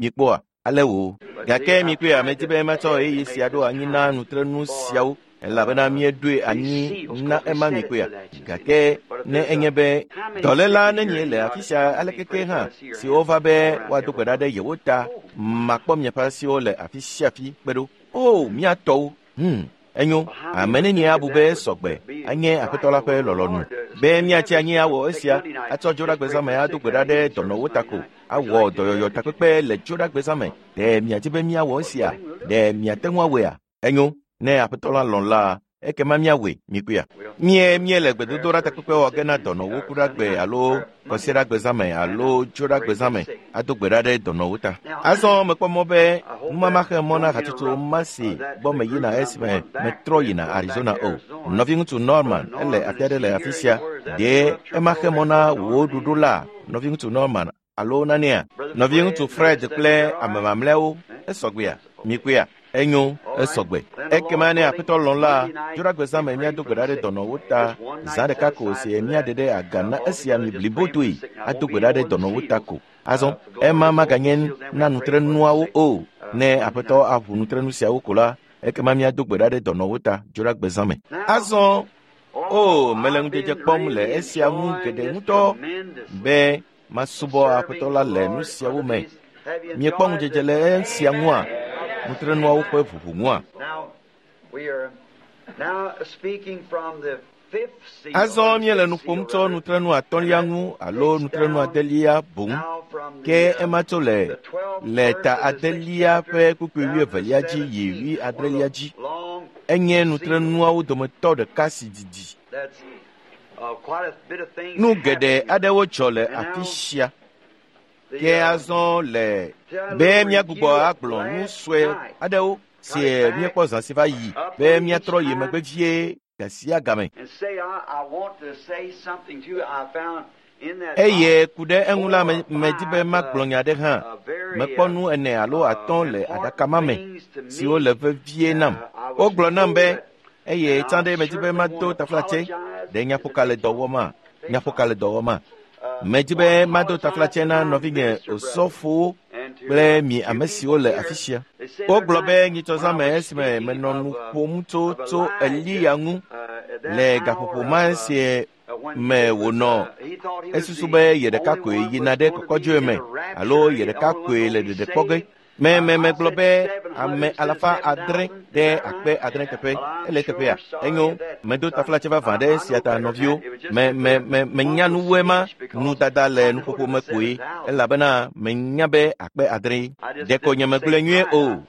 Mikpɔa, ale wo. Gake mikpɔe, medi be matsɔ ɣeyiɣi sia ɖo anyi na nutrenu siawo. Elabena míeɖoe anyi na ema mi koea. Gake ne enye be dɔléla nenie le afi sia alekeke hã si wova be woado gbe ɖa ɖe yewo ta, makpɔ miaƒe asiwo le afi sia afi kpe ɖo. O, mía tɔwo! Enyo, ame nenie abu be sɔgbe anye Aƒetɔ la ƒe lɔlɔ̃nu be míatsi anyi awɔ esia, atsɔ dzoɖagbezãme ado gbe ɖa ɖe dɔnɔwo ta ko, awɔ dɔyɔyɔ takpekpe le dzoɖagbezãme. Ɖe miadi be míawɔ esia? Ɖe miate ŋu awɔea? Enyo, ne Aƒetɔ la lɔ̃ la, ekema míawɔe, mikuia. Míele gbedodoɖa takpekpe wɔ ge na dɔnɔwo kuɖagbe alo kɔsiɖagbezãme alo dzoɖagbezãme ado gbe ɖa ɖe dɔnɔwo ta. Azɔ mekpɔ mɔ be numama xe mɔ na hatsotso ma si gbɔ meyina esime metrɔ yina Arizona o. Nɔviŋutsu Norman ele afi aɖe le afi sia. Ɖe ema xe mɔ na wò ɖoɖo la, nɔviŋutsu Norman alo nanea? Nɔviŋutsu Fred kple ame mamlɛawo esɔgbea? Mikuia? Enyo, esɔgbe. Ekema ne Aƒetɔ lɔ̃ la, dzoɖagbezãme míado gbe ɖa ɖe dɔnɔwo ta. Zã ɖeka ko si míaɖe ɖe aga na esia mi blibotoe ado gbe ɖa ɖe dɔnɔwo ta ko. Azɔ, ema maganye na nutrenuawo o. Ne Aƒetɔ aʋu nutrenu siawo ko la, ekema míado gbe ɖa ɖe dɔnɔwo ta dzoɖagbezãme. Azɔ, o, mele ŋudzedze kpɔm le esia ŋu geɖe ŋutɔ be masubɔ Aƒetɔ la le nu siawo me. Miekpɔ ŋudzedze le esia ŋua? Nutrenuawo ƒe ʋuʋu ŋua? Azɔ míele nu ƒom tso nutrenu atɔ̃lia ŋu alo nutrenu adelia boŋ, ke ema tso le ta adelia ƒe kpukpui wuievelia dzi yi wuiadrelia dzi. Enye nutrenuawo dometɔ ɖeka si didi. Nu geɖe aɖewo dzɔ le afi sia. Ke azɔ le be míagbugbɔ agblɔ nu sue aɖewo si míekpɔ zã si va yi be míatrɔ yi megbe vie gasia game. Eye ku ɖe eŋu la medi be magblɔ nya aɖe hã. Mekpɔ nu ene alo atɔ̃ le aɖaka ma me siwo le vevie nam. Wogblɔ nam be eye tsã ɖe medi be mado taflatse. Ɖe nyaƒoka le dɔ wɔma? Nyaƒoka le dɔ wɔma? Medi be mado taflatse na nɔvinye osɔfowo kple mi ame siwo le afi sia. Wogblɔ be nyitsɔzãme esime menɔ nu ƒom tso Eliya ŋu le gaƒoƒo ma si me wònɔ esusu be ye ɖeka koe yina ɖe kɔkɔdzoe me alo ye ɖeka koe le ɖeɖekpɔ ge. Megblɔ be ame 600 ɖe 6,000 teƒe. Ele teƒea. Enyo, medo taflatse vavã ɖe esia ta nɔviwo. Menya nuwoe ma nudada le nuƒoƒo me koe elabena menya be 6,000. Ɖeko nye megblɔe nyuie o.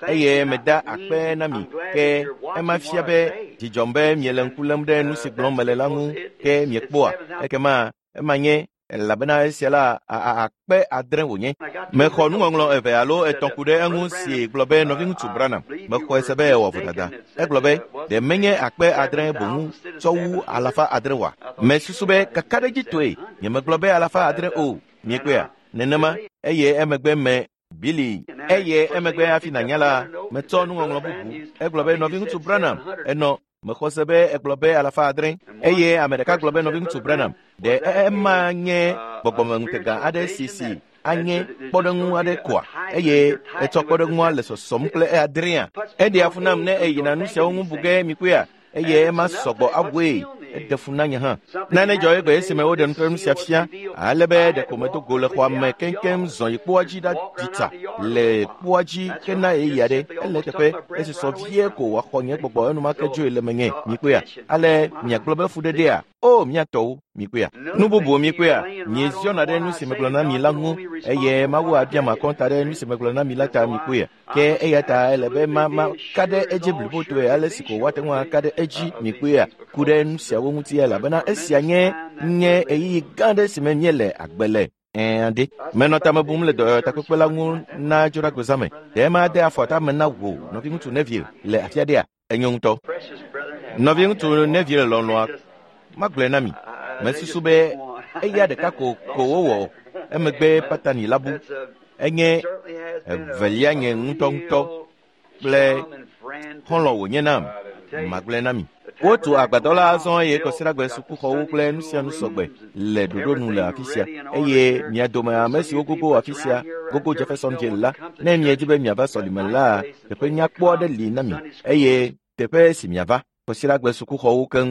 Eye meda akpe na mi ke ema fia be dzidzɔm be miele ŋku lém ɖe nu si gblɔm mele la ŋu ke miekpɔa. Ekema ema nye elabena esia la 6,000 wònye. Mexɔ nuŋɔŋlɔ eve alo etɔ̃ ku ɖe eŋu si gblɔ be nɔviŋutsu Branham mexɔe se be ewɔ vodada. Egblɔ be ɖe menye 6,000 boŋu tsɔ wu 600 oa? Mesusu be kakaɖedzitɔe nyemegblɔ be 600 o. Miekpɔea? Nenema eye emegbe me Billy eye emegbe hafi nànya la metsɔ nuŋɔŋlɔ bubu. Egblɔ be nɔviŋutsu Branham enɔ mexɔ se be egblɔ be 600 eye ame ɖeka gblɔ be nɔviŋutsu Branham ɖe ema nye gbɔgbɔmeŋutega aɖe si anye kpɔɖeŋu aɖe koa eye etsɔ kpɔɖeŋua le sɔsɔm kple adrea. Eɖea fu nam ne eyina nu siawo ŋu bu ge mikuia eye ema sɔgbɔ awɔe eɖe fu na nye hã. Nane dzɔ egbe esime woɖe nutrenu sia fia ale be ɖeko medo go le xɔa me keŋkeŋ zɔ yi kpoa dzi ɖaɖi tsa le kpoa dzi hena ɣeyiɣi aɖe. Ele teƒe esusɔ vie ko wòaxɔ nye gbɔgbɔ enumake dzoe le menye mikpɔea. Ale miagblɔ be fuɖeɖea? O, mía tɔwo, mikpɔea. Nu bubu mikpɔea, mieziɔna ɖe nu si megblɔ na mi la ŋu eye Mawu abia makɔnta ɖe nu si megblɔ na mi la ta mikpɔea. Ke eya ta ele be ma ka ɖe edzi blibotoe ale si ko woate ŋu aka ɖe edzi mikpɔea ku ɖe nu siawo ŋuti elabena esia nye ɣeyiɣi gã aɖe si me míele agbe le. Aɖe. Menɔ tame bum le dɔyɔtakpekpe la ŋu na dzoɖagbezãme. Ɖe ema de afɔ tame na wò nɔviŋutsu Neville le afi aɖea? Enyo ŋutɔ. Nɔviŋutsu Neville lɔlɔ̃a magblɔe na mi. Mesusu be eya ɖeka ko wowɔ emegbe Patani la bu. Enye evelia nye ŋutɔŋutɔ kple xɔlɔ̃ wònye nam. Magblɔe na mi. Wotu agbadɔ la azɔ eye kɔsiɖagbe sukuxɔwo kple nu sia nu sɔgbe le ɖoɖo nu le afi sia eye mia dome ame siwo gogo afi sia gogo Jeffersonville la, ne miedi be miava sɔlime la, teƒe nyakpɔ aɖe li na mi eye Teƒe si miava. Kɔsiɖagbe sukuxɔwo keŋ.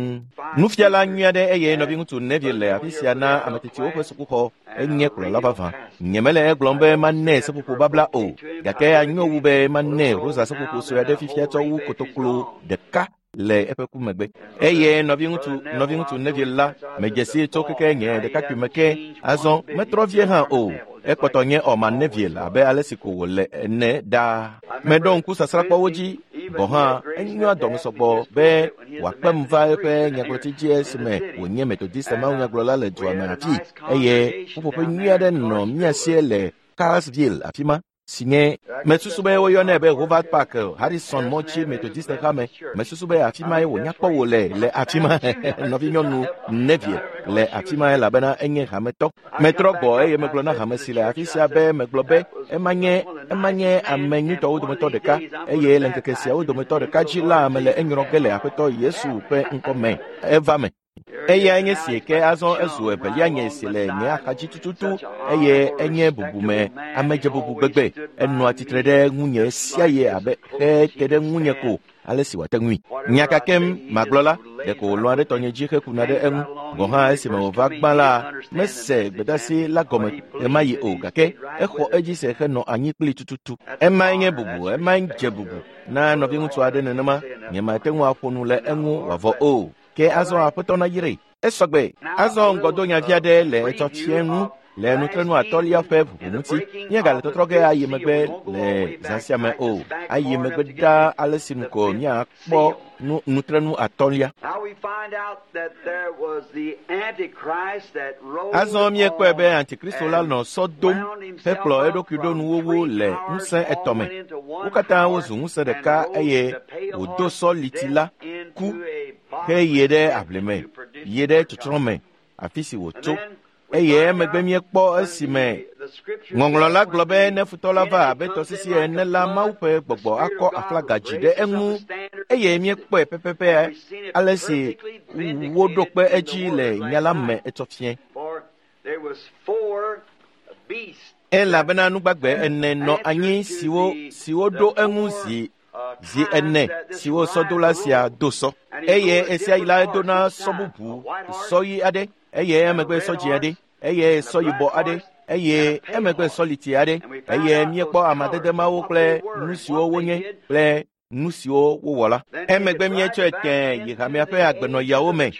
Nufiala nyui aɖe eye nɔviŋutsu Neville le afi sia na ame tsitsiwo ƒe sukuxɔ enye kplɔla vavã. Nyemele egblɔm be manɛ seƒoƒo babla o, gake anyo wu be manɛ rosa seƒoƒo sue aɖe fifia tsɔ wu kotoklo ɖeka le eƒe ku megbe. Eye nɔviŋutsu Neville la medze si tso keke nye ɖekakpui me ke. Azɔ metrɔ vie hã o. Ekpɔtɔ nye Orman Neville abe ale si ko wòle ene ɖaa. Meɖo ŋku sasrãkpɔwo dzi gɔ̃ hã enyoa dɔme sɔgbɔ be wòakpem va eƒe nyagblɔtsi dzi esime wònye Methodist mawunyagblɔla le dua me afi eye ƒuƒoƒe nyui aɖe nɔ mía sie le Carlsville afi ma si nye mesusu be woyɔnɛ be Howard Park Harrison mɔtsi Methodist hame. Mesusu be afi mae wònya kpɔ wò le afi ma. Nɔvinyɔnu Neville le afi ma elabena enye hametɔ. Metrɔ gbɔ eye megblɔ na hame si le afi sia be megblɔ be ema nye ame nyuitɔwo dometɔ ɖeka eye le ŋkeke siawo dometɔ ɖeka dzi la mele enyrɔ ge le Aƒetɔ Yesu ƒe ŋkɔ me. Eva me. Eyae nye si ke azɔ ezu evelia nye si le nye axadzi tututu eye enye bubume amedzebubu gbegbe. Enɔa tsitre ɖe ŋunye sia ye abe xe te ɖe ŋunye ko ale si wòate ŋui. Nya ka kem magblɔ la, ɖeko wòlɔ̃a ɖe tɔnye dzi hekuna ɖe eŋu. Gɔ̃ hã esime wòva gbã la, mese gbedeasi la gɔme ɣemaɣi o, gake exɔ edzi se henɔ anyi kpli tututu. Emae nye bubu, emae dze bubu na nɔviŋutsu aɖe nenema. Nyemate ŋu aƒo nu le eŋu wòavɔ o. Ke azɔ Aƒetɔ na yrae. Esɔgbe. Azɔ ŋgɔdonyavi aɖe le etsɔ fie ŋu le nutrenu atɔ̃lia ƒe ʋuʋu ŋuti. Míegale tɔtrɔ ge ayi megbe le zã sia me o. Ayi megbe ɖaa ale si nu ko míakpɔ nutrenu atɔ̃lia. Azɔ míekpɔe be Antikristo la nɔ sɔ dom hekplɔ eɖokui ɖo nuwuwu le ŋusẽ etɔ̃ me. Wo katã wozu ŋusẽ ɖeka eye wòdo sɔ liti la ku heye ɖe aʋli me, yi ɖe tsɔtsrɔ̃ me, afi si wòtso. Eye emegbe míekpɔ esime ŋɔŋlɔ la gblɔ be ne futɔ la va abe tɔsisi ene la, Mawu ƒe gbɔgbɔ akɔ aflaga dzi ɖe eŋu. Eye míekpɔe pɛpɛpɛ ale si woɖo kpe edzi le nya la me etsɔ fie. Elabena nugbagbe ene nɔ anyi siwo ɖo eŋu zi ene siwo sɔdola sia do sɔ. Eye esia yi la edona sɔ bubu, sɔ ɣi aɖe, eye emegbe sɔ dzĩ aɖe, eye sɔ yibɔ aɖe, eye emegbe sɔ liti aɖe. Eye míekpɔ amadede mawo kple nu siwo wonye kple nu siwo wowɔ la. Emegbe míetsɔe tẽe yi hamea ƒe agbenɔyawo me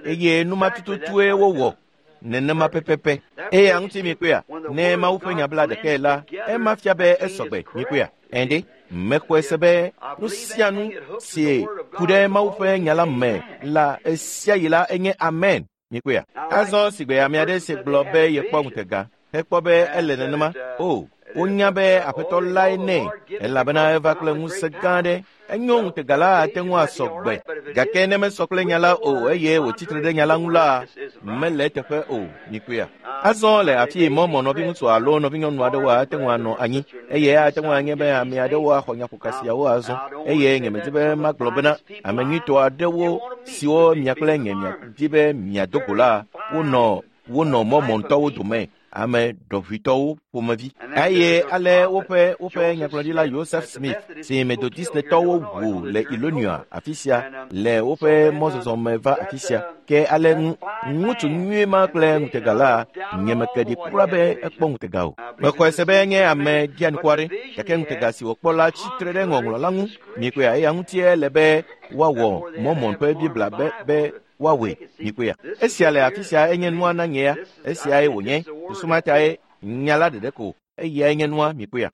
eye numa tututue wowɔ nenema pɛpɛpɛ. Eya ŋuti mikpɔea, ne Mawu ƒe nya bla ɖekae la, ema fia be esɔgbe. Mikpɔea, ɛnde mexɔe se be nu sia nu si ku ɖe Mawu ƒe nya la me la esia yi la enye amen. Mikpɔea, azɔ sigbe ame aɖe si gblɔ be yekpɔ ŋutega hekpɔ be ele nenema. O, wonya be Aƒetɔ lae nɛ elabena eva kple ŋusẽ gã aɖe. Enyo ŋutega la ate ŋu asɔ gbe, gake ne mesɔ kple nya la o eye wòtsitre ɖe nya la ŋu la, mele eteƒe o. Mikpɔea, azɔ le afi mɔmɔ nɔviŋutsu alo nɔvinyɔnu aɖewo ate ŋu anɔ anyi eye ate ŋu anye be ame aɖewo axɔ nyaƒoka siawo azɔ. Eye nyemedi be magblɔ bena ame nyuitɔ aɖewo siwo mia kple nye miadi be miado go la, wonɔ mɔmɔntɔwo dome, ame ɖɔʋuitɔwo ƒomevi. Eye ale woƒe nyagblɔɖila Joseph Smith si Methodistetɔwo ʋu le Illinois afi sia le woƒe mɔzɔzɔ me va afi sia. Ke ale ŋutsu nyui ma kple ŋutega la, nyemeke ɖi kura be ekpɔ ŋutega o. Mexɔe se be enye ame ɖianukware, gake ŋutega si wòkpɔ la tsi tre ɖe ŋɔŋlɔ la ŋu. Mikpɔea, eya ŋutie le be woawɔ Mormon ƒe Biblia be woawɔe. Mikpɔea, esia le afi sia enye nua na nye ya. Esiae wònye. Susu ma tae nya la ɖeɖe ko eyae nye nua. Mikpɔea,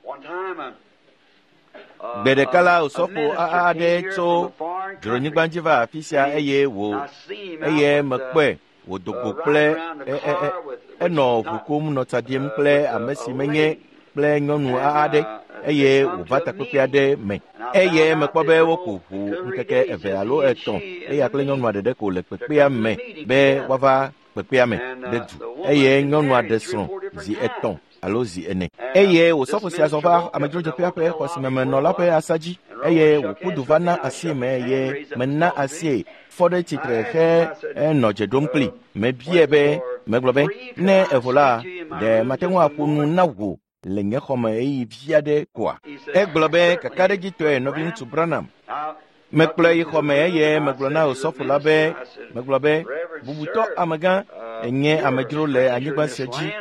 gbe ɖeka la osɔfo aɖe tso dzronyigba dzi va afi sia eye eye mekpɔe wòdo go kple enɔ ʋu kum nɔ tsa ɖim kple ame si menye kple nyɔnu aɖe eye wòva takpekpe aɖe me. Eye mekpɔ be woku ʋu ŋkeke eve alo etɔ̃ eya kple nyɔnua ɖeɖe ko le kpekpea me be woava kpekpea me ɖe du. Eye nyɔnua ɖe srɔ̃ zi etɔ̃ alo zi ene. Eye wòsɔfo sia zɔ va amedzrodzeƒea ƒe xɔ si me menɔ la ƒe asa dzi eye wòku du va na asie me eye mena asie fɔ ɖe tsitre he enɔ dze ɖom kpli. Mebiae be, megblɔ be, ne evo la, ɖe mate ŋu aƒo nu na wò le nye xɔme ɣeyiɣi vi aɖe koa? Egblɔ be kakaɖedzitɔe nɔviŋutsu Branham. Mekplɔe yi xɔme eye megblɔ na osɔfo la be, megblɔ be, bubutɔ amegã, enye amedzro le anyigba sia dzi.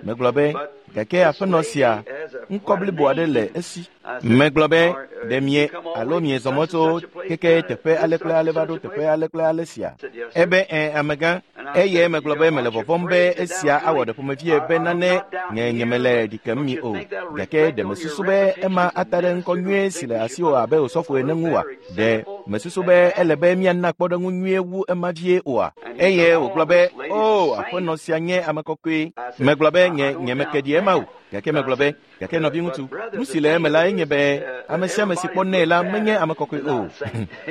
Megblɔ be, gake aƒenɔ sia, ŋkɔ blibo aɖe le esi. Megblɔ be, ɖe mie alo miezɔ mɔ tso keke teƒe ale kple ale va ɖo teƒe ale kple ale sia. Ebe ẽ amegã, eye megblɔ be mele vɔvɔ̃m be esia awɔ ɖe ƒomevie be nane nye nyemele ɖi kem mi o. Gake ɖe mesusu be ema ata ɖe ŋkɔ nyuie si le asiwò abe osɔfo ene ŋu oa? Ɖe mesusu be ele be míana kpɔɖeŋu nyuie wu ema vie oa? Eye wògblɔ be, o, aƒenɔ sia nye ame kɔkɔe. Megblɔ be nye nyemeke ɖi ema o. Gake megblɔ be, gake nɔviŋutsu, nu si le eme la enye be ame sia ame si kpɔnɛ la menye ame kɔkɔe o.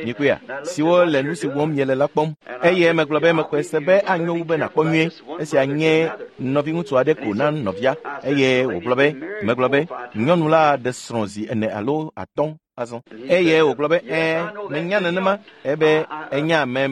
Mikpɔea, siwo le nu si wɔm miele la kpɔm. Eye megblɔ be mexɔe se be anyo wu be nàkpɔ nyuie. Esia nye nɔviŋutsu aɖe ko na nɔvia. Eye wògblɔ be, megblɔ be, nyɔnu la ɖe srɔ̃ zi 4 alo 5 azɔ. Eye wògblɔ be, ẽ, menya nenema. Ebe enya me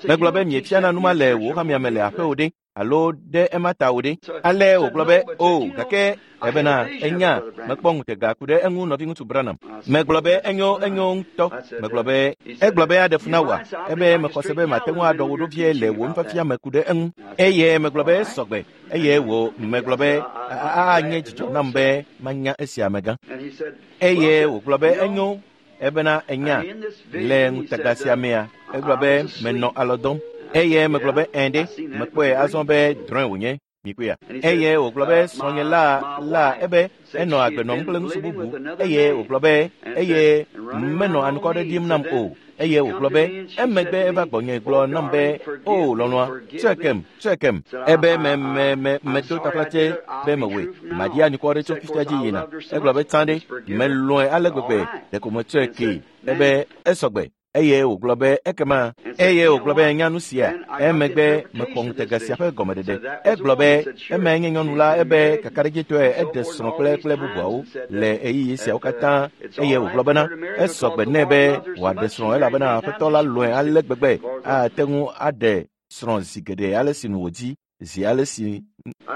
megblɔ be miefiana nu ma le wò hamea me le aƒewò ɖe alo ɖe ema ta wò ɖe. Ale wògblɔ be, o, gake ebena enya mekpɔ ŋutega ku ɖe eŋu nɔviŋutsu Branham. Megblɔ be enyo ŋutɔ. Megblɔ be egblɔ be aɖe fu na wòa. Ebe mexɔ se be mate ŋu aɖɔ wò ɖo vie le wò nufiafia me ku ɖe eŋu. Eye megblɔ be sɔgbe. Eye wò megblɔ be anye dzidzɔ nam be manya esia amegã. Eye wògblɔ be enyo. Ebena enya le ŋutega sia mea, egblɔ be menɔ alɔ dɔm. Eye megblɔ be ẽ ɖe, mekpɔe azɔ be drɔ̃e wònye. Mikpɔea. Eye wògblɔ be srɔ̃nye la ebe enɔ agbe nɔm kple ŋutsu bubu. Eye wògblɔ be eye menɔ anukɔ ɖe ɖim nam o. Eye wògblɔ be emegbe eva gbɔnye gblɔ nam be, o lɔlɔ̃a, tsɔe kem. Ebe medo taflatse be mewɔe. Maɖi anukɔ ɖe tso fifia dzi yina. Egblɔ be tsã ɖe, melɔ̃e ale gbegbe ɖeko metsɔe kee. Ebe esɔgbe. Eye wògblɔ be ekema. Eye wògblɔ be nya nu sia. Emegbe mexɔ ŋutega sia ƒe gɔmeɖeɖe. Egblɔ be emae nye nyɔnu la ebe kakaɖedzitɔe eɖe srɔ̃ kple bubuawo le ɣeyiɣi siawo katã. Eye wògblɔ bena esɔgbe nɛ be wòaɖe srɔ̃ elabena aƒetɔ la lɔ̃e ale gbegbe ate ŋu aɖe srɔ̃ zi geɖe ale si nu wòdi zi ale si.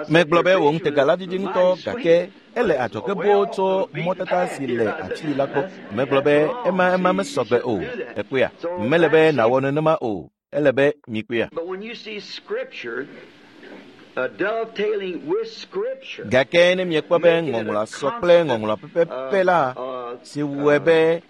Megblɔ be wò ŋutega la vivi ŋutɔ gake ele adzɔge boo tso mɔtata si le afi la gbɔ. Megblɔ be ema mesɔgbe o. Ekpɔea, mele be nàwɔ nenema o. Ele be mikpɔea. Gake ne miekpɔ be ŋɔŋlɔa sɔ kple ŋɔŋlɔa pɛpɛpɛ la, si wɔe be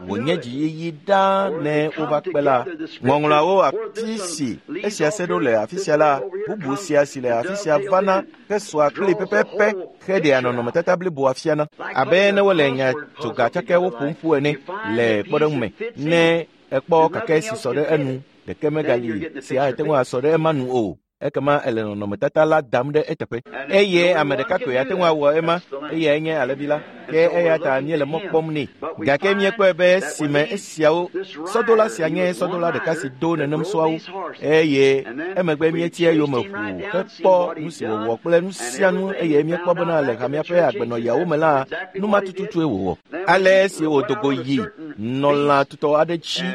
wònye dziyiyi ɖaa ne wova kpe la, ŋɔŋlɔawo afi si esia se ɖo le afi sia la, bubu sia si le afi sia vana hesɔa kpli pɛpɛpɛ heɖea nɔnɔmetata bliboa fiana. Abe ne wole nya tsoga tsakɛwo ƒom ƒu ene le kpɔɖeŋu me, ne ekpɔ kake si sɔ ɖe enu, ɖeke megali si ate ŋu asɔ ɖe ema nu o. Ekema ele nɔnɔmetata la dam ɖe eteƒe. Eye ame ɖeka koe ate ŋu awɔ ema, eyae nye alẽvi la. Ke eya ta míele mɔ kpɔm nɛ. Gake míekpɔe be esime esiawo sɔdola sia nye sɔdola ɖeka si do nenem sɔawo, eye emegbe míeti eyome ʋuu hekpɔ nu si wòwɔ kple nu sia nu eye míekpɔ bena le hamea ƒe agbenɔɣiawo me la, nu ma tututue wòwɔ. Ale esi wòdo go yi nɔ lã tutɔ aɖe dzi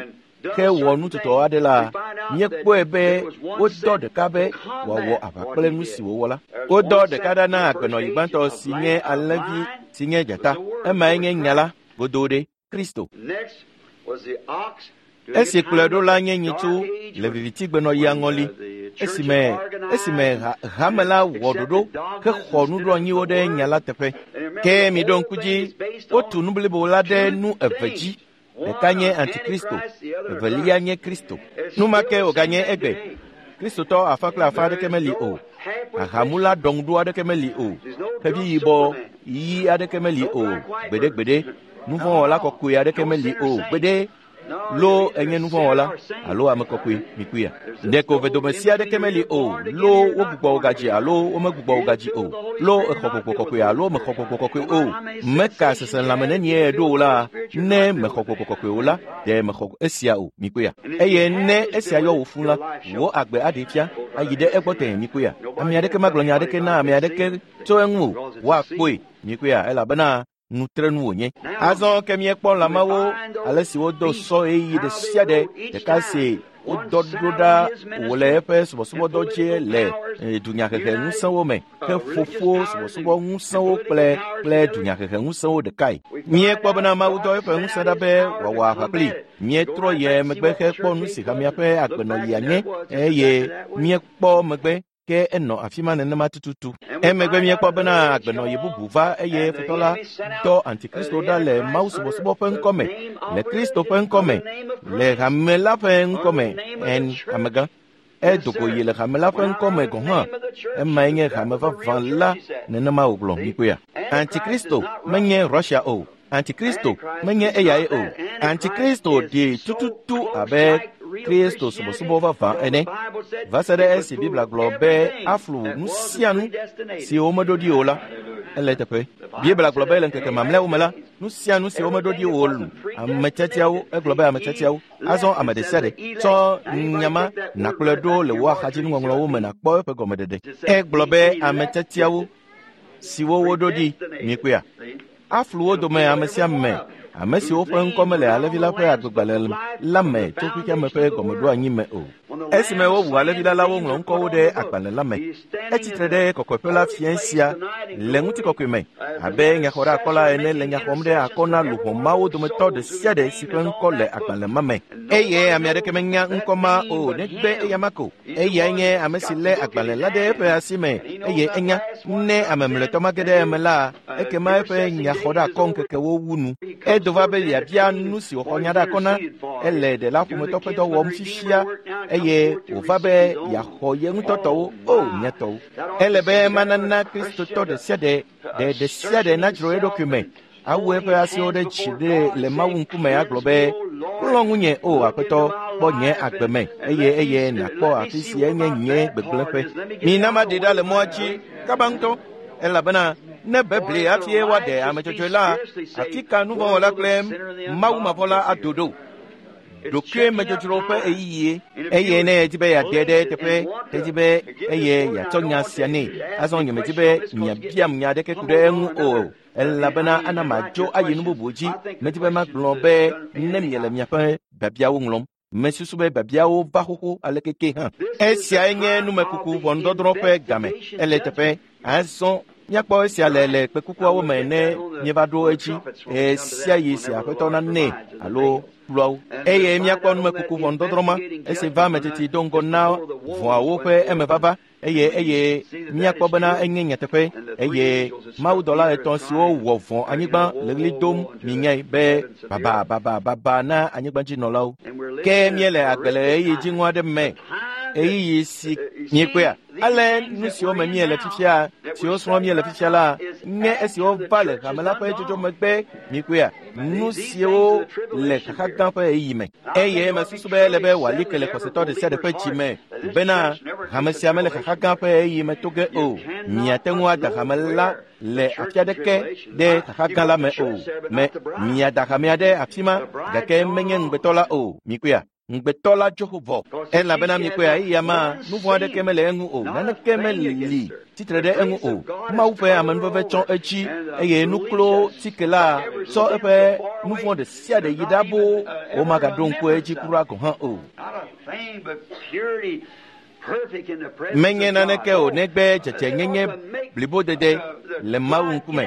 hewɔ nu tutɔ aɖe la, míekpɔe be wodɔ ɖeka be wòawɔ aʋa kple nu si wòwɔ la. Wodɔ ɖeka ɖa na agbenɔɣi gbãtɔ si nye alẽvi si nye dzata. Emae nye nya la godoo ɖe Kristo. Esi kplɔe ɖo la nye nyitsu le vivitigbenɔɣia ŋɔli, esime hame la wɔ ɖoɖo hexɔ nuɖoanyiwo ɖe nya la teƒe. Ke miɖo ŋku dzi, wotu nu blibo la ɖe nu eve dzi. Ɖeka nye Antikristo, evelia nye Kristo. Nu ma ke wòganye egbe. Kristotɔ afã kple afã aɖeke meli o. Ahamula ɖɔŋuɖo aɖeke meli o. Xevi yibɔ ɣi aɖeke meli o. Gbeɖegbeɖe. Nuvɔ̃wɔla kɔkɔe aɖeke meli o. Gbeɖe. Lo enye nuvɔ̃wɔla alo ame kɔkɔe mikpɔea. Ɖeko vedomesi aɖeke meli o. Lo wogbugbɔ wo gadzi alo womegbugbɔ wo gadzi o. Lo exɔ gbɔgbɔ kɔkɔe alo mexɔ gbɔgbɔ kɔkɔe o. Meka seselãme nenie ɖo o la, ne mexɔ gbɔgbɔ kɔkɔe o la, ɖe mexɔ esia o mikpɔea. Eye ne esia yɔ wò fũ la, wò agbe aɖee fia ayi ɖe egbɔ tẽe mikpɔea. Ame aɖeke magblɔ nya aɖeke na ame aɖeke tso eŋu o. Woakpɔe mikpɔea elabena nutrenu wònye. Azɔ ke míekpɔ lãmawo ale si wodo sɔ ɣeyiɣi ɖe sia ɖe ɖeka si wodɔ ɖo ɖa wòle eƒe subɔsubɔdɔ dzi le dunyahehe ŋusẽwo me ke fofo subɔsubɔ ŋusẽwo kple dunyahehe ŋusẽwo ɖekae. Míekpɔ bena Mawu dɔ eƒe ŋusẽ ɖa be wòawɔ aʋa kpli. Míetrɔ yi megbe hekpɔ nu si hamea ƒe agbenɔɣia nye eye míekpɔ megbe ke enɔ afi ma nenema tututu. Emegbe míekpɔ bena agbenɔɣi bubu va eye futɔ la dɔ Antikristo ɖa le Mawu subɔsubɔ ƒe ŋkɔme, le Kristo ƒe ŋkɔme, le hame la ƒe ŋkɔme en amegã. Edo go yi le hame la ƒe ŋkɔme gɔ̃ hã. Emae nye hame vavã la nenema wògblɔ mikpɔea. Antikristo menye Russia o. Antikristo menye eyae o. Antikristo ɖi tututu abe Kristo subɔsubɔ vavã ene. Va se ɖe esi Biblia gblɔ be aflu nu sia nu si womeɖo ɖi o la, ele teƒe. Biblia gblɔ be le ŋkeke mamlɛawo me la, nu sia nu si womeɖo ɖi o lu ame tiatiawo, egblɔ be ame tiatiawo. Azɔ ame ɖe sia ɖe tsɔ nyama nàkplɔe ɖo le wò axadzinuŋɔŋlɔwo me nàkpɔ eƒe gɔmeɖeɖe. Egblɔ be ame tiatiawo siwo woɖo ɖi mikpɔea. Aflu wo dome ame sia ame, ame siwo ƒe ŋkɔ mele Alẽvi la ƒe agbegbalẽ la me tso xexeame ƒe gɔmeɖoanyi me o. Esime wowu Alẽvi la la, woŋlɔ ŋkɔwo ɖe agbalẽ la me. Etsitre ɖe kɔkɔeƒe la fiẽ sia le ŋutikɔkɔe me abe nyaxɔɖeakɔla ene le nya xɔm ɖe akɔ na luʋɔ mawo dometɔ ɖe sia ɖe si ƒe ŋkɔ le agbalẽ ma me. Eye ame aɖeke menya ŋkɔ ma o negbe eyama ko. Eyae nye ame si lé agbalẽ la ɖe eƒe asi me eye enya ne ame mlɔetɔ mage ɖe eme la, ekema eƒe nyaxɔɖeakɔ ŋkekewo wu nu. Edo va be yeabia nu si wòxɔ nya ɖe akɔ na. Ele ɖela ƒometɔ ƒe dɔ wɔm fifia eye wòva be yeaxɔ ye ŋutɔ tɔwo o mía tɔwo. Ele be manana Kristotɔ ɖe sia ɖe ɖe sia ɖe nadzro eɖokui me awu eƒe asiwo ɖe dzi ɖe le Mawu ŋkume agblɔ be, "Klɔ ŋunye o Aƒetɔ, kpɔ nye agbe me eye nàkpɔ afi si enye nye gbegblẽƒe. Mina maɖe ɖa le mɔa dzi kaba ŋutɔ, elabena ne bebli hafi woaɖe ame dzɔdzɔe la, afi ka nuvɔ̃wɔla kple mawumavɔla ado ɖo? Ɖokuimedzodzro ƒe ɣeyiɣie eye ne edi be yeade ɖe eteƒe, edi be eye yeatsɔ nya sia nɛ. Azɔ nyemedi be miabiam nya aɖeke ku ɖe eŋu o, elabena ana madzo ayi nu bubu dzi. Medi be magblɔ be ne miele miaƒe biabiawo ŋlɔm. Mesusu be biabiawo va xoxo aleke ke hã. Esiae nye numekuku ʋɔnudɔdrɔ̃ ƒe game. Ele teƒe. Azɔ míakpɔ esia le kpekukuawo me ne míeva ɖo edzi ɣe sia ɣi si Aƒetɔ nanɛ alo kpluawo. Eye míakpɔ numekuku ʋɔnudɔdrɔ̃ ma esi va ame teti do ŋgɔ na vɔawo ƒe emevava eye míakpɔ bena enye nyateƒe eye mawudɔla etɔ̃ siwo wɔ vɔ̃ anyigba le ɣli dom minyae be baba baba baba na anyigbadzinɔlawo. Ke míele agbe le ɣeyiɣi dziŋɔ aɖe me, ɣeyiɣi si míekpɔea. Ale nu siwo me míele fifia, siwo srɔ̃m míele fifia la, nye esiwo va le hame la ƒe dzodzo megbe míekpɔea, nu siwo le xaxa gã ƒe ɣeyiɣi me. Eye mesusu be ele be wòali ke le xɔsetɔ ɖe sia ɖe ƒe dzi me bena hame sia mele xaxa gã ƒe ɣeyiɣi me to ge o. Miate ŋu ada hame la le afi aɖeke ɖe xaxa gã la me o. Me miada hamea ɖe afi ma gake menye ŋugbetɔ la o. Mikpɔea? Ŋugbetɔ la dzo vɔ. Elabena mikpɔea eya ma nu vɔ̃ aɖeke mele eŋu o, naneke meli tsitre ɖe eŋu o. Mawu ƒe amenuveve tsɔ edzi eye nuklo tike la tsɔ eƒe nu vɔ̃ ɖe sia ɖe yi ɖa boo womagaɖo ŋku edzi kura gɔ̃ hã o. Menye naneke o negbe dzedzenyenye blibodede le Mawu ŋkume.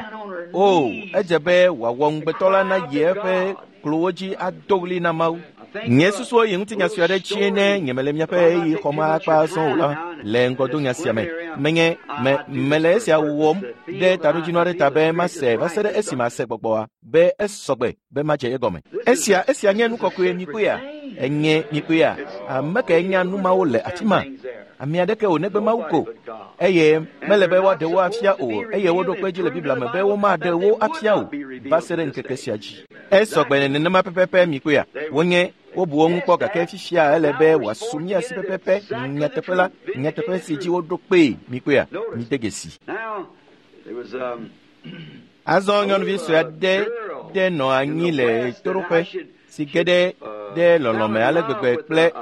O, edze be wòawɔ ŋugbetɔ la nayi eƒe klowo dzi ado ɣli na Mawu. Nye susuwo yi ŋutinya sue aɖe dzie ne nyemele miaƒe ɣeyiɣi xɔm akpa azɔ o la le ŋgɔdonya sia me. Menye mele esia wɔm ɖe taɖodzinu aɖe ta be mase va se ɖe esime ase gbɔgbɔa be esɔgbe be madze egɔme. Esia nye nu kɔkɔe mikpɔea? Enye mikpɔea? Ame kae nya nu mawo le afi ma? Ame aɖeke o negbe Mawu ko. Eye mele be woaɖe wo afia o eye woɖo kpe edzi le Biblia me be womaɖe wo afia o va se ɖe ŋkeke sia dzi. Esɔgbe nenema pɛpɛpɛ mikpɔea? Wonye wobu wo ŋu kpɔ gake fifia ele be wòasu mía si pɛpɛpɛ nyateƒe la, nyateƒe si dzi woɖo kpee mikpɔea? Mide dzesi. Azɔ nyɔnuvi sue aɖe ɖe nɔ anyi le toɖoƒe si ge ɖe lɔlɔ̃me ale gbegbe kple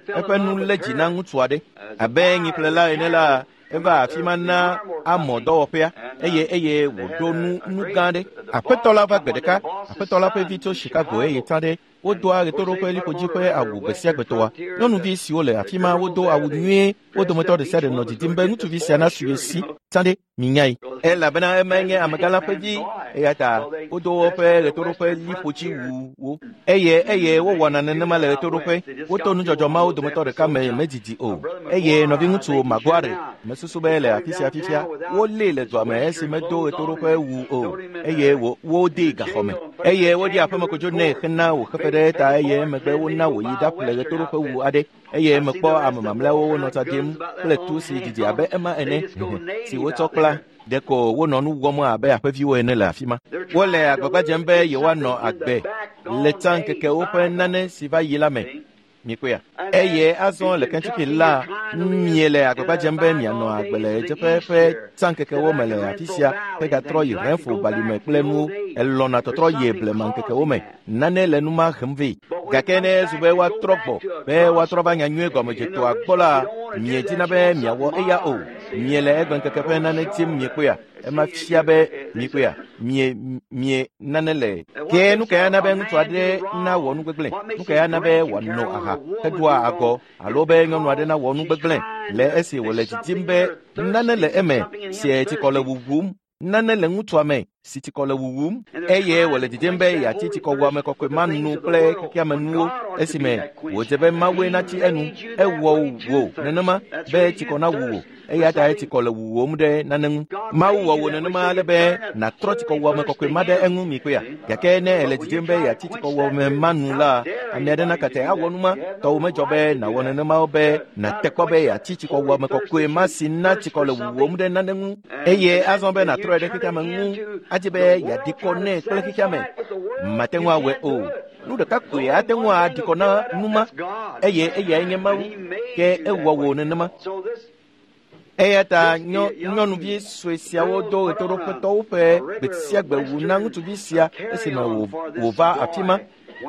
eƒe nu lé dzi na ŋutsu aɖe. Abe nyiƒlela ene la, eva afi ma na amɔ dɔwɔƒea eye wòɖo nu gã aɖe. Aƒetɔ la va gbe ɖeka, aƒetɔ la ƒe vi tso Chicago eye tsã ɖe Wodoa ɣetoɖoƒe liƒodzi ƒe awu gbe sia gbe tɔa. Nyɔnuvi siwo le afi ma wodo awu nyuie. Wo dometɔ ɖe sia ɖe nɔ didim be ŋutsuvi sia nasu ye si. Tsã ɖe, minyae. Elabena emae nye amegã la ƒe vi. Eya ta wodo woƒe ɣetoɖoƒe liƒodzi wuwo. Eye wowɔna nenema le ɣetoɖoƒe. Woto nudzɔdzɔ mawo dometɔ ɖeka me medidi o. Eye nɔviŋutsu Maguire, mesusu be le afi sia fifia, wolée le dua me esi medo ɣetoɖoƒe wu o. Eye wodee gaxɔ me. Eye wodi aƒemekodzo nɛ hena wòxefe ɖe eta eye emegbe wona wòyi ɖaƒle ɣetoɖoƒe wu aɖe. Eye mekpɔ ame mamlɛawo wonɔ tsa ɖim kple tu si didi abe ema ene si wotsɔ kpla. Ɖeko wonɔ nu wɔm abe aƒeviwo ene le afi ma. Wole agbagba dzem be yewoanɔ agbe le tsã ŋkekewo ƒe nane si va yi la me. Mikpɔea? Eye azɔ le Kentucky la, miele agbagba dzem be mianɔ agbe le ɣedzeƒe ƒe tsã ŋkekewo me le afi sia hegatrɔ yi Renfro balime kple nuwo. Elɔ̃na tɔtrɔ yi blema ŋkekewo me. Nane le nu ma hem vɛ. Gake ne ezu be woatrɔ gbɔ, be woatrɔ va nyanyuie gɔmedzetoa gbɔ la, miedina be miawɔ eya o. Miele egbe ŋkeke ƒe nane tim miekpɔea? Ema fia be mikpɔea? Mie nane le. Ke nu kae ana be ŋutsu aɖe nawɔ nu gbegblẽ? Nu kae ana be wòano aha heɖua agɔ alo be nyɔnu aɖe nawɔ nu gbegblẽ le esi wòle didim be nane le eme si tsikɔ le wuwum? Nane le ŋutsua me si tsikɔ le wuwum eye wòle didim be yeatsi tsikɔwuame kɔkɔe ma nu kple xexeamenuwo esime wòdze be Mawue natsi enu. Ewɔ wò nenema be tsikɔ nawu wò. Eya ta tsikɔ le wuwòm ɖe nane ŋu. Mawu wɔ wò nenema ale be nàtrɔ tsikɔwuame kɔkɔe ma ɖe eŋu mikpɔea. Gake ne èle didim be yeatsi tsikɔwuame ma nu la, ame aɖe nakate awɔ nu ma. Tɔwò medzɔ be nàwɔ nenema be nàte kpɔ be yeatsi tsikɔwuame kɔkɔe ma si na tsikɔ le wuwòm ɖe nane ŋu. Eye azɔ be nàtrɔe ɖe xexeame ŋu adi be yeaɖi kɔ nɛ kple xexeame. Mate ŋu awɔe o. Nu ɖeka koe ate ŋu aɖi kɔ na nu ma, eye eyae nye Mawu. Ke ewɔ wò nenema. Eya ta nyɔnuvi sue siawo do ɣetoɖoƒetɔwo ƒe gbe sia gbe wu na ŋutsuvi sia esime wòva afi ma.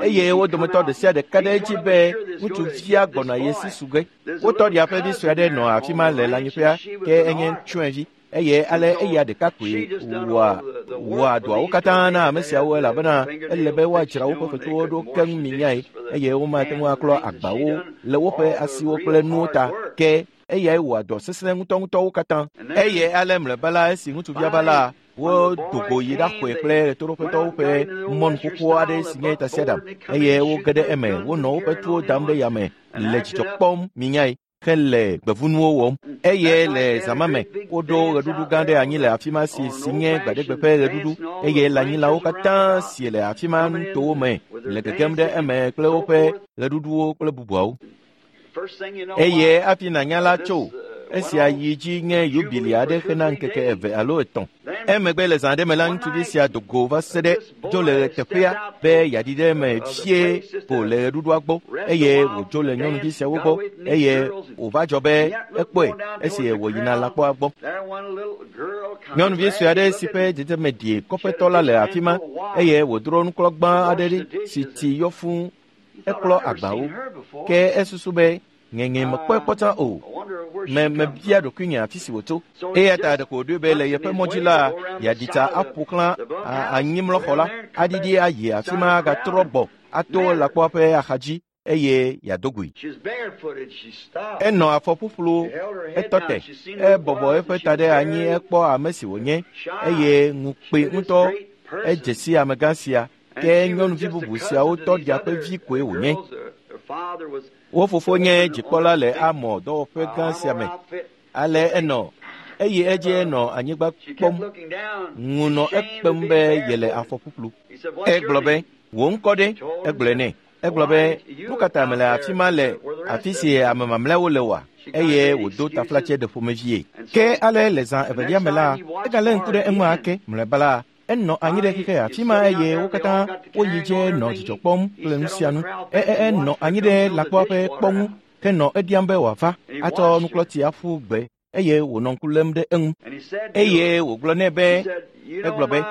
Eye wo dometɔ ɖe sia ɖe ka ɖe edzi be ŋutsuvia gbɔna ye si su ge. Wo tɔɖia ƒe vi sue aɖe nɔ afi ma le lãnyiƒea, ke enye tsyɔ̃evi. Eye ale eya ɖeka koe wɔa dɔawo katã na ame siawo elabena ele be woadzra woƒe fetuwo ɖo keŋ minyae eye womate ŋu aklɔ agbawo le woƒe asiwo kple nuwo ta. Ke eyae wɔa dɔ sesẽ ŋutɔŋutɔwo katã. Eye ale mlɔeba la esi ŋutsuvia va la, wodo go yi ɖaxɔe kple ɣetoɖoƒetɔwo ƒe mɔnu xoxo aɖe si nye tasiaɖam eye woge ɖe eme. Wonɔ woƒe tuwo dam ɖe yame le dzidzɔ kpɔm minyae hele gbevunuwo wɔm. Eye le zã me woɖo ɣeɖuɖu gã ɖe anyi le afi ma si nye gbaɖegbe ƒe ɣeɖuɖu eye lãnyilawo katã si le afi ma nutowo me le gegem ɖe eme kple woƒe ɣeɖuɖuwo kple bubuawo. Eye hafi nànya la tso esia yi dzi nye yubili aɖe hena ŋkeke 2 alo 3. Emegbe le zã ɖe me la ŋutsuvi sia do go va se ɖe dzo le teƒea be yeaɖi ɖe eme fie ko le ɣeɖuɖua gbɔ eye wòdzo le nyɔnuvi siawo gbɔ eye wòva dzɔ be ekpɔe esi wòyina lãkpɔa gbɔ. Nyɔnuvi sue aɖe si ƒe dzedzeme ɖi kɔƒetɔ la le afi ma eye wòdro nuklɔgbã aɖe ɖi si tsi yɔ fũu. Eklɔ agbawo. Ke esusu be ŋeŋe mekpɔe kpɔtã o. Mebia ɖokuinye afi si wòtso. Eya ta ɖeko wòɖoe be le yeƒe mɔ dzi la, yeaɖi tsa aƒo xlã anyimlɔxɔ la, aɖiɖi ayi afi ma agatrɔ gbɔ ato lãkpɔa ƒe axadzi eye yeado goe. Enɔ afɔ ƒuƒlu, etɔ te, ebɔbɔ eƒe ta ɖe anyi ekpɔ ame si wònye eye ŋukpe ŋutɔ edze si amegã sia. Ke nyɔnuvi bubu siawo tɔɖia ƒe vi koe wònye. Wo fofo nye dzikpɔla le Amɔ dɔwɔƒe gã sia me. Ale enɔ eye edzi enɔ anyigba kpɔm. Ŋu nɔ ekpem be yele afɔ ƒuƒlu. Egblɔ be, wò ŋkɔ ɖe? Egblɔe nɛ. Egblɔ be, nu ka ta mele afi ma le afi si ame mamlɛawo le oa? Eye wòdo taflatse ɖe ƒomevie. Ke ale le zã evelia me la, egalé ŋku ɖe eŋu ake. Mlɔeba la, enɔ anyi ɖe xexe afi ma eye wo katã woyi dze nɔ dzidzɔ kpɔm kple nu sia nu. Enɔ anyi ɖe lãkpɔa ƒe kpɔ ŋu henɔ ediam be wòava atsɔ nuklɔti aƒu gbe eye wònɔ ŋku lém ɖe eŋu. Eye wògblɔ nɛ be, egblɔ be,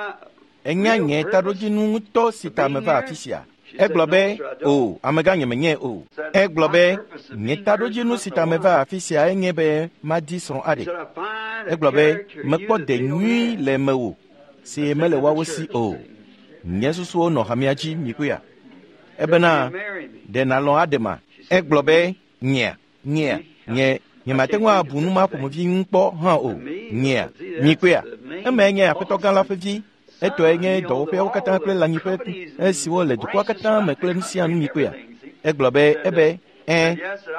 enya nye taɖodzinu ŋutɔ si ta meva afi sia. Egblɔ be, o, amegã nye menye o. Egblɔ be, nye taɖodzinu si ta meva afi sia enye be madi srɔ̃ aɖe. Egblɔ be, mekpɔ de nyui le mewò si mele woawo si o. Nye susuwo nɔ hamea dzi mikpɔea. Ebena ɖe nàlɔ̃ aɖema? Egblɔ be nyea nye nyemate ŋu abu nu ma ƒomevi ŋu kpɔ hã o. Nyea mikpɔea? Emae nye aƒetɔ gã la ƒe vi. Etɔe nye dɔwɔƒeawo katã kple lãnyiƒe esiwo le dukɔa katã me kple nu sia nu mikpɔea? Egblɔ be ebe ɛ̃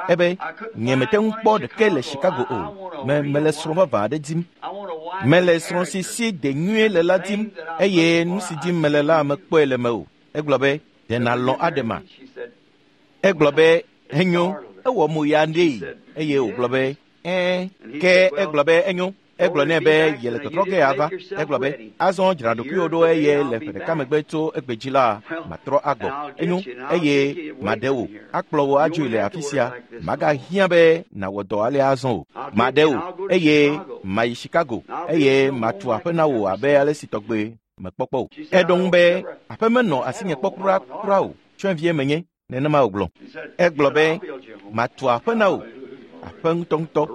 ebe nyemete ŋu kpɔ ɖeke le Chicago o. Mele srɔ̃ vavã aɖe dim. Mele srɔ̃ si si de nyuie le la dim eye nu si dim mele la mekpɔe le mewò. Egblɔ be ɖe nàlɔ̃ aɖema? Egblɔ be enyo, ewɔ mo ya ɖee eye wògblɔ be ɛ̃. Ke egblɔ be enyo. Egblɔ nɛ be yele tɔtrɔ ge ava. Egblɔ be azɔ dzra ɖokuiwò ɖo eye le ƒe ɖeka megbe tso egbe dzi la matrɔ agbɔ. Enyo eye maɖe wò, akplɔ wò adzoe le afi sia. Magahiã be nàwɔ dɔ alea azɔ o. Maɖe wò eye mayi Chicago eye matu aƒe na wò abe ale si tɔgbe mekpɔkpɔ o. Eɖo ŋu be aƒe menɔ asinye kpɔ kura kura o. Tsyɔ̃evie menye. Nenema wògblɔ. Egblɔ be matu aƒe na wò, aƒe ŋutɔŋutɔ.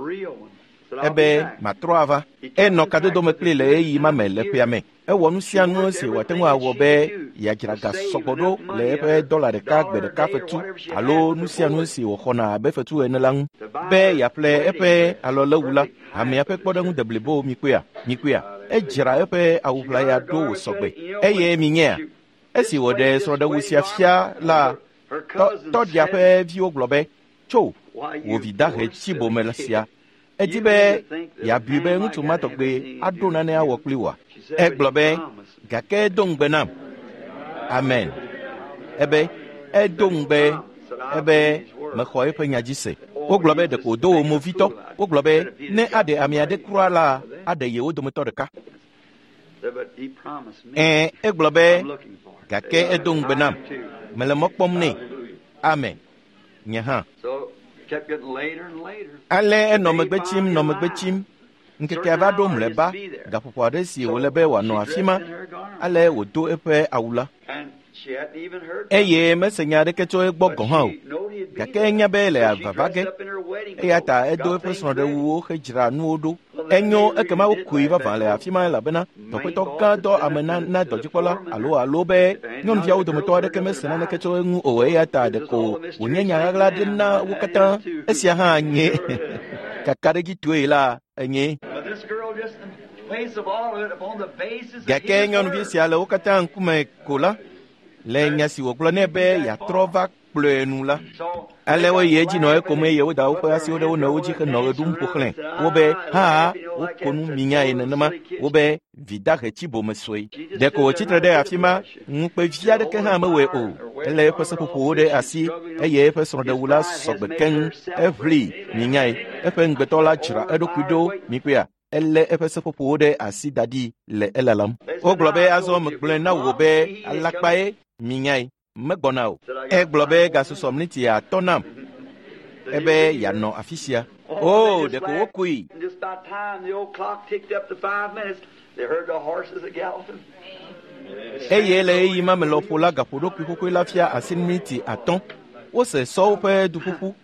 Ebe matrɔ ava. Enɔ kadodo me kpli le ɣeyiɣi ma me le ƒea me. Ewɔ nu sia nu si wòate ŋu awɔ be yeadzra ga sɔgbɔ ɖo le eƒe dɔla ɖeka gbe ɖeka fetu alo nu sia nu si wòxɔna abe fetu ene la ŋu be yeaƒle eƒe alɔlewu la. Hamea ƒe kpɔɖeŋu deblibo mikpɔea? Mikpɔea? Edzra eƒe awuʋlaya ɖo wòsɔgbe. Eye minyea? Esi wòɖe srɔ̃ɖewu sia fia la, tɔɖia ƒe viwo gblɔ be, tso, wò vi dahe tsi bome sia. Edi be yeabui be ŋutsu ma tɔgbe aɖo nane awɔ kpli wòa? Egblɔ be, gake edo ŋugbe nam. Amen. Ebe edo ŋugbe ebe mexɔ eƒe nya dzi se. Wogblɔ be ɖeko wòdo wò movitɔ. Wogblɔ be ne aɖe ame aɖe kura la, aɖe yewo dometɔ ɖeka. Ɛ̃, egblɔ be gake edo ŋugbe nam. Mele mɔ kpɔm nɛ. Amen. Nye hã. Ale enɔ megbe tsim, nɔ megbe tsim. Ŋkekea va ɖo mlɔeba, gaƒoƒo aɖe si wòle be wòanɔ afi ma. Ale wòdo eƒe awu la. Eye mese nya aɖeke tso egbɔ gɔ̃ hã o. Gake enya be le vava ge. Eya ta edo eƒe srɔ̃ɖewuwo hedzra nuwo ɖo. Enyo ekema wokoe vavã le afi ma elabena dɔƒetɔ gã dɔ ame na dɔdzikpɔla alo be nyɔnuviawo dometɔ aɖeke mese naneke tso eŋu o eya ta ɖeko wònye nya ɣaɣla aɖe na wo katã. Esia hã nye kakaɖedzitɔe la enye. Gake nyɔnuvi sia le wo katã ŋkume ko la, le nya si wògblɔ nɛ be yeatrɔ va kplɔe nu la. Ale woyi edzi nɔ ekom eye woda woƒe asiwo ɖe wo nɔewo dzi henɔ ɣe ɖum ƒo xlãe. Wobe hã woko nu minyae nenema. Wobe vi dahe tsi bome sue. Ɖeko wòtsi tre ɖe afi ma, ŋukpe vi aɖeke hã mewɔe o. Elé eƒe seƒoƒowo ɖe asi eye eƒe srɔ̃ɖewu la sɔgbe keŋ. Eʋli minyae. Eƒe ŋugbetɔ la dzra eɖokui ɖo mikpɔea? Elé eƒe seƒoƒowo ɖe asi da ɖi le elalam. Wogblɔ be azɔ megblɔe na wò be alakpae minyae. Megbɔna o. Egblɔ be gasusɔ miniti atɔ̃ nam ebe yeanɔ afi sia. O, ɖeko wokoe. Eye le ɣeyiɣi ma me lɔƒo la gaƒoɖokui xoxoe la fia asi miniti 5. Wose sɔwo ƒe duƒuƒu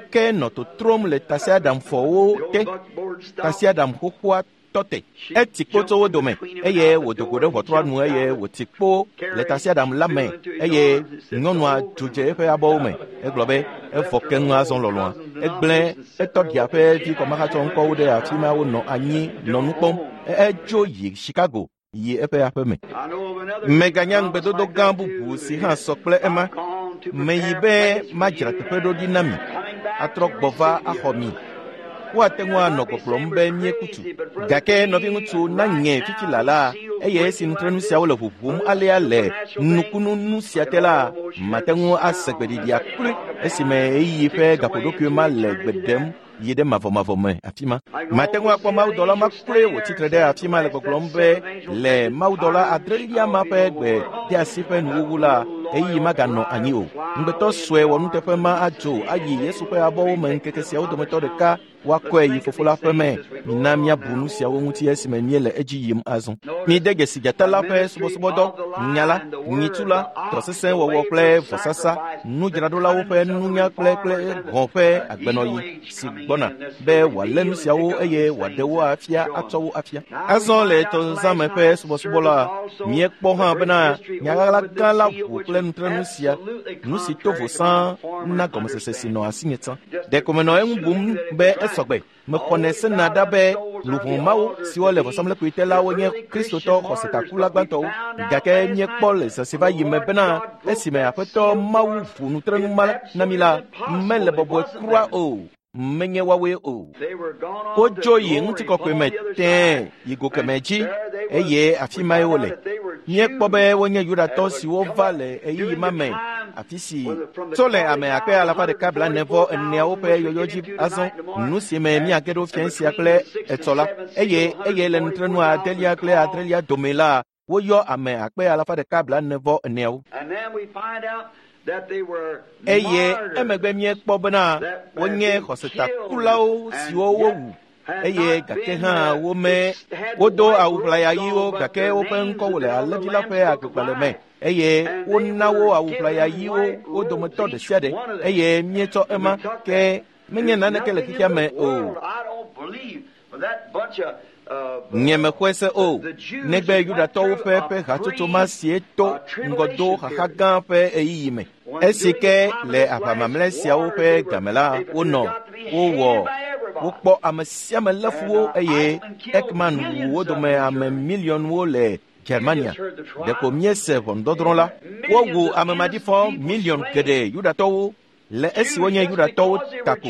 ke nɔ totrom le tasiaɖamfɔwo te. Tasiaɖam xoxoa tɔ te. Eti kpo tso wo dome eye wòdo go ɖe ʋɔtrua nu eye wòti kpo le tasiaɖam la me eye nyɔnua dzo dze eƒe abɔwo me. Egblɔ be evɔ keŋ azɔ lɔlɔ̃a. Egblẽ etɔɖia ƒe vi kɔmahatsɔ ŋkɔwo ɖe afi ma wonɔ anyi nɔ nu kpɔm. Edzo yi Chicago yi eƒe aƒe me. Meganya ŋugbedodo gã bubu si hã sɔ kple ema. Meyi be madzra teƒe ɖo ɖi na mi, atrɔ gbɔ va axɔ mi. Woate ŋu anɔ gbɔgblɔm be míekutu. Gake nɔviŋutsu nanye fifi lala eye esi nutrenu siawo le ʋuʋum alea le nukunu nu sia te la, mate ŋu ase gbeɖiɖia kloe esime ɣeyiɣi ƒe gaƒoɖokui ma le gbe ɖem yi ɖe mavɔmavɔ me afi ma. Mate ŋu akpɔ mawudɔla ma kloe wòtsi tre ɖe afi ma le gbɔgblɔm be le mawudɔla adrelia ma ƒe gbe de asi ƒe nuwuwu la, ɣeyiɣi maganɔ anyi o. Ŋugbetɔ sue wɔnuteƒe ma adzo ayi Yesu ƒe abɔwo me ŋkeke siawo dometɔ ɖeka. Woakɔe yi fofo la ƒe me. Mina míabu nu siawo ŋuti esime míele edzi yim azɔ. Mide dzesi dzata la ƒe subɔsubɔdɔ, nya la, nyitsu la, dɔ sesẽ wɔwɔ kple vɔsasa, nudzraɖolawo ƒe nunya kple hɔ̃ ƒe agbenɔɣi si gbɔna be wòalé nu siawo eye wòaɖe wo afia atsɔ wo afia. Azɔ le tɔzãme ƒe subɔsubɔ la, míekpɔ hã bena nyaɣaɣla gã la ʋu kple nutrenu sia, nu si to vo sãa na gɔmesese si nɔ asinye tsã. Ɖeko menɔ eŋu bum be esɔgbe. Mexɔnɛ sena ɖa be luʋɔ mawo siwo le vɔsamlekpui te la wonye Kristotɔ xɔsetakula gbãtɔwo. Gake míekpɔ le zã si va yi me bena esime Aƒetɔ Mawu ʋu nutrenu ma na mí la, mele bɔbɔe kura o. Menye woawoe o. Wodzo yi ŋutikɔkɔe me tẽe yi go kemɛ dzi eye afi mae wole. Míekpɔ be wonye Yudatɔ siwo va le ɣeyiɣi ma me afi si tso le ame akpe alafa ɖeka 44 ƒe yɔyɔ dzi azɔ nu si me míage ɖo fiẽ sia kple etsɔ la eye le nutrenu adelia kple adrelia dome la woyɔ ame akpe alafa ɖeka 44. Eye emegbe míekpɔ bena wonye xɔsetakulawo siwo wowu eye gake hã wome wodo awu ʋlaya ɣiwo gake woƒe ŋkɔwo le alẽvi la ƒe agbegbalẽ me eye wona wo awu ʋlaya ɣiwo wo dometɔ ɖe sia ɖe eye míetsɔ ema ke menye naneke le xexea me o. Nye mexɔe se o, negbe Yudatɔwo ƒe hatsotso ma sie to ŋgɔdo xaxa gã ƒe ɣeyiɣi me. Esi ke le aʋa mamlɛ siawo ƒe game la, wonɔ, wowɔ, wokpɔ ame sia ame lé fu wo eye Ekman wu wo dome ame miliɔnwo le Germania. Ɖeko míese ʋɔnudɔdrɔ̃ la. Wowu ame maɖifɔ miliɔn geɖe Yudatɔwo le esi wonye Yudatɔwo ta ko,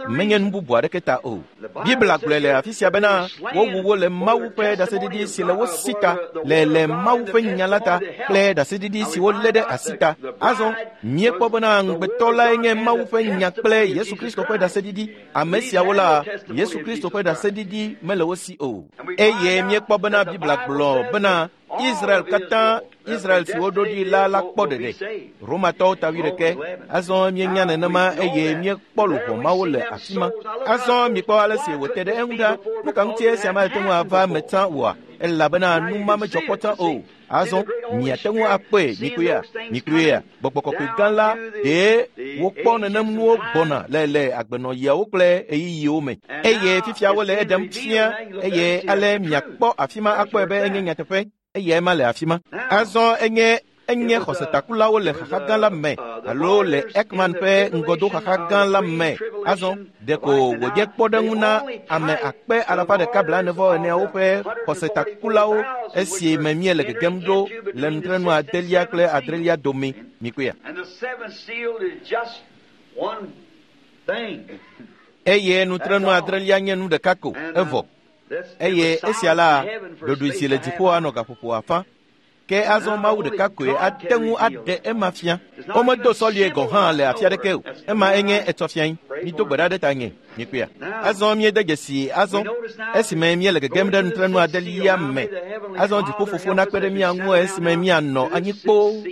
menye nu bubu aɖeke ta o. Biblia gblɔe le afi sia bena wowu wo le Mawu ƒe ɖaseɖiɖi si le wo si ta, le Mawu ƒe nya la ta kple ɖaseɖiɖi si wolé ɖe asi ta. Azɔ míekpɔ bena ŋugbetɔ lae nye Mawu ƒe nya kple Yesu Kristo ƒe ɖaseɖiɖi. Ame siawo la, Yesu Kristo ƒe ɖaseɖiɖi mele wo si o. Eye míekpɔ bena Biblia gblɔ bena Israel katã, Israel si woɖo ɖi la kpɔ ɖeɖe. Romatɔwo ta 11. Azɔ míenya nenema eye míekpɔ luʋɔ mawo le afi ma. Azɔ mikpɔ ale si wòte ɖe eŋu ɖa. Nu ka ŋuti esia mate ŋu ava eme tsã oa? Elabena nu ma medzɔ kpɔ tsã o. Azɔ miate ŋu akpɔe mikpɔea, gbɔgbɔ kɔkɔe gã la ɖee wokpɔ nenem nuwo gbɔna le agbenɔɣiawo kple ɣeyiɣiwo me. Eye fifia wole eɖem fia eye ale miakpɔ afi ma akpɔe be enye nyateƒe. Eyae ma le afi ma. Azɔ enye xɔsetakulawo le xaxa gã la me alo le Ekman ƒe ŋgɔdo xaxa gã la me. Azɔ ɖeko wònye kpɔɖeŋu na ame akpe alafa ɖeka 44 ƒe xɔsetakulawo esi me míele gegem ɖo le nutrenu adelia kple adrelia dome. Mikpɔea. Eye nutrenu adrelia nye nu ɖeka ko evɔ. Eye esia la, ɖoɖoe si le dziƒo anɔ gaƒoƒo afã. Ke azɔ Mawu ɖeka koe ate ŋu aɖe ema fia. Womedo sɔlie gɔ̃ hã le afi aɖeke o. Ema enye etsɔ fiae. Mido gbe ɖa ɖe ta nye. Mikpɔea. Azɔ míede dzesi azɔ esime míele gegem ɖe nutrenu adelia me. Azɔ dziƒofofo nakpe ɖe mía ŋu esime míanɔ anyi kpoo.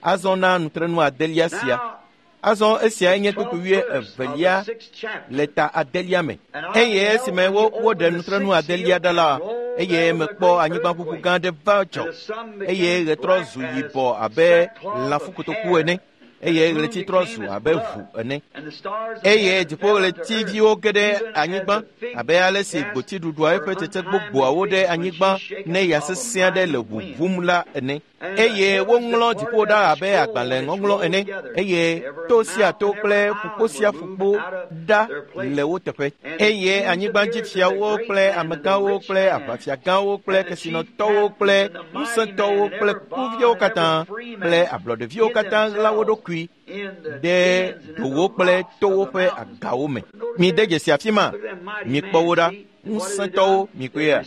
Azɔ na nutrenu adelia sia. Azɔ esia enye kpukpui 2 le ta adelia me. Eye esime woɖe nutrenu adelia ɖa la, eye mekpɔ anyigbaʋuʋu gã aɖe va dzɔ, eye ɣe trɔ zu yibɔ abe lãfukotoku ene, eye ɣleti trɔ zu abe ʋu ene. Eye dziƒoɣletiviwo ge ɖe anyigba abe ale si gboti ɖuɖua eƒe tsetse gbogboawo ɖe anyigba ne ya sesẽ aɖe le ʋuʋum la ene. Eye woŋlɔ dziƒo ɖa abe agbalẽ ŋɔŋlɔ ene, eye to sia to kple ƒukpo sia ƒukpo ɖa le wo teƒe. Eye anyigbadzifiawo kple amegãwo kple aʋafiagãwo kple kesinɔtɔwo kple ŋusẽtɔwo kple kuviawo katã kple ablɔɖeviwo katã ɣla wo ɖokui ɖe dowo kple towo ƒe agawo me. Mide dzesi afi ma, mikpɔ wo ɖa. Ŋusẽtɔwo mikpɔea.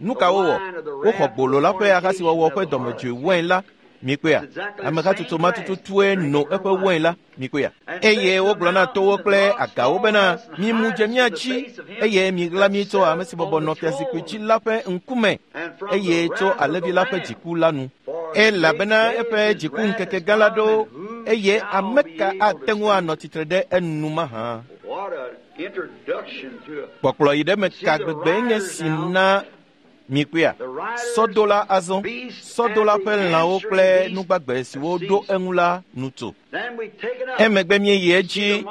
Nu ka wowɔ? Woxɔ gbolo la ƒe ahasiwɔwɔ ƒe dɔmedzoe wain la. Mikpɔea. Amehatsotso ma tututue no eƒe wain la. Mikpɔea. Eye wogblɔ na towo kple agawo bena mimu dze mía dzi eye miɣla mí tso ame si bɔbɔ nɔ fiazikpui dzi la ƒe ŋkume eye tso alẽvi la ƒe dziku la nu. Elabena eƒe dziku ŋkeke gã la ɖo eye ame ka ate ŋu anɔ tsitre ɖe enu mahã? Kpɔkplɔ yi ɖe me ka gbegbe nye si na mikpɔea? Sɔdola azɔ, sɔdola ƒe lãwo kple nugbagbe siwo ɖo eŋu la nu tso. Emegbe míeyi edzi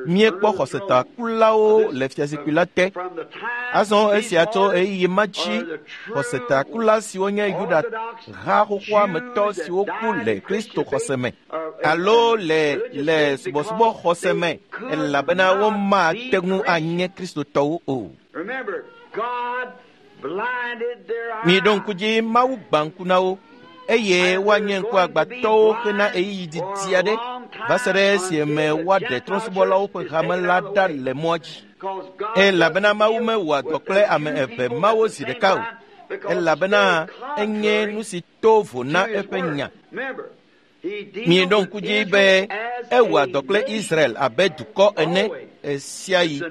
míekpɔ xɔsetakulawo le fiazikpui la te. Azɔ esia tso ɣeyiɣi ma dzi xɔsetakula siwo nye Yuda ha xoxoa me tɔ siwo ku le Kristo xɔse me alo le subɔsubɔ xɔse me elabena womate ŋu anye Kristotɔwo o. Miɖo ŋku dzi Mawu gbã ŋku na wo eye woanye ŋkuagbãtɔwo hena ɣeyiɣi didi aɖe va se ɖe esime woaɖe trɔ̃subɔlawo ƒe hame la ɖa le mɔa dzi. Elabena Mawu mewɔa dɔ kple ame eve mawo zi ɖeka o, elabena enye nu si to vo na eƒe nya. Mieɖo ŋku dzi be ewɔa dɔ kple Israel abe dukɔ ene ɣesiaɣi.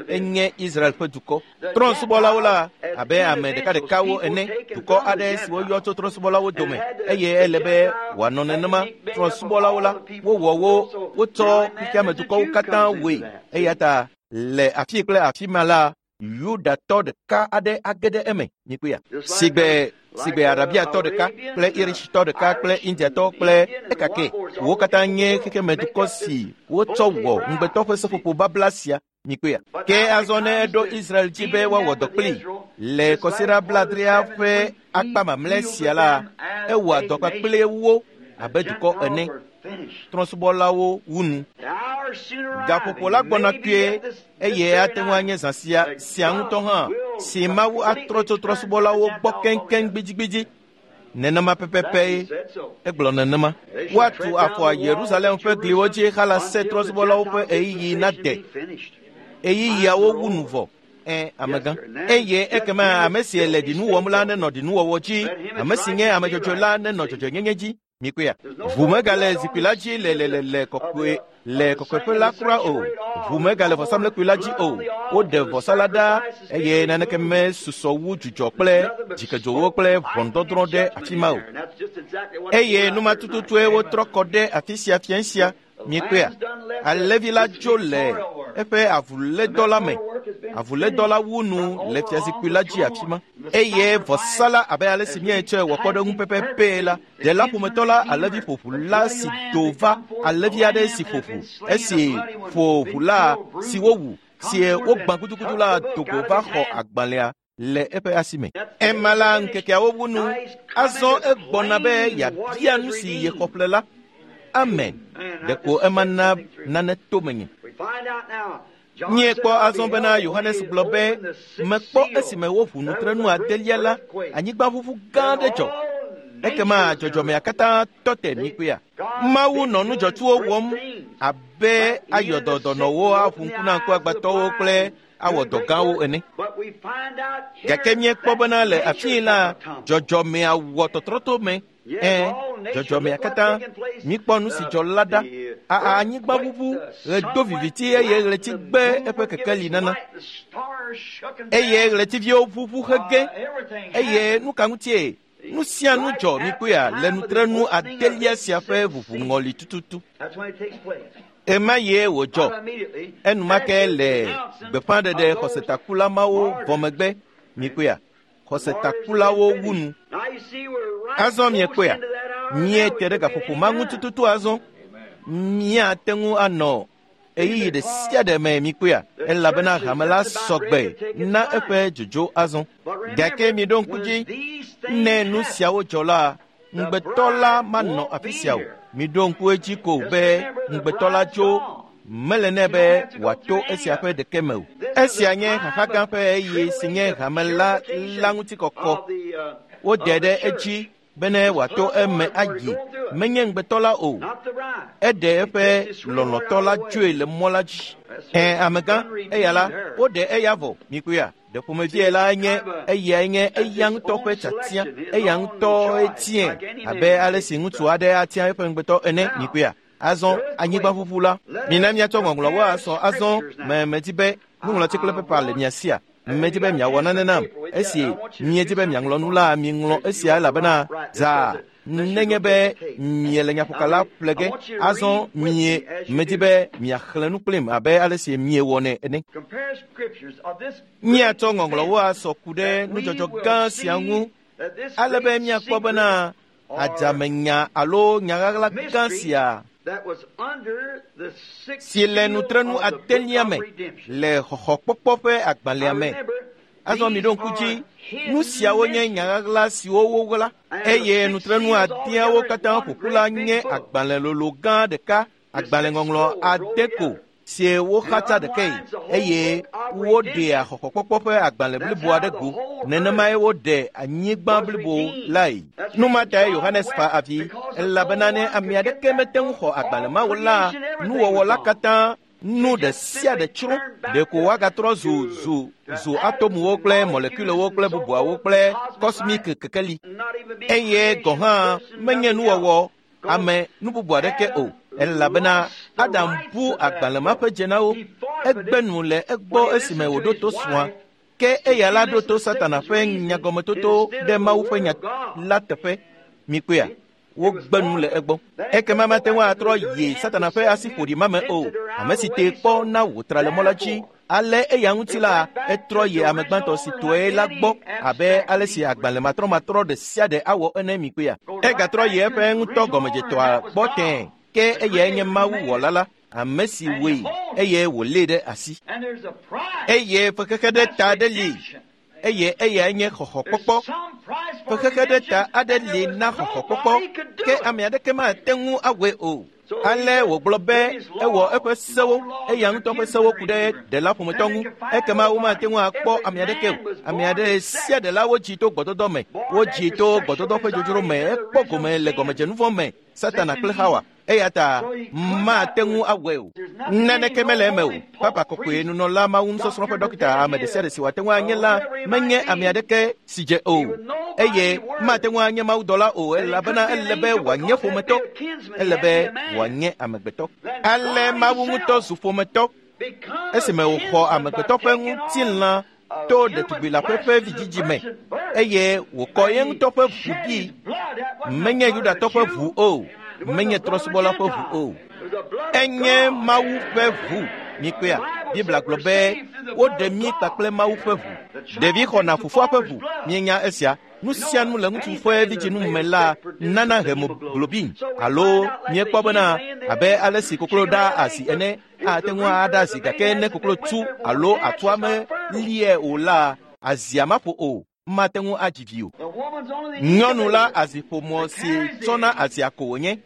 Enye Israel ƒe dukɔ. Trɔ̃subɔlawo la abe ame ɖekaɖekawo ene, dukɔ aɖe si woyɔ tso trɔ̃subɔlawo dome eye ele be wòanɔ nenema. Trɔ̃subɔlawo la, wowɔ wo, wotsɔ xexeamedukɔwo katã wɔe. Eya ta le afi kple afi ma la, Yudatɔ ɖeka aɖe age ɖe eme. Mikpɔea? Sigbe Arabiatɔ ɖeka kple Irishtɔ ɖeka kple Indiatɔ kple ekake. Wo katã nye xexemedukɔ si wotsɔ wɔ ŋugbetɔ ƒe seƒoƒo babla sia. Mikpɔea? Ke azɔ ne eɖo Israel dzi be woawɔ dɔ kplii le kɔsiɖa blaadrea ƒe akpa mamlɛ sia la, ewɔa dɔ kpakple wo abe dukɔ ene. Trɔ̃subɔlawo wu nu. Gaƒoƒo la gbɔna kpuie eye ate ŋu anye zã sia ŋutɔ hã si Mawu atrɔ tso trɔ̃subɔlawo gbɔ keŋkeŋ gbidigbidi. Nenema pɛpɛpɛ egblɔ nenema. Woatu afɔ Yerusalem ƒe gliwo dzi halase trɔ̃subɔlawo ƒe ɣeyiɣi nade. Ɣeyiɣiawo wu nu vɔ. Amegã. Eye ekema ame si le ɖinu wɔm la nenɔ ɖinuwɔwɔ dzi, ame si nye ame dzɔdzɔe la nenɔ dzɔdzɔenyenye dzi. Mikpɔea? Ʋu megale zikpui la dzi le le kɔkɔeƒe la kura o. Ʋu megale vɔsamlekpui la dzi o. Woɖe vɔsa la ɖa eye naneke mesusɔ wu dzudzɔ kple dzikedzowo kple ʋɔnudɔdrɔ̃ ɖe afi ma o. Eye numa tututue wotrɔ kɔ ɖe afi sia fiẽ sia. Mikpɔea? Alẽvi la dzo le eƒe avulédɔ la me. Avulédɔ la wu nu le fiazikpui la dzi afi ma. Eye vɔsa la abe ale si míetsɔe wɔ kpɔɖeŋu pɛpɛpɛ la, ɖela ƒometɔ la alẽvi ƒoʋu la si do va alẽvi aɖe si ƒo ʋu, esi ƒo ʋu la si wowu, si wogbã gudugudu la do go va xɔ agbalẽa le eƒe asi me. Ema la ŋkekeawo wu nu. Azɔ egbɔna be yeabia nu si yexɔ ƒle la. Amen. Ɖeko ema na nane to menye. Míekpɔ azɔ bena Yohanes gblɔ be mekpɔ esime woʋu nutrenu adelia la, anyigbaʋuʋu gã aɖe dzɔ. Ekema dzɔdzɔmea katã tɔ te mikpɔea? Mawu nɔ nu dzɔtsuwo wɔm abe ayɔdɔdɔnɔwo, aʋu ŋku na ŋkuagbãtɔwo kple awɔ dɔ gãwo ene. Gake míekpɔ bena le afii la, dzɔdzɔmea wɔ tɔtrɔto me. Dzɔdzɔmea katã míkpɔ nu si dzɔ la ɖa. Anyigbaʋuʋu, ɣe do viviti eye ɣleti gbe eƒe kekeli nana. Eye ɣletiviwo ʋuʋu hege. Eye nu ka ŋutie? Nu sia nu dzɔ mikpɔea le nutrenu adelia sia ƒe ʋuʋuŋɔli tututu. Ema ye wòdzɔ. Enumake le gbeƒãɖeɖe xɔsetakula mawo vɔ megbe mikpɔea? Xɔsetakulawo wu nu. Azɔ miekpɔea? Míete ɖe gaƒoƒo ma ŋu tututu azɔ. Míate ŋu anɔ ɣeyiɣi ɖe sia ɖe me mikpɔea? Elabena hame la sɔgbe na eƒe dzodzo azɔ. Gake miɖo ŋku dzi, ne nu siawo dzɔ la, ŋugbetɔ la manɔ afi sia o. Miɖo ŋku edzi ko be ŋugbetɔ la dzo mele nɛ be wòato esia ƒe ɖeke me o. Esia nye xaxa gã ƒe ɣeyiɣi si nye hame la ŋutikɔkɔ. Woɖe ɖe edzi bene wòato eme ayi. Menye ŋugbetɔ la o. Eɖe eƒe lɔlɔ̃tɔ la dzoe le mɔ la dzi. Amegã, eya la, woɖe eya vɔ. Mikpɔea? Ɖe ƒomevie la nye eyae nye eya ŋutɔ ƒe tiatia, eya ŋutɔe tiae abe ale si ŋutsu aɖe atia eƒe ŋugbetɔ ene. Mikpɔea? Azɔ anyigbaʋuʋu la, mina míatsɔ ŋɔŋlɔwo asɔ azɔ. Medi be nuŋlɔti kple pepa le mia sia. Medi be miawɔ nane nam. Esi miedi be miaŋlɔ nu la, miŋlɔ esia elabena zaa. Nenye be miele nyaƒokala ƒle ge, azɔ mie medi be miaxlẽ nu kplim abe ale si miewɔnɛ ene. Míatsɔ ŋɔŋlɔwo asɔ ku ɖe nudzɔdzɔ gã sia ŋu ale be míakpɔ bena adzamenya alo nyaɣaɣla gã sia si le nutrenu adelia me le xɔxɔkpɔkpɔ ƒe agbalẽa me. Azɔ mi ɖo ŋku dzi, nu siawo nye nyaɣaɣla siwo woɣla, eye nutrenu adeawo katã ƒoƒu la nye agbalẽ lolo gã ɖeka, agbalẽŋɔŋlɔ ade ko sie woxatsa ɖekae, eye woɖea xɔxɔkpɔkpɔ ƒe agbalẽ blibo aɖe go. Nenemae woɖe anyigba blibo lae. Nu ma tae Yohanes fa avi, elabena ne ame aɖeke mete ŋu xɔ agbalẽ mawo la, nuwɔwɔ la katã nu ɖe sia ɖe tsrɔ̃. Ɖeko woagatrɔ zu zu zu atomuwo kple molekulewo kple bubuawo kple kɔsmik kekeli. Eye gɔ̃ hã menye nuwɔwɔ ame nu bubu aɖeke o, elabena Adam bu agbalẽ ma ƒe dzenawo. Egbe nu le egbɔ esime wòɖo to srɔ̃a. Ke eya la ɖo to Satana ƒe nyagɔmetoto ɖe Mawu ƒe nya la teƒe. Mikpɔea? Wogbe nu le egbɔ. Ekema mate ŋu atrɔ yi Satana ƒe asi ƒoɖi ma me o. Ame si tee kpɔ na wòtra le mɔ la dzi. Ale eya ŋuti la, etrɔ yi ame gbãtɔ si tɔe la gbɔ abe ale si agbalẽ matrɔmatrɔ ɖe sia ɖe awɔ ene. Mikpɔea? Egatrɔ yi eƒe ŋutɔ gɔmedzetɔa gbɔ tẽe. Ke eyae nye Mawu wɔla la, ame si wɔe eye wòlée ɖe asi. Eye fexexe ɖe ta aɖe li, eye eyae nye xɔxɔkpɔkpɔ. Fexexe ɖe ta aɖe li na xɔxɔkpɔkpɔ, ke ame aɖeke mate ŋu awɔe o. Ale wògblɔ be ewɔ eƒe sewo, eya ŋutɔ ƒe sewo ku ɖe ɖela ƒometɔ ŋu. Ekema womate ŋu akpɔ ame aɖeke o. Ame aɖe sia ɖela wodzi to gbɔdɔdɔ me, wodzi to gbɔdɔdɔ ƒe dzodzro me, ekpɔ gome le gɔmedzenuvɔ me, Satana kple Hawa. Eya ta mate ŋu awɔe o. Naneke mele eme o. Papa kɔkɔe, nunɔla, Mawu nusɔsrɔ̃ ƒe dɔkita, ame ɖe sia ɖe si wòate ŋu anye la menye ame aɖeke si dze o, eye mate ŋu anye mawudɔla o, elabena ele be wòanye ƒometɔ, ele be wòanye amegbetɔ. Ale Mawu ŋutɔ zu ƒometɔ esime wòxɔ amegbetɔ ƒe ŋutilã to ɖetugbi la ƒe vidzidzi me, eye wòkɔ ye ŋutɔ ƒe ʋu ɖi. Menye Yudatɔ ƒe ʋu o, menye trɔ̃subɔla ƒe ʋu o, enye Mawu ƒe ʋu. Mikpɔea? Biblia gblɔ be woɖe mí kpakple Mawu ƒe ʋu. Ɖevi xɔna fofoa ƒe ʋu. Mienya esia. Nu sia nu le ŋutsu ƒe vidzinu me la nana hemoglobin, alo miekpɔ bena abe ale si koklo ɖaa asi ene, ate ŋu aɖa azi, gake ne koklo tu alo atua meliae o la, azia maƒo o, mate ŋu adzi vi o. Nyɔnu la aziƒomɔ si tsɔna azia ko wònye,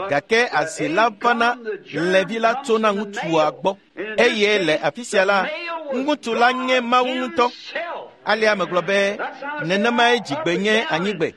gake azi la vana lẽvi la tsona ŋutsua gbɔ. Eye le afi sia la, ŋutsu la nye Mawu ŋutɔ. Alea megblɔ be nenemae dzigbe nye anyigbe,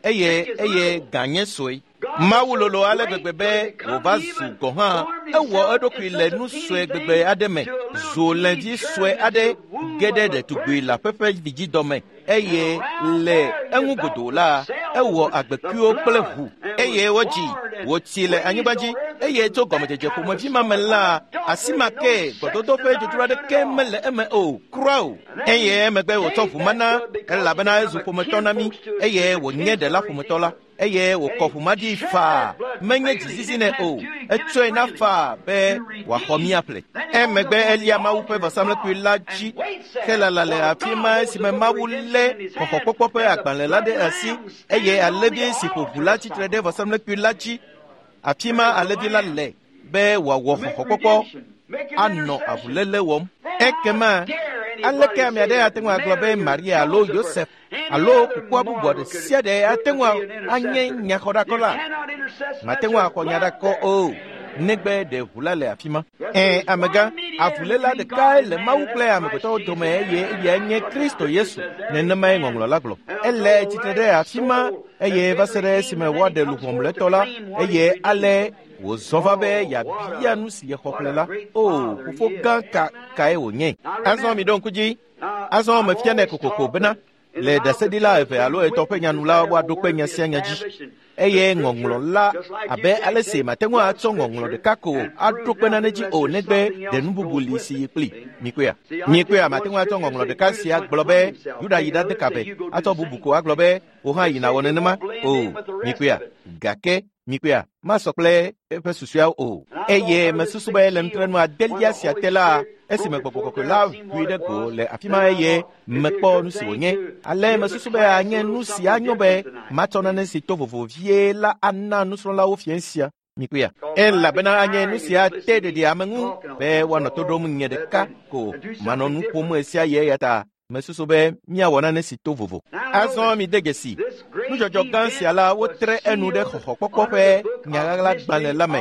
eye eye gã nye sue. Mawu lolo ale gbegbe be wòva zu gɔ̃ hã ewɔ eɖokui le nu sue gbegbe aɖe me, zu lẽvi sue aɖe ge ɖe ɖetugbi la ƒe ƒe vidzidɔ me, eye le eŋu godoo la, ewɔ agbekuiwo kple ʋu, eye wodzi wòtsi le anyigba dzi. Eye tso gɔmedzedze ƒomevi ma me la, asi ma ke gbɔdɔdɔ ƒe dzodzro aɖeke mele eme o, kura o. Eye emegbe wòtsɔ ʋu ma na, elabena ezu ƒometɔ na mí, eye wònye ɖela ƒometɔ la. Eye wòkɔ ʋu ma ɖi faa, menye dzizizi nɛ o, etsɔe na faa be wòaxɔ mí aƒle. Emegbe elia Mawu ƒe vɔsamlekpui la dzi helala le afi ma esime Mawu lé xɔxɔkpɔkpɔ ƒe agbalẽ la ɖe asi, eye alẽvi si ƒo ʋu la tsitre ɖe vɔsamlekpui la dzi. Afi ma alẽvi la le be wòawɔ xɔxɔkpɔkpɔ anɔ avuléle wɔm. Ekema aleke ame aɖe ate ŋu agblɔ be Maria alo Yosef alo kukua bubu ɖe sia ɖe ate ŋu anye nyaxɔɖakɔla? Mate ŋu axɔ nyaɖakɔ o, negbe ɖe ʋu la le afi ma. Ẽ, amegã, avuléla ɖekae le Mawu kple amegbetɔwo dome, eye eyae nye Kristo Yesu. Nenemae ŋɔŋlɔ la gblɔ. Ele tsitre ɖe afi ma, eye va se ɖe esime woaɖe luʋɔ mlɔetɔ la, eye ale wòzɔ va be yeabia nu si yexɔ ƒle la. O, fofo gã ka kae wònye? Azɔ mi ɖo ŋku dzi. Azɔ mefianɛ kokoko bena le ɖaseɖila eve alo etɔ̃ ƒe nyanu la woaɖo kpe nya sia nya dzi. Eye ŋɔŋlɔ la abe ale si mate ŋu atsɔ ŋɔŋlɔ ɖeka ko aɖo kpe nane dzi o negbe ɖe nu bubu li si yi kpli. Mikpɔea? Mikpɔea? Mate ŋu atsɔ ŋɔŋlɔ ɖeka sia gblɔ be Yuda yi ɖade kabe, atsɔ bubu ko agblɔ be wò hã yina wɔ nenema o. Mikpɔea? Gake mikpɔea? Masɔ kple eƒe susuawo o. Eye mesusu be le nutrenu adelia sia te la, esime gbɔgbɔ kɔkɔe la ʋui ɖe go le afi ma eye mekpɔ nu si wònye. Ale mesusu be anye nu si anyo be matsɔ nane si to vovo vie la ana nusrɔ̃lawo fiẽ sia. Mikpɔea? Elabena anye nu sia te ɖeɖi ame ŋu be woanɔ to ɖom nye ɖeka ko manɔ nu ƒom ɣe sia ɣi eya ta mesusu be míawɔ nane si to vovo. Azɔ mide dzesi, nudzɔdzɔ gã sia la wotre enu ɖe xɔxɔkpɔkpɔ ƒe nyaɣaɣlagbalẽ la me.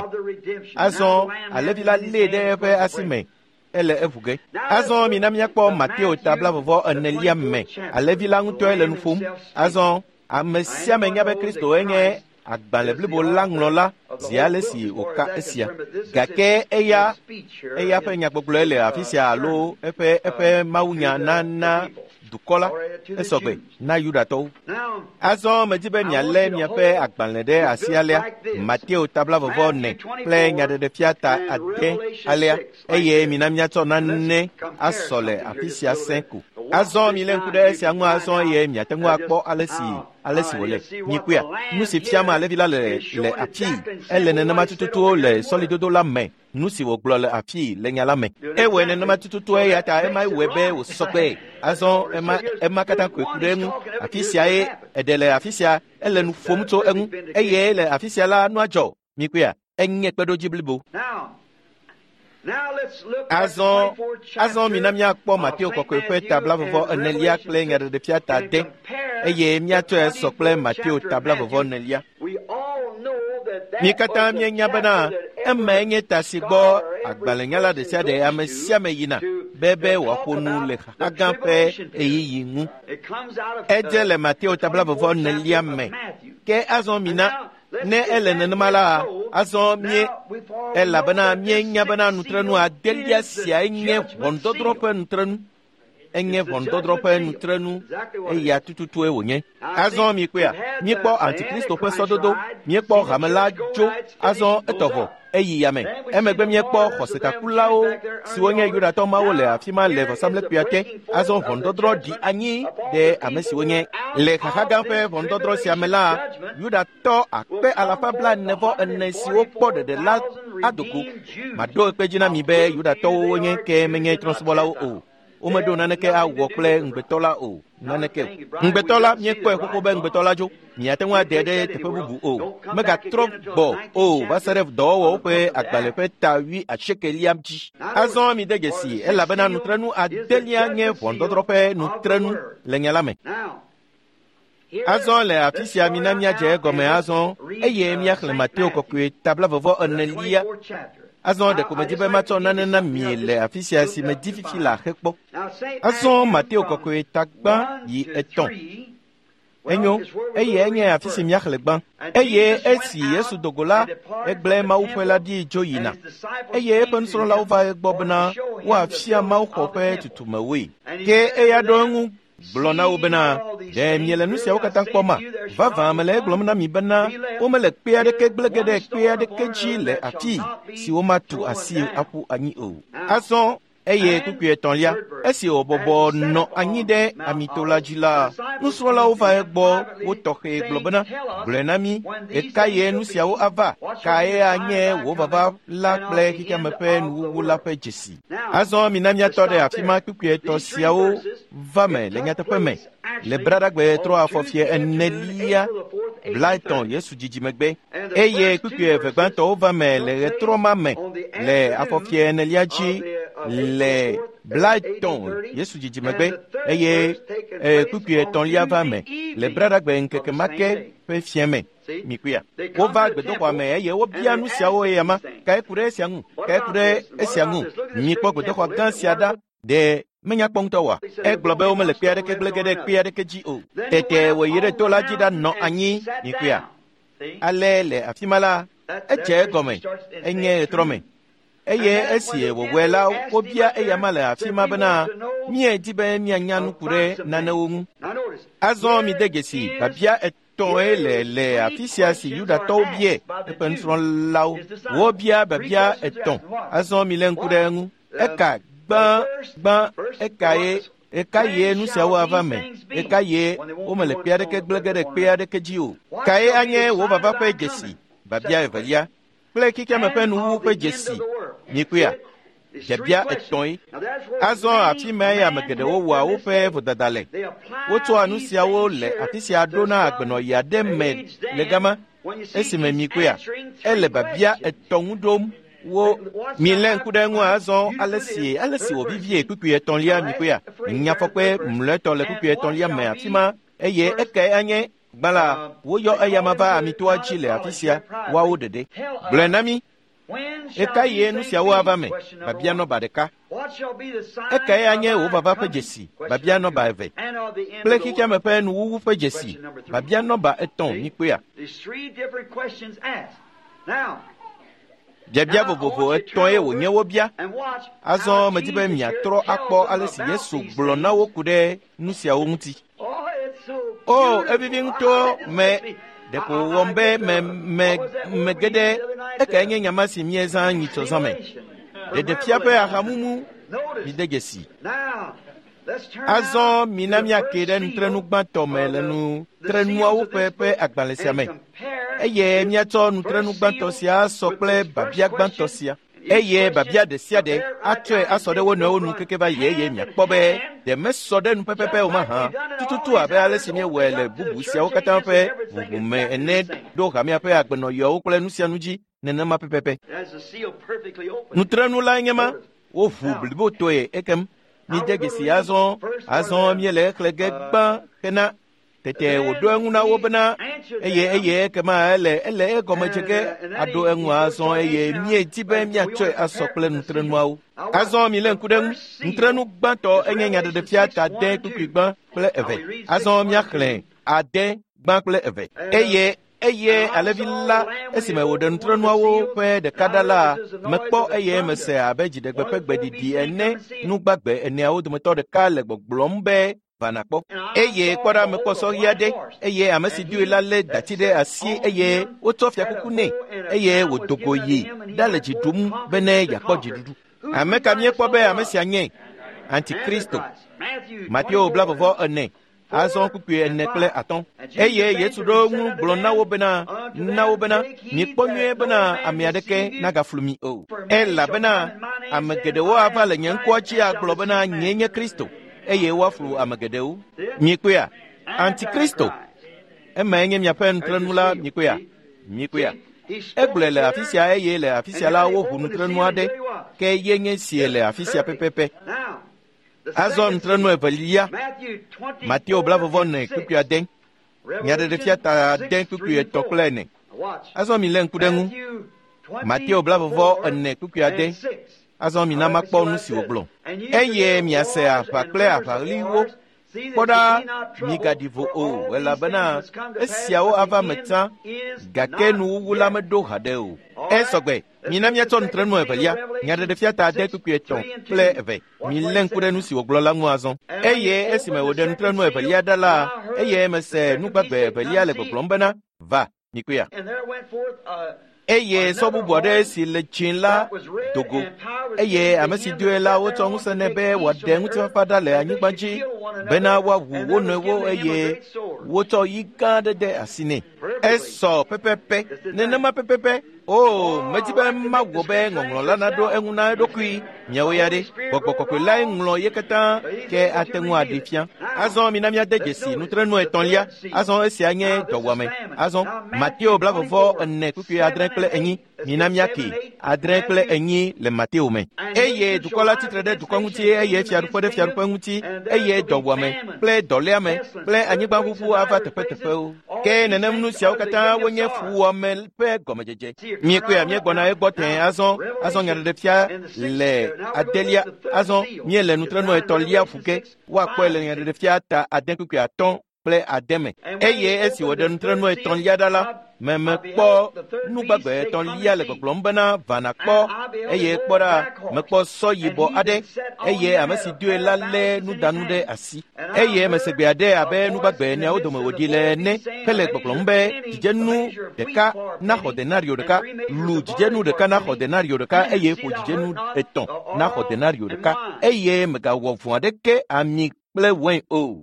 Azɔ alẽvi la lée ɖe eƒe asi me ele eʋu ge. Azɔ mina míakpɔ Mateo ta 44 me. Alẽvi la ŋutɔe le nu ƒom. Azɔ ame sia ame nya be Kristo enye agbalẽ blibo la ŋlɔla zi ale si wòka esia. Gake eya ƒe nyagbɔgblɔe le afi sia alo eƒe mawunya nana dukɔ la esɔgbe na Yudatɔwo. Azɔ medi be mialé miaƒe agbalẽ ɖe asi alea, Mateo ta 44 kple Nyaɖeɖefia ta 6 alea, eye mina míatsɔ nane asɔ le afi sia sẽ ko. Azɔ milé ŋku ɖe esia ŋu azɔ eye miate ŋu akpɔ ale si wòle. Mikpɔea? Nu si fiam alẽvi la le afii, ele nenema tututu le sɔlidodo la me. Nu si wògblɔ le afii le nya la me. Ewɔe nenema tututu eya ta ema wɔe be wòsɔ kpee. Azɔ ema katã koe ku ɖe eŋu. Afi siae eɖe le afi sia, ele nu ƒom tso eŋu. Eye le afi sia la nua dzɔ. Mikpɔea? Enye kpeɖodzi blibo. Azɔ mina míakpɔ Mateo kɔkɔe ƒe ta 44 kple Nyaɖeɖefia ta 6 eye míatsɔe sɔ kple Mateo ta 44. Mi katã míenya bena emae nye ta si gbɔ agbalẽnyala ɖe sia ɖe ame sia ame yina be wòaƒo nu le xaxa gã ƒe ɣeyiɣi ŋu. Edze le Mateo ta 44 me. Ke azɔ mina ne ele nenema la, azɔ mie elabena míenya bena nutrenu adelia siae nye ʋɔnudɔdrɔ̃ ƒe nutrenu. Enye ʋɔnudɔdrɔ̃ ƒe nutrenu eya tututue wònye. Azɔ mikpɔea? Míekpɔ Antikristo ƒe sɔdodo, míekpɔ hame la dzo, azɔ etɔ vɔ, eyi yame. Emegbe míekpɔ xɔsetakulawo siwo nye Yudatɔ mawo le afi ma le vɔsamlekpuia te. Azɔ ʋɔnudɔdrɔ̃ ɖi anyi ɖe ame siwo nye. Le xaxa gã ƒe ʋɔnudɔdrɔ̃ sia me la, Yudatɔ 444,000 siwo kpɔ ɖeɖe la ado go. Maɖo ekpe dzi na mi be Yudatɔwo wonye ke menye trɔ̃subɔlawo o. Womeɖo naneke awɔ kple ŋugbetɔ la o. Naneke o. Ŋugbetɔ la, míekpɔe xoxo be ŋugbetɔ la dzo. Miate ŋu ade ɖe teƒe bubu o. Megatrɔ gbɔ o va se ɖe dɔwɔwɔwo ƒe agbalẽ ƒe ta 80 dzi. Azɔ mide dzesi elabena nutrenu adelia nye ʋɔnudɔdrɔ̃ ƒe nutrenu le nya la me. Azɔ le afi sia mina míadze egɔme azɔ eye míaxlẽ Mateo kɔkɔe ta 44. Azɔ ɖeko medi be matsɔ nane na mi le afi sia si medi fifi le axe kpɔ. Azɔ Mateo kɔkɔe ta 1 yi 3. Enyo, eye enye afi si míaxlẽ gbã. Eye esi Yesu do go la, egblẽ mawuƒe la ɖi dzo yina. Eye eƒe nusrɔ̃lawo va egbɔ bena woafia mawuxɔ ƒe tutumewoe. Ke eya ɖo eŋu gblɔ na wo bena, ɖe miele nu siawo katã kpɔma? Vavã mele egblɔm na mi bena womele kpe aɖeke gblẽ ge ɖe kpe aɖeke dzi le afii si womatu asi aƒu anyi o. Azɔ eye kpukpui etɔ̃lia, esi wòbɔbɔ nɔ anyi ɖe amito la dzi la, nusrɔ̃lawo va egbɔ wo tɔxɛ gblɔ bena, gblɔe na mí, ɣekaɣie nu siawo ava? Kae anye wò vava la kple xexeame ƒe nuwuwu la ƒe dzesi? Azɔ mina míatɔ ɖe afi ma kpukpui etɔ̃ siawo va me le nyateƒe me. Le braɖagbe trɔ afɔfie 4 30 Yesu dzidzimegbe eye kpukpui eve gbãtɔwo va me le ɣetrɔ ma me le afɔfie 4 dzi le 30 Yesu dzidzimegbe eye kpukpui etɔ̃lia va me le braɖagbe ŋkeke ma ke ƒe fiẽ me. Mikpɔea? Wova gbedoxɔa me eye wobia nu siawo eya ma. Kae ku ɖe esia ŋu? Kae ku ɖe esia ŋu? Mikpɔ gbedoxɔ gã sia ɖa. Ɖe menya kpɔ ŋutɔ oa? Egblɔ be womele kpe aɖeke gblẽ ge ɖe kpe aɖeke dzi o. Tete wòyi ɖe to la dzi ɖanɔ anyi. Mikpɔea? Ale le afi ma la, edze egɔme, enye ɣetrɔ me. Eye esi wòwɔe la, wobia eyama le afi ma bena, míedi be míanya nu ku ɖe nanewo ŋu. Azɔ mide dzesi biabia etɔ̃e le afi sia si Yudatɔwo bia eƒe nusrɔ̃lawo. Wobia biabia etɔ̃. Azɔ milé ŋku ɖe eŋu. Eka gbã eka ye nu siawo ava me? Eka ye womele kpe aɖeke gblẽ ge ɖe kpe aɖeke dzi o? Kae anye wò vava ƒe dzesi? Biabia evelia kple xexeame ƒe nuwuwu ƒe dzesi. Mikpɔea? Biabia etɔ̃e. Azɔ afi mae ame geɖewo wɔa woƒe vodada le. Wotsɔa nu siawo le afi sia ɖona agbenɔɣi aɖe me le gama. Esime mikpɔea, ele biabia etɔ̃ ŋu ɖom wo. Milé ŋku ɖe eŋu azɔ ale si wòvivie kpukpui etɔ̃lia. Mikpɔea, nyafɔkpe mlɔetɔ le kpukpui etɔ̃lia me afi ma eye ekae anye gbã la, woyɔ eyama va amitoa dzi le afi sia, woawo ɖeɖe. Gblɔe na mí. Eka ye nu siawo ava me? Biabia nɔba ɖeka. Ekae anye wò vava ƒe dzesi? Biabia nɔba eve. Kple xexeame ƒe nuwuwu ƒe dzesi? Biabia nɔba etɔ̃. Mikpɔea? Biabia vovovo etɔ̃e wònye wobia. Azɔ medi be miatrɔ akpɔ ale si Yesu gblɔ na wo ku ɖe nu siawo ŋuti. O, evivi ŋutɔ me ɖeko wɔm be mege ɖe ekae nye nyama si miezã nyitsɔ zã me. Ɖeɖefia ƒe ahamumu mide dzesi. Azɔ mina míake ɖe nutrenu gbãtɔ me le nutrenuawo ƒe agbalẽ sia me eye míatsɔ nutrenu gbãtɔ sia sɔ kple biabia gbãtɔ sia. Eye biabia ɖe sia ɖe atsɔe asɔ ɖe wo nɔewo nu keke va yi eye miakpɔ be ɖe mesɔ ɖe nu pɛpɛpɛ o mahã tututu abe ale si míewɔe le bubu siawo katã ƒe ʋuʋu me ene ɖo hamea ƒe agbenɔɣiawo kple nu sia nu dzi nenema pɛpɛpɛ. Nutrenu lae nye ma, woʋu blibotoe ekem. Mide dzesi azɔ míele exlẽ ge gbã hena tete wòɖo eŋu na wo bena eye ekema ele egɔme dze ge aɖo eŋu azɔ eye míedi be míatsɔe asɔ kple nutrenuawo. Azɔ milé ŋku ɖe ŋu. Nutrenu gbãtɔ enye nyaɖeɖefia ta ade kpukpui gbã kple eve. Azɔ míaxlẽ ade gbã kple eve. Eye alevi la esime wòɖe nutrenuawo ƒe ɖeka ɖa la, mekpɔ eye mese abe dziɖegbe ƒe gbeɖiɖi ene nugbagbe eneawo dometɔ ɖeka le gbɔgblɔm be va nakpɔ. Eye kpɔ ɖa, mekpɔ sɔɣi aɖe eye ame si doe la lé dati ɖe asi eye wotsɔ fiakuku nɛ eye wòdo go yi ɖa le dzi ɖum bene yeakpɔ dziɖuɖu. Ame ka míekpɔ be ame sia nye? Antikristo. Mateo 24 azɔ kpukpui 4 kple 5. Eye Yesu ɖo ŋu gblɔ na wo bena, mikpɔ nyuie bena ame aɖeke nagaflu mi o. Elabena ame geɖewo ava le nye ŋkɔa dzi agblɔ bena nyee nye Kristo, eye woaflu ame geɖewo. Mikpɔea? Antikristo. Emae nye miaƒe nutrenu la. Mikpɔea? Mikpɔea? Egblɔe le afi sia eye le afi sia la woʋu nutrenu aɖe ke ye nye sie le afi sia pɛpɛpɛ. Azɔ nutrenu evelia, Mateo 24 kpukpui 6, Nyaɖeɖefia ta 6 kpukpui 3 kple 4. Azɔ milé ŋku ɖe ŋu. Mateo 24 kpukpui 6. Azɔ mina makpɔ nu si wògblɔ. Eye miase aʋa kple aʋaɣliwo. Kpɔ ɖa, migaɖi vo o, elabena esiawo ava me tsã, gake nuwuwu la meɖo haɖe o. Esɔgbe. Mina míatsɔ nutrenu evelia, nyaɖeɖefia ta 6 kpukpui 3 kple 2. Milé ŋku ɖe nu si wògblɔ la ŋu azɔ. Eye esime wòɖe nutrenu evelia ɖa la, eye mese nugbagbe evelia le gbɔgblɔm bena, va, mikpɔea. Eye sɔ bubu aɖe si le dzĩ la do go. Eye ame si doe la wotsɔ ŋusẽ nɛ be wòaɖe ŋutifafa ɖa le anyigba dzi bena woawu wo nɔewo eye wotsɔ yi gã aɖe de asi nɛ. Esɔ pɛpɛpɛ, nenema pɛpɛpɛ. O, medi be mawɔ be ŋɔŋlɔ la naɖo eŋu na eɖokui. Miawo ya ɖe, gbɔgbɔ kɔkɔe lae ŋlɔ ye katã ke ate ŋu aɖee fia. Azɔ mina míade dzesi nutrenu etɔ̃lia. Azɔ esia nye dɔwɔame. Azɔ Mateo 24 kpukpui 6 kple 4. Mina míake 6 kple 4 le Mateo me. Eye dukɔ la tsitre ɖe dukɔ ŋuti eye fiaɖuƒe ɖe fiaɖuƒe ŋuti eye dɔwɔame kple dɔléame kple anyigbaʋuʋu ava teƒeteƒewo. Ke nenem nu siawo katã wonye fuwɔame ƒe gɔmedzedze. Míekpɔea, míegbɔna egbɔ tẽe azɔ. Azɔ nyaɖeɖefia le adelia. Azɔ míele nutrenu etɔ̃lia ƒu ge. Woakpɔe le nyaɖeɖefia ta 6 kpukpui 5 kple 6 me. Eye esi wòɖe nutrenu etɔ̃lia ɖa la, Mekpɔ nugbagbe etɔ̃lia le gbɔgblɔm bena va nàkpɔ, eye kpɔ ɖa, mekpɔ sɔ yibɔ aɖe, eye ame si doe la lé nudanu ɖe asi. Eye mese gbe aɖe abe nugbagbe eneawo dome wòɖi le ene hele gbɔgblɔm be dzidzenu ɖeka naxɔ denario ɖeka, lu dzidzenu ɖeka naxɔ denario ɖeka, eye ƒo dzidzenu etɔ̃ naxɔ denario ɖeka, eye mègawɔ vɔ̃ aɖeke ami kple wain o.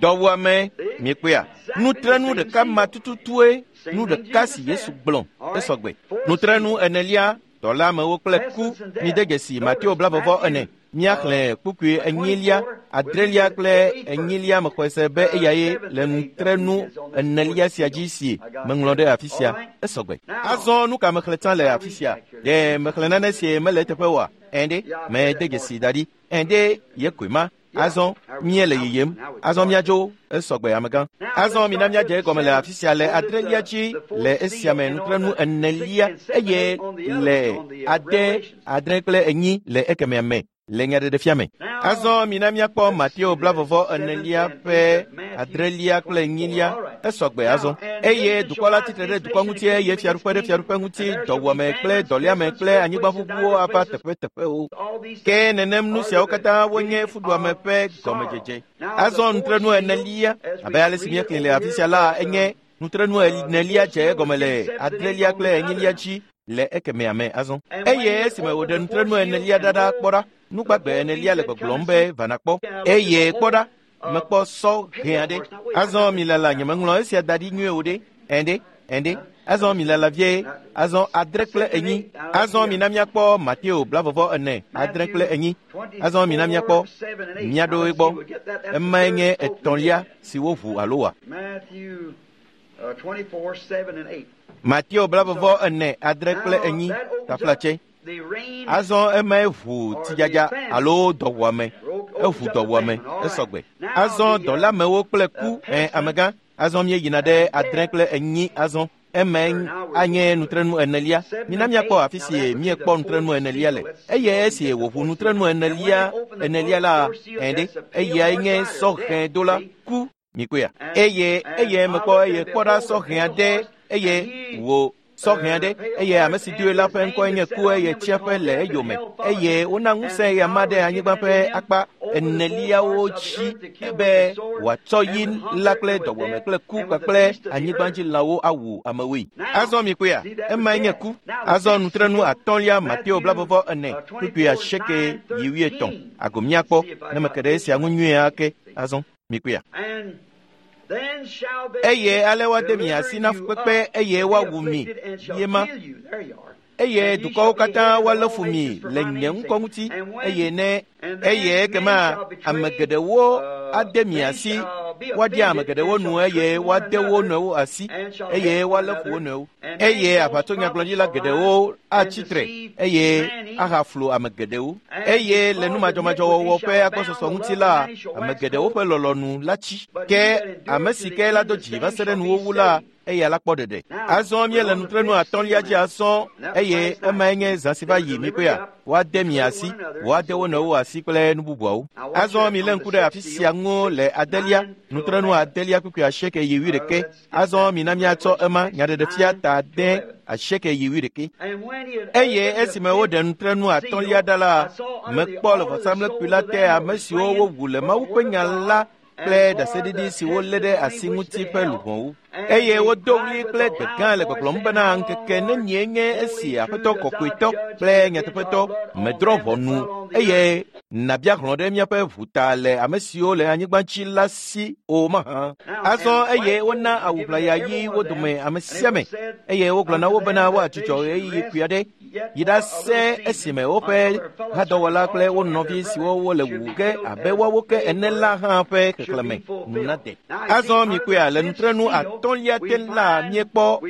Dɔwuame, miekpɔea? Nutrenu ɖeka ma tututue nu ɖeka si Yesu gblɔ esɔgbe. Nutrenu enelia, dɔlamewo kple ku. Mide dzesi Mateo 24. Míaxlẽ kpukpui 4, 6 kple 4 mexɔe se be eyae le nutrenu enelia sia dzi si meŋlɔ ɖe afi sia. Esɔgbe. Azɔ nu ka mexlẽ tsã le afi sia? Ɖe mexlẽ nane si mele eteƒe oa? Ɛ̃ ɖe, mede dzesi da ɖi. Ɛ̃ ɖe, ye koe ma. Azɔ míele yiyim. Azɔ míadzo esɔgbe amegã. Azɔ mina míadze egɔme le afi sia le 6 dzi le esia me nutrenu 4 eye le 6, 6 kple 4 le ekemea me le nyaɖeɖefia me. Azɔ mina míakpɔ Mateo 24 ƒe 6 kple 4 esɔgbe azɔ. Eye dukɔ la tsitre ɖe dukɔ ŋuti eye fiaɖuƒe ɖe fiaɖuƒe ŋuti, dɔwuame kple dɔléame kple anyigbaʋuʋuwo ava teƒeteƒewo. Ke nenem nu siawo katã wonye fuɖuame ƒe gɔmedzedze. Azɔ nutrenu 4, abe ale si míexlẽ le afi sia la, enye nutrenu 4 dze egɔme le 6 kple 4 dzi le ekemea me azɔ. Eye esime wòɖe nutrenu 4 ɖa kpɔ ɖa, nugbagbe 4 le gbɔgblɔm be va nàkpɔ. Eye kpɔ ɖa, mekpɔ sɔ hẽ aɖe. Azɔ milala, nyemeŋlɔ esia da ɖi nyuie o ɖe. Ɛ̃ ɖe, ɛ̃ ɖe. Azɔ milala vie. Azɔ 6 kple 4. Azɔ mina míakpɔ Mateo 24, 6 kple 4. Azɔ mina míakpɔ míaɖo egbɔ. Emae nye etɔ̃lia si woʋu alo wa. Mateo 24, 6 kple 4. Taflatse. Azɔ emae ʋu tsidzadza alo dɔwuame. Eʋu dɔwuame esɔgbe. Azɔ dɔlamewo kple ku. Ɛ̃ amegã. Azɔ míeyina ɖe 6 kple 4 azɔ. Emae anye nutrenu 4. Mina míakpɔ afi si míekpɔ nutrenu 4 le. Eye esi wòʋu nutrenu 4 la, ɛ̃ ɖe, eyae nye sɔ hẽ dola ku. Mikpɔea? Eye mekpɔ eye kpɔ ɖa sɔ hẽ aɖe, eye wò sɔ hẽ aɖe, eye ame si doe la ƒe ŋkɔe nye ku, eye tsiaƒe le eyome, eye wona ŋusẽ eya ma ɖe anyigba ƒe akpa 4 dzi be wòatsɔ yi la kple dɔwɔme kple ku kpakple anyigbadzilãwo awu amewoe. Azɔ mikpɔea? Emae nye ku. Azɔ nutrenu 5 Mateo 24 kpukpui 8 yi 8. Ago míakpɔ ne meke ɖe esia ŋu nyuie ake. Azɔ mikpɔea? Eye ale woade mi asi na fukpekpe eye woawu mi yema. Eye dukɔwo katã woalé fu mi le nye ŋkɔ ŋuti, eye ne eye ekema ame geɖewo ade mi asi, woaɖia ame geɖewo nu eye woade wo nɔewo asi, eye woalé fu wo nɔewo. Eye aʋatsonyagblɔɖila geɖewo atsi tre eye ahaflu ame geɖewo. Eye le numadzɔmadzɔwɔwɔ ƒe agbɔsɔsɔ ŋuti la, ame geɖewo ƒe lɔlɔ̃nu la tsi. Ke ame si ke la do dzi va se ɖe nuwuwu la, eya la kpɔ ɖeɖe. Azɔ míele nutrenu 5 dzi azɔ, eye emae nye zã si va yi mikpɔea? Woade mi asi, woade wo nɔewo asi kple nu bubuawo. Azɔ milé ŋku ɖe afi sia ŋu le 6, nutrenu 6 kpukpui 8 yi 11. Azɔ mina míatsɔ ema nyaɖeɖefia ta 8 8 yi 11. Eye esime woɖe nutrenu 5 ɖa la, mekpɔ le vɔsamlekpui la te ame siwo wowu le Mawu ƒe nya la kple ɖaseɖiɖi si wolé ɖe asi ŋuti ƒe luʋɔwo. Eye wodo ɣli kple gbe gã le gbɔgblɔm bena ŋkeke nenie nye esi Aƒetɔ kɔkɔetɔ kple nyateƒetɔ medrɔ̃ ʋɔnu eye nàbia hlɔ̃ ɖe míaƒe ʋu ta le ame siwo le anyigba dzi la si o mahã. Azɔ eye wona awu ʋlaya ɣi wo dome ame sia ame, eye wogblɔ na wo bena woadzudzɔ ɣeyiɣi kpui aɖe yi ɖase esime woƒe hadɔwɔla kple wo nɔvi siwo wole wuwu ge abe woawo ke ene la hã ƒe xexlẽme nu nade. Azɔ mikpɔea, le nutrenu 5 te la míekpɔ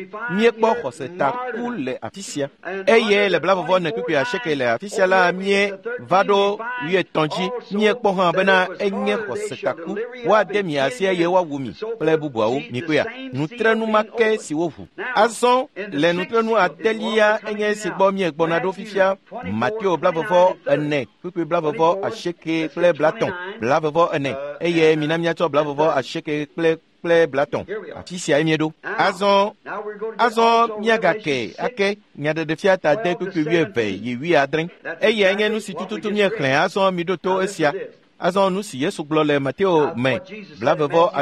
xɔsetaku le afi sia. Eye le 24 kpukpui 8 le afi sia la míeva ɖo 80 dzi. Míekpɔ hã bena enye xɔsetaku. Woade mi asi eye woawu mi kple bubuawo. Mikpɔea, nutrenu ma ke si woʋu. Azɔ le nutrenu 6 enye esi gbɔ míegbɔna ɖo fifia. Mateo 24 kpukpui 28 kple 30, 24, eye mina míatsɔ 28 kple kple 30. Afi siae míeɖo. Azɔ míagake ake Nyaɖeɖefia ta 8 kpukpui 20 yi 70. Eyae nye nu si tututu míexlẽ. Azɔ miɖo to esia. Azɔ nu si Yesu gblɔ le Mateo me 28,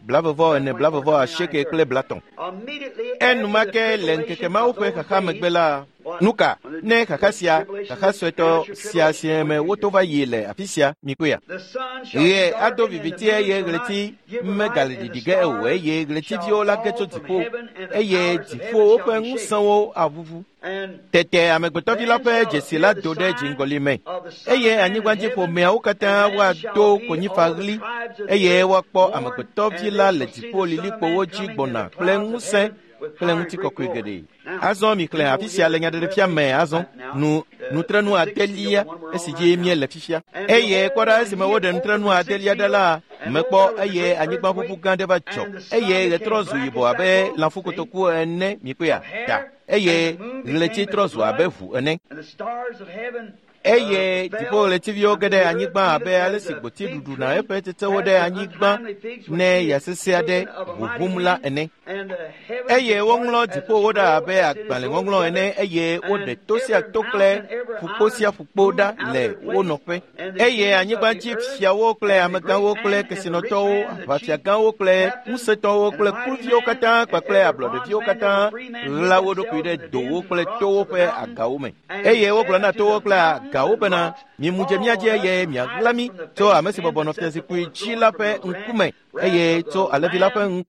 24, 28 kple 30. Enumake le ŋkeke mawo ƒe xaxa megbe la, nuka ne xaxa sia, xaxa suetɔ sia si me woto va yi le afi sia, mikpɔea? Ɣe ado viviti eye ɣleti megale ɖiɖi ge o, eye ɣletiviwo la ge tso dziƒo, eye dziƒowo ƒe ŋusẽwo aʋuʋu. Tete amegbetɔvi la ƒe dzesi la do ɖe dziŋgɔli me, eye anyigbadziƒomeawo katã woado konyifaɣli, eye woakpɔ amegbetɔvi la le dziƒo lilikpowo dzi gbɔna kple ŋusẽ kple ŋutikɔkɔe geɖe. Azɔ mixlẽ afi sia le Nyaɖeɖefia me azɔ nu nutrenu adelia esi dzi míele fifia. Eye kpɔ ɖa, esime woɖe nutrenu adelia ɖa la, mekpɔ eye anyigbaʋuʋu gã aɖe va dzɔ, eye ɣe trɔ zu yibɔ abe lãfukotoku ene, mikpɔea ɖa, eye ɣleti trɔ zu abe ʋu ene. Eye dziƒoɣletiviwo ge ɖe anyigba abe ale si gboti ɖuɖuna eƒe tsetsewo ɖe anyigba ne ya sesẽ aɖe ʋuʋum la ene. Eye woŋlɔ dziƒowo ɖa abe agbalẽŋɔŋlɔ ene, eye woɖe to sia to kple ƒukpo sia ƒukpo ɖa le wo nɔƒe. Eye anyigbadzi fiawo kple amegãwo kple kesinɔtɔwo, aʋafiagãwo kple ŋusẽtɔwo kple kluviwo katã kpakple ablɔɖeviwo katã ɣla wo ɖokui ɖe dowo kple towo ƒe agawo me. Eye wogblɔ na towo kple agawo bena, mimu dze mía dzi eye miaɣla mí tso ame si bɔbɔ nɔ fiazikpui dzi la ƒe ŋkume, eye tso alẽvi la ƒe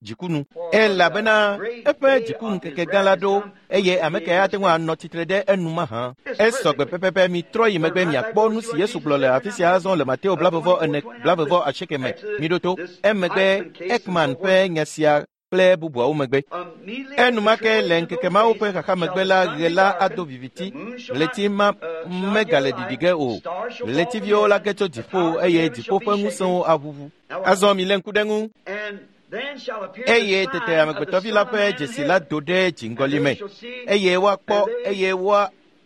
dziku nu. Elabena eƒe dziku ŋkeke gã la ɖo, eye ame kae ate ŋu anɔ tsitre ɖe enu mahã? Esɔgbe pɛpɛpɛ. Mitrɔ yi megbe miakpɔ nu si Yesu gblɔ le afi sia azɔ le Mateo 24, 28 me. Miɖo to. Emegbe Ekman ƒe nya sia kple bubuawo megbe. Enumake le ŋkeke mawo ƒe xaxa megbe la, ɣe la ado viviti, ɣleti ma megale ɖiɖi ge o, ɣletiviwo la ge tso dziƒo, eye dziƒo ƒe ŋusẽwo aʋuʋu. Azɔ milé ŋku ɖe ŋu. Eye tete amegbetɔvi la ƒe dzesi la do ɖe dziŋgɔli me, eye woakpɔ,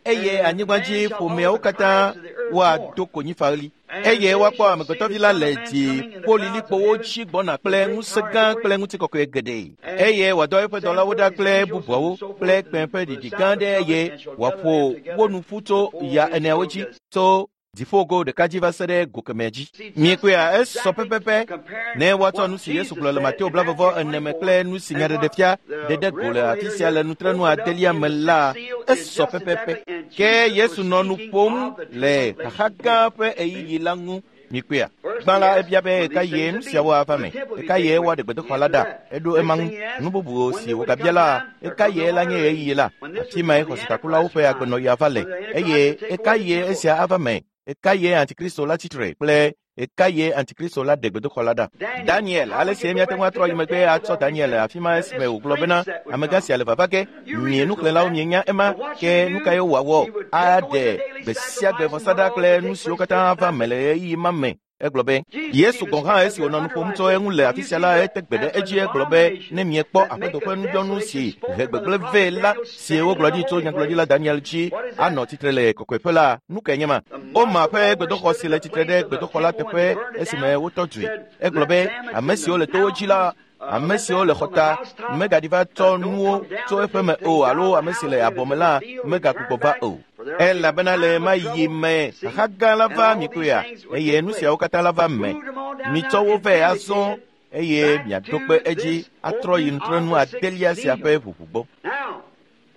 eye anyigbadzi ƒomeawo katã woado konyifaɣli, eye woakpɔ amegbetɔvi la le dziƒolilikpowo dzi gbɔna kple ŋusẽ gã kple ŋutikɔkɔe geɖe. Eye wòadɔ eƒe dɔlawo ɖa kple bubuawo kple kpẽ ƒe ɖiɖi gã aɖe, eye wòaƒo wo nu ƒu tso ya eneawo dzi, tso dziƒogo ɖeka dzi va se ɖe go kemɛ dzi. Miekpɔea, esɔ pɛpɛpɛ ne woatsɔ nu si Yesu gblɔ le Mateo 24 me kple nu si Nyaɖeɖefia ɖe ɖe go le afi sia le nutrenu adelia me la, esɔ pɛpɛpɛ. Ke Yesu nɔ nu ƒom le xaxa gã ƒe ɣeyiɣi la ŋu. Mikpɔea, gbã la ebia be ɣeka ye nu siawo ava me, ɣeka ye woaɖe gbedoxɔ la ɖa. Eɖo ema ŋu. Nu bubu si wògabia la, ɣeka ye la nye ɣeyiɣi la, afi mae xɔsetakulawo ƒe agbenɔɣi ava le, eye ɣeka ye esia ava me, ɣeka ye Antikristo la tsitre kple ɣeka ye Antikristo la ɖe gbedoxɔ la ɖa. Daniel, ale si míate ŋu atrɔ yi megbe atsɔ Daniel le afi ma esime wògblɔ bena amegã sia le vava ge. Mie nuxlẽlawo mienya ema, ke nu kae wòawɔ? Aɖe gbe sia gbe vɔsa ɖa kple nu siwo katã ava me le ɣeyiɣi ma me. Egblɔ be Yesu gɔ̃ hã esi wònɔ nu ƒom tso eŋu le afi sia la, ete gbe ɖe edzi egblɔ be ne miekpɔ Aƒetɔ ƒe nudzɔnu si he gbegblẽ vɛ la, si wogblɔ ɖi tso nyagblɔɖila Daniel dzi, anɔ tsitre le kɔkɔeƒe la, nu kae nye ma? Woma ƒe gbedoxɔ si le tsitre ɖe gbedoxɔ la teƒe esime wotɔ dzoe. Egblɔ be ame siwo le towo dzi la, ame siwo le xɔta megaɖi va tsɔ nuwo tso eƒe me o, alo ame si le abɔ me la megagbugbɔ va o. Elabena le ma yi me xaxa gã la va, mikpɔea, eye nu siawo katã la va me. Mitsɔ wo vɛ azɔ eye miaɖo kpe edzi atrɔ yi nutrenu adelia sia ƒe ʋuʋu gbɔ. Now,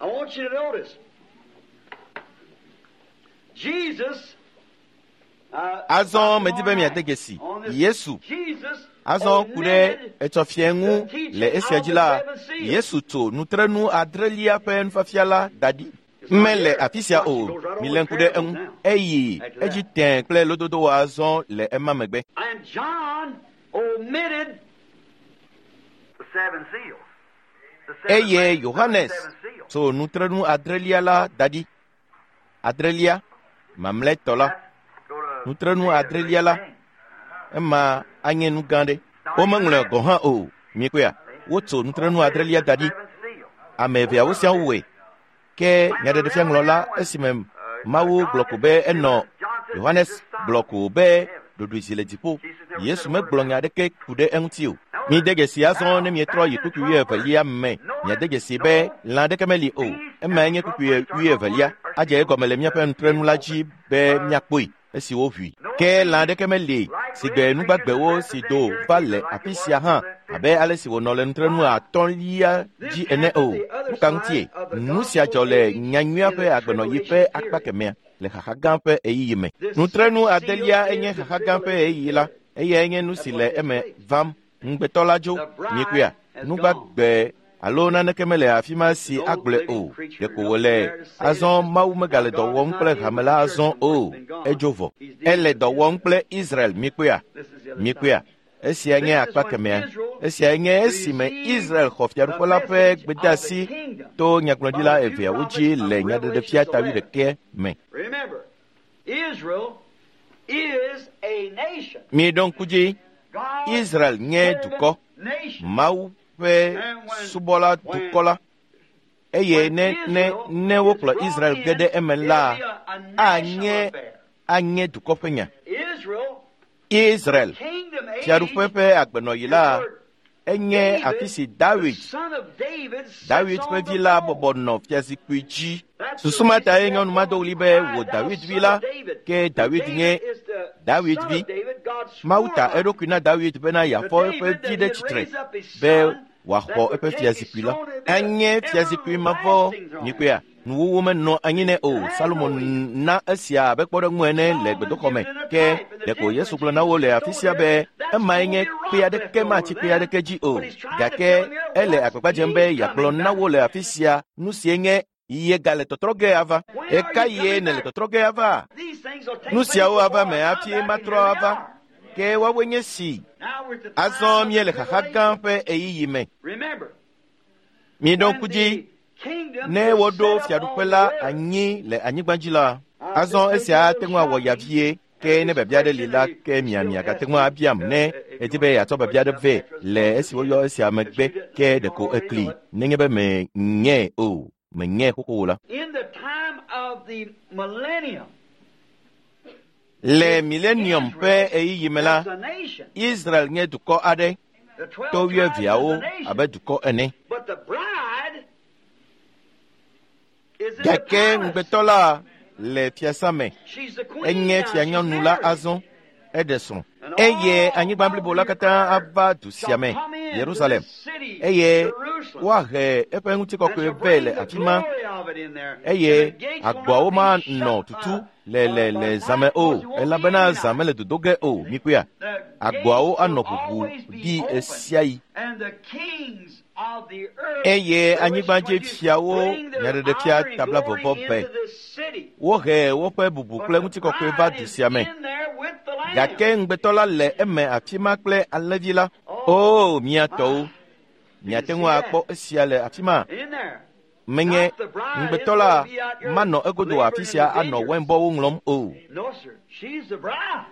I want you to notice Jesus. Azɔ medi be miade dzesi Yesu. Azɔ ku ɖe etsɔfiɛ ŋu le esia dzi la, Yesu tso nutrenu adrelia ƒe nufiafia la da ɖi. Mele afi sia o, milé ŋku ɖe eŋu. Eyi edzi tẽ kple lododo azɔ le ema megbe. And John omitted The seven seals. The seven Eye rings of the Yohanes seven seals. tso nutrenu adrelia la da ɖi. Adrelia, mamlɛtɔ la, Go to nutrenu adrelia la, ema anye nu gã ɖe. Womeŋlɔe gɔ̃ hã o. Miekpɔea, wotso nutrenu adrelia da ɖi. seven seals. Ame eveawo sia wɔe. Ke nyaɖeɖefiaŋlɔla esime Mawu gblɔ ko be enɔ Yohanes gblɔ ko be Ɖoɖoe zi le dziƒo. Yesu megblɔ nya aɖeke ku ɖe eŋuti o. Mide dzesi azɔ ne mietrɔ yi kpukpui wuievelia me. Miade dzesi be lã aɖeke meli o. Emae nye kpukpui wuievelia. Adze egɔme le míaƒe nutrenu la dzi be míakpɔe esi woʋui. Ke lã aɖeke meli si gbe nugbagbewo si do va le afi sia hã abe ale si wònɔ le nutrenu atɔ̃lia dzi ene o. Nu ka ŋutie? Nu sia dzɔ le nyanyuia ƒe agbenɔɣi ƒe akpa kemɛa le xaxa gã ƒe ɣeyiɣi me. Nutrenu adelia enye xaxa gã ƒe ɣeyiɣi la. Eyae nye nu si le eme vam. Ŋugbetɔ la dzo. Miekpɔea? Nugbagbe alo naneke mele afi ma si agblɔe o. Ɖeko wòle azɔ Mawu megale dɔ wɔm kple hame la azɔ o. Edzo vɔ. Ele dɔ wɔm kple Israel. Miekpɔea? Miekpɔea? Esia nye akpa kemɛa. Esiae nye esime Israel xɔ fiaɖuƒe la ƒe gbedeasi to nyagblɔɖila eveawo dzi le nyaɖeɖefia ta wuiɖekɛ me. Remember, Israel is a nation. Miɖo ŋku dzi, God's Israel nye dukɔ, nation. Mawu ƒe subɔla dukɔ la. Eye ne ne ne wokplɔ Israel ge ɖe eme la, anye anye dukɔ ƒe nya. Israel, Israel, kingdom age, fiaɖuƒe ƒe agbenɔɣi la, enye afi si Dawid, son of David, sits Dawid on ƒe the vi la throne. bɔbɔ nɔ fiazikpui dzi. Susu ma tae nyɔnu ma do ɣli be wò Dawid vi la, ke Dawid nye Dawid vi. Mawu ta eɖokui na Dawid bena yeafɔ eƒe vi ɖe tsitre be wòaxɔ eƒe fiazikpui la. Enye fiazikpui mavɔ nyikpea. Nuwuwu menɔ anyi nɛ o. Salomo na esia abe kpɔɖeŋu ene le gbedoxɔ me. Ke ɖeko Yesu gblɔ na wo le afi sia be emae nye kpe aɖeke matsi kpe aɖeke dzi o. Gake ele agbagba dzem be yeagblɔ na wo le afi sia nu sie nye ye gale tɔtrɔ ge ava. Ɣeka ye nèle tɔtrɔ ge ava? These things will take Nu siawo place ava before me I hafi come back, and matrɔ here they ava. are. Ke woawoe nye si. Now we're at the time Azɔ of míele the xaxa gã tribulation. ƒe ɣeyiɣi me. Remember, Miɖo when ŋku dzi the kingdom ne is woɖo set up fiaɖuƒe on la the earth, anyi le anyigba dzi la, azɔ esia ate ŋu awɔ ya vie. Ke ne biabia aɖe li la, ke mia miagate ŋu abiam ne edi be yeatsɔ biabia aɖe vɛ le esi woyɔ esia megbe ke ɖeko ekli nenye be menyae o, menyae xoxo o la. in the time of the millennium, Le milenium ƒe ɣeyiɣi me la, as a nation, Israel nye dukɔ aɖe the 12 to tribes wuieveawo is a nation, abe dukɔ ene. but the bride is in the Gake palace. ŋugbetɔ la le fiasã me. She's the queen Enye now. She's fianyɔnu la married. azɔ, eɖe srɔ̃. Eye anyigba blibo la katã ava du sia me, Shall come into Yerusalem. this city, Eye Jerusalem. woahe eƒe And ŋutikɔkɔe shall vɛ bring le the afi ma glory of it in there. eye And the gates will agboawo not manɔ be shut tutu by- le le by le night, zãme o because it won't be elabena any zã night. mele dodo ge o mikpɔea The agboawo gates anɔ will ʋuʋu always be ɖi open. ɣesiaɣi And the kings of the earth, eye Revelation anyigbadzi 22, fiawo bring their nyaɖeɖefia honor and tabla glory vɔvɔ vɛ into this city. wohe woƒe bubu But kple the ŋutikɔkɔe va bride du is sia me in there with the Lamb. gake ŋugbetɔ la le eme afi ma kple alẽvi la o mia tɔwo miate ŋu akpɔ esia le afi ma In there. menye Not the bride ŋugbetɔ isn't la gonna be out here manɔ egodo laboring afi in sia the anɔ vineyards. wɛnbɔwo ŋlɔm o No, sir. She's the bride.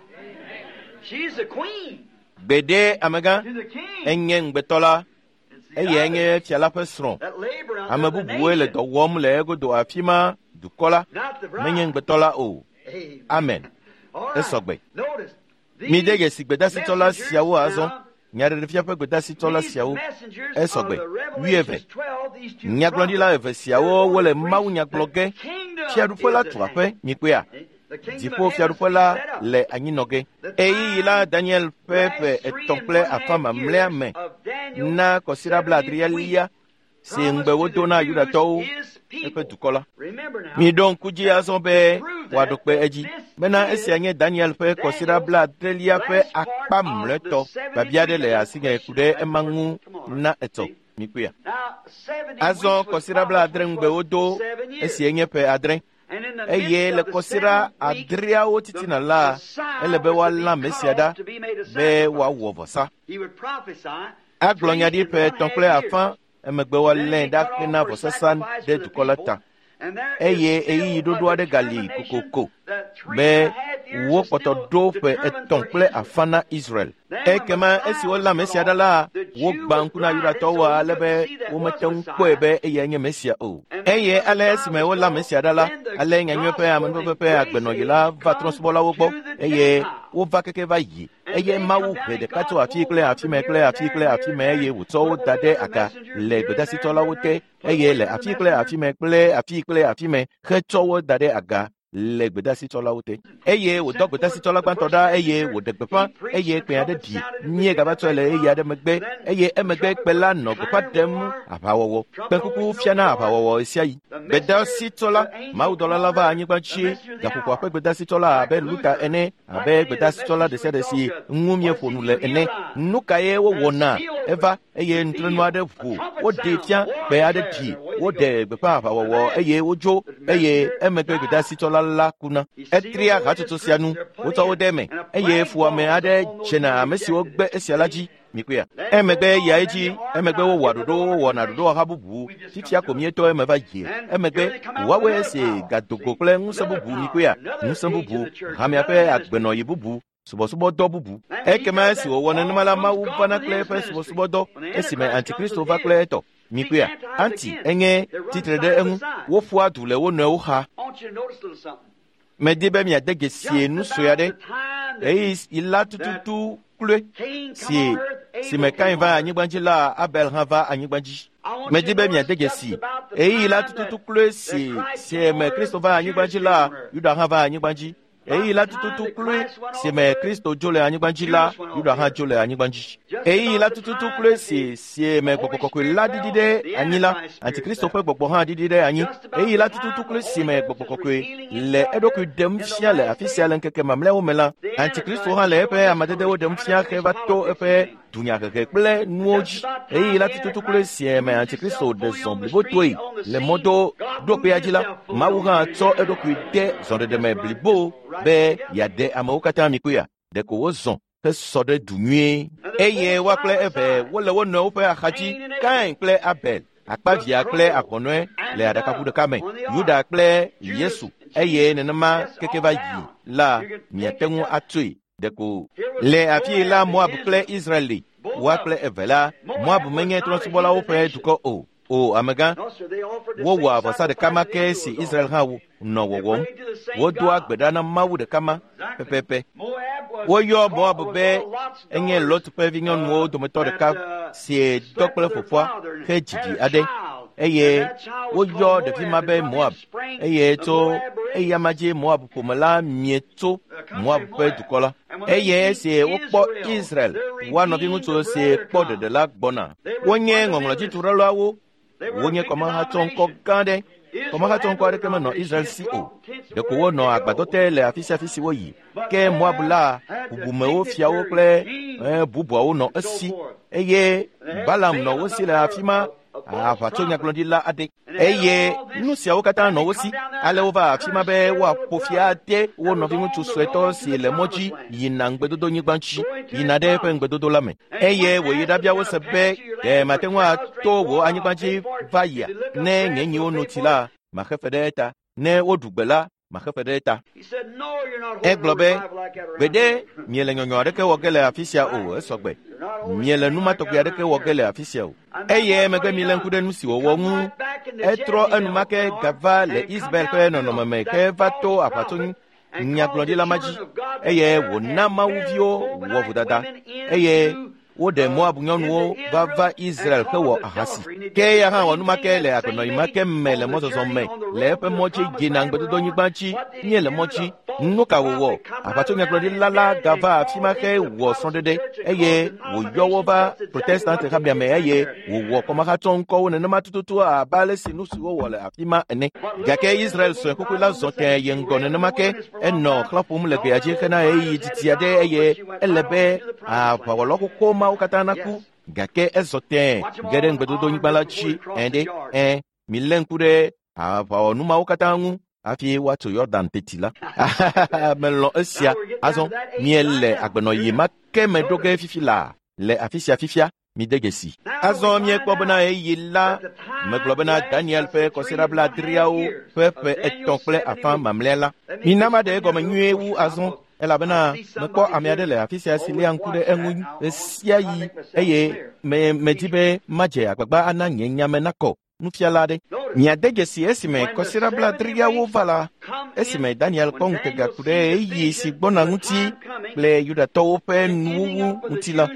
She's the queen gbeɖe amegã to the king. enye ŋugbetɔ la It's the eyae nye others fia la ƒe srɔ̃ that labor out ame there, the bubuwoe le nation, dɔ wɔm le egodo afi ma dukɔ la not the menye bride. ŋugbetɔ la o Amen. amen All right. esɔgbe Notice, mide these dzesi gbedasitsɔla messengers siawo azɔ now, nyaɖeɖefia ƒe gbedasitsɔla these siawo messengers esɔgbe of the wuieve Revelations 12, these two nyagblɔɖila prophets, eve siawo wole they're mawu going nya to gblɔ preach ge the kingdom fiaɖuƒe la is at tu hand. aƒe mikpɔea The kingdom dziƒo of heaven fiaɖuƒe is la set up. le anyinɔ ge The ɣeyiɣi la time, Daniel ƒe last ƒe three etɔ̃ and kple one afã half mamlɛa years me of Daniel's na kɔsiɖa 70th week blaadrelia si ŋugbe promised to wodo the na Jews, Yudatɔwo his eƒe people. dukɔ la Remember now, miɖo ŋku dzi azɔ be to prove wòaɖo that kpe edzi this bena is esia nye Daniel ƒe kɔsiɖa Daniel's blaadrelia ƒe last part akpa of the mlɔetɔ biabia aɖe 73. le There's a asinye ku question ɖe on that ema part. ŋu Come on. na etɔ See? mikpɔea Now, 70 azɔ weeks was kɔsiɖa promised, blaadre which ŋugbe was wodo 7 years. esie nye ƒe adre And in the eye midst le of the kɔsiɖa seventh week, adreawo the titina la Messiah ele be was to be woalã cut Mesia ɖa off to be made a be sacrifice. woawɔ vɔsa He would prophesy agblɔ three nya ɖi and ƒe one etɔ̃ half kple years. afã emegbe Then woalãe he'd be ɖa cut off hena for vɔsasa sacrifice ɖe for the dukɔ la people. ta And there is eye still ɣeyiɣi a ɖoɖo aɖe gali determination kokoko that three be and a half Wokpɔtɔ ɖo ƒe 3.5 na Israel. Ekema esi wolé Mesia ɖa la, wogbã ŋku na Yudatɔwo ale be womete ŋu kpɔe be eyae nye Mesia o. Eye ale esime wolé Mesia ɖa la, ale nyanyui ƒe amenuveve ƒe agbenɔɣi la va trɔ̃subɔlawo gbɔ eye wova keke va yi. Eye Mawu he ɖeka tso afi kple afi me kple afi kple afi me eye wòtsɔ wo da ɖe aga le gbedasitɔlawo te eye le afi kple afi me kple afi kple afi me hetsɔ wo da ɖe aga le gbedasitsɔlawo te. Eye wòdɔ gbedasitsɔla gbãtɔ ɖa eye wòɖe gbeƒã eye kpẽ aɖe ɖi míegava tsɔe le ɣeyiɣi aɖe megbe eye emegbe kpe la nɔ gbeƒã ɖem aʋawɔwɔ. Kpẽkuku fiana aʋawɔwɔ ɣesiaɣi. Gbedasitsɔla, mawudɔla la va anyigba dzi gaƒoƒoa ƒe gbedasitsɔla abe Luta ene, abe gbedasitsɔla ɖe sia ɖe si ŋu míeƒo nu le ene. Nu kae wowɔna? Eva eye nutrenu aɖe ʋu, woɖee fia, kpe aɖe ɖi, woɖe gbeƒã aʋawɔwɔ eye wodzo eye emegbe gbedasitsɔla la kuna. Etria hatsotso sia nu, wotsɔ wo ɖe eme eye fuwɔame aɖe dzena ame siwo gbe esia la dzi. Mikpɔea? Emegbe yia edzi, emegbe wowɔa ɖoɖo, wowɔna ɖoɖowɔha bubu, fifia ko mietɔ eme va yie. Emegbe woawoe si gadogo kple ŋusẽ bubu. Mikpɔea? Ŋusẽ bubu, hamea ƒe agbenɔɣi bubu, subɔsubɔdɔ bubu. Ekema esi wòwɔ nenema la, Mawu vana kple eƒe subɔsubɔdɔ esime Antikristo va kple etɔ. Mikpɔea? Anti enye tsitre ɖe eŋu. Woƒoa du le wo nɔewo xa. Medi be miade dzesi nu sue aɖe. Ɣeyiɣi la tututu kloe si si me Kain va anyigba dzi la, Abel hã va anyigba dzi. Medi be miade dzesi ɣeyiɣi la tututu kloe si si me Kristo va anyigba dzi la, Yuda hã va anyigba dzi. Ɣeyiɣi la tututu kloe si me Kristo dzo le anyigba dzi la, Yuda hã dzo le anyigba dzi. Ɣeyiɣi la tututu kloe si si me Gbɔgbɔ Kɔkɔe la ɖiɖi ɖe anyi la, Antikristo ƒe gbɔgbɔ hã ɖiɖi ɖe anyi. Ɣeyiɣi la tututu kloe si me Gbɔgbɔ Kɔkɔe le eɖokui ɖem fia le afi sia le ŋkeke mamlɛawo me la, Antikristo hã le eƒe amadedewo ɖem fia heva to eƒe dunyahehe kple nuwo dzi. Ɣeyiɣi la tututu kloe si me Antikristo ɖe zɔ blibotoe le mɔdo ɖokpea dzi la, Mawu hã tsɔ eɖokui de zɔɖeɖe me blibo be yeaɖe amewo katã. Mikpɔea? Ɖeko wozɔ hesɔ ɖe du nyuie. Eye woa kple eve wole wo nɔewo ƒe axadzi, Kain kple Abel, akpavia kple ahɔnɔe le aɖakaʋu ɖeka me, Yuda kple Yesu, eye nenema keke va yi la, miate ŋu atsoe ɖeko. Le afi la Moab kple Israel li, woa kple eve la, Moab menye trɔ̃subɔlawo ƒe dukɔ o. O amegã, wowɔa vɔsa ɖeka ma ke si Israel hã nɔ wɔwɔm. Wodoa gbe ɖa na Mawu ɖeka ma pɛpɛpɛ. Woyɔ Moab be enye Lot ƒe vinyɔnuwo dometɔ ɖeka si dɔ kple fofoa hedzi vi aɖe eye woyɔ ɖevi ma be Moab eye tso eya ma dzi Moab ƒome la mie tso Moab ƒe dukɔ la. Eye esi wokpɔ Israel, woa nɔviŋutsu si kpɔ ɖeɖe la gbɔna. Wonye ŋɔŋlɔdzituɖelawo, wonye kɔmahatsɔŋkɔ gã aɖe. Kɔmahatsɔŋkɔ aɖeke menɔ Israel si o. Ɖeko wonɔ agbadɔ te le afi sia afi si woyi. Ke Moab la, bubumewo, fiawo kple bubuawo nɔ esi eye Balaam nɔ wo si le afi ma, aʋatsonyagblɔɖila aɖe. Eye nu siawo katã nɔ wo si. Ale wova afi ma be woaƒo fia ade wo nɔviŋutsu suetɔ si le mɔ dzi yina ŋugbedodonyigba dzi, yina ɖe eƒe ŋugbedodo la me. Eye wòyi ɖabia wo se be, ɖe mate ŋu ato wò anyigba dzi va yia? Ne nye nyiwo no tsi la, maxe fe ɖe eta. Ne woɖu gbe la, maxe fe ɖe eta. Egblɔ be, gbeɖe miele nyɔnyɔ aɖeke wɔ ge le afi sia o, esɔgbe. Miele nu ma tɔgbi aɖeke wɔ ge le afi sia o. Eye emegbe milé ŋku ɖe nu si wòwɔ ŋu. Etrɔ enumake gava le Israel ƒe nɔnɔme me heva to aʋatso nyagblɔɖila ma dzi eye wòna mawuviwo wɔ vodada eye woɖe Moab nyɔnuwo va va Israel hewɔ ahasi. Ke eya hã wɔ nu ma ke le agbenɔɣi ma ke me le mɔzɔzɔ me le eƒe mɔ dzi yina ŋugbedodonyigba dzi míele mɔ dzi. Nu ka wòwɔ? Aʋatsonyagblɔɖila la gava afi ma hewɔ srɔ̃ɖeɖe eye wòyɔ wo va Protestant hamea me eye wòwɔ kɔmahatsɔŋkɔwo nenema tututu abe ale si nu si wowɔ le afi ma ene. Gake Israel sue xoxoe la zɔ tẽe yi ŋgɔ nenema ke enɔ xlã ƒom le gbea dzi hena ɣeyiɣi didi aɖe eye ele be aʋawɔla xoxo mawo katã naku. Gake ezɔ tẽe ge ɖe ŋugbedodonyigba la dzi ẽ ɖe ẽ. Milé ŋku ɖe aʋawɔnu mawo katã ŋu hafi woatso Yɔdan teti la. Melɔ̃ esia. Azɔ miele agbenɔɣi ma ke me ɖo ge fifi laa le afi sia fifia. Mide dzesi. Azɔ míekpɔ bena ɣeyiɣi la megblɔ bena Daniel ƒe kɔsiɖa blaadreawo ƒe ƒe 3.5 mamlɛa la. Mina maɖe egɔme nyuie wu azɔ elabena mekpɔ ame aɖe le afi sia si léa ŋku ɖe eŋu ɣe sia ɣi eye medi be madze agbagba ana nye nyame nakɔ nufiala aɖe. Miade dzesi esime kɔsiɖa blaadreawo va la, esime Daniel kpɔ ŋutega ku ɖe ɣeyiɣi si gbɔna ŋuti kple Yudatɔwo ƒe nuwuwu ŋuti la.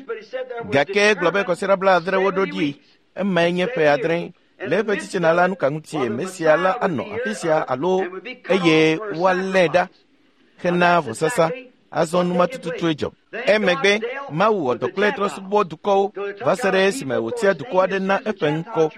Gake egblɔ be kɔsiɖa 70 ɖo ɖi, emae nye ƒe 7. Le eƒe tsitsina la nuka ŋutie Mesia la anɔ afi sia alo eye woalée ɖa hena vɔsasa. Azɔ numa tututue dzɔ. Emegbe Mawu wɔ dɔ kple trɔ̃subɔ dukɔwo va se ɖe esime wòtia dukɔ aɖe na eƒe ŋkɔ.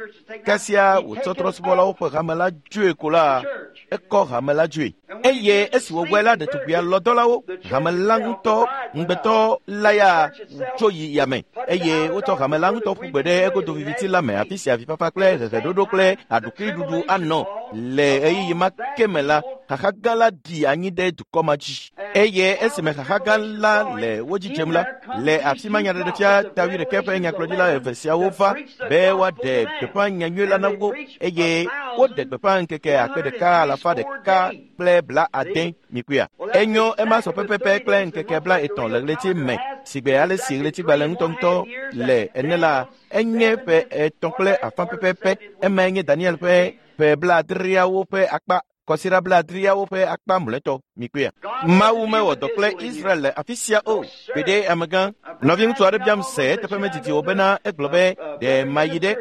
Kasia wòtsɔ trɔ̃subɔlawo ƒe hame la dzoe ko la, ekɔ hame la dzoe. Eye esi wòwɔe la, ɖetugbia lɔ dɔlawo, hame la ŋutɔ, ŋugbetɔ la ya tso yi yame eye wotsɔ hame la ŋutɔ ƒu gbe ɖe egodo viviti la me, afi sia avifafa kple heheɖoɖo kple aɖukliɖuɖu anɔ. Le ɣeyiɣi ma ke me la, xaxa gã la ɖi anyi ɖe dukɔ ma dzi. Eye esime xaxa gã la le wo dzi dzem la, le afi ma nyaɖeɖefia ta 21 ƒe nyagblɔɖila eve siawo va be woaɖe gbeƒã nyanyui la na wo eye woɖe gbeƒã ŋkeke 1160 mikpɔea. Enyo ema sɔ pɛpɛpɛ kple ŋkeke 30 le ɣleti me sigbe ale si ɣletigbalẽ ŋutɔŋutɔ le ene la, enye ƒe 3.5 pɛpɛpɛ. Emae nye Daniel ƒe ƒe 70 ƒe akpa kɔsiɖa 70 ƒe akpa mlɔetɔ mikpɔea. Mawu mewɔ dɔ kple Israel le afi sia o. Gbeɖe amegã. Nɔviŋutsu aɖe biam se eteƒe medidi o bena egblɔ be ɖe mayi ɖe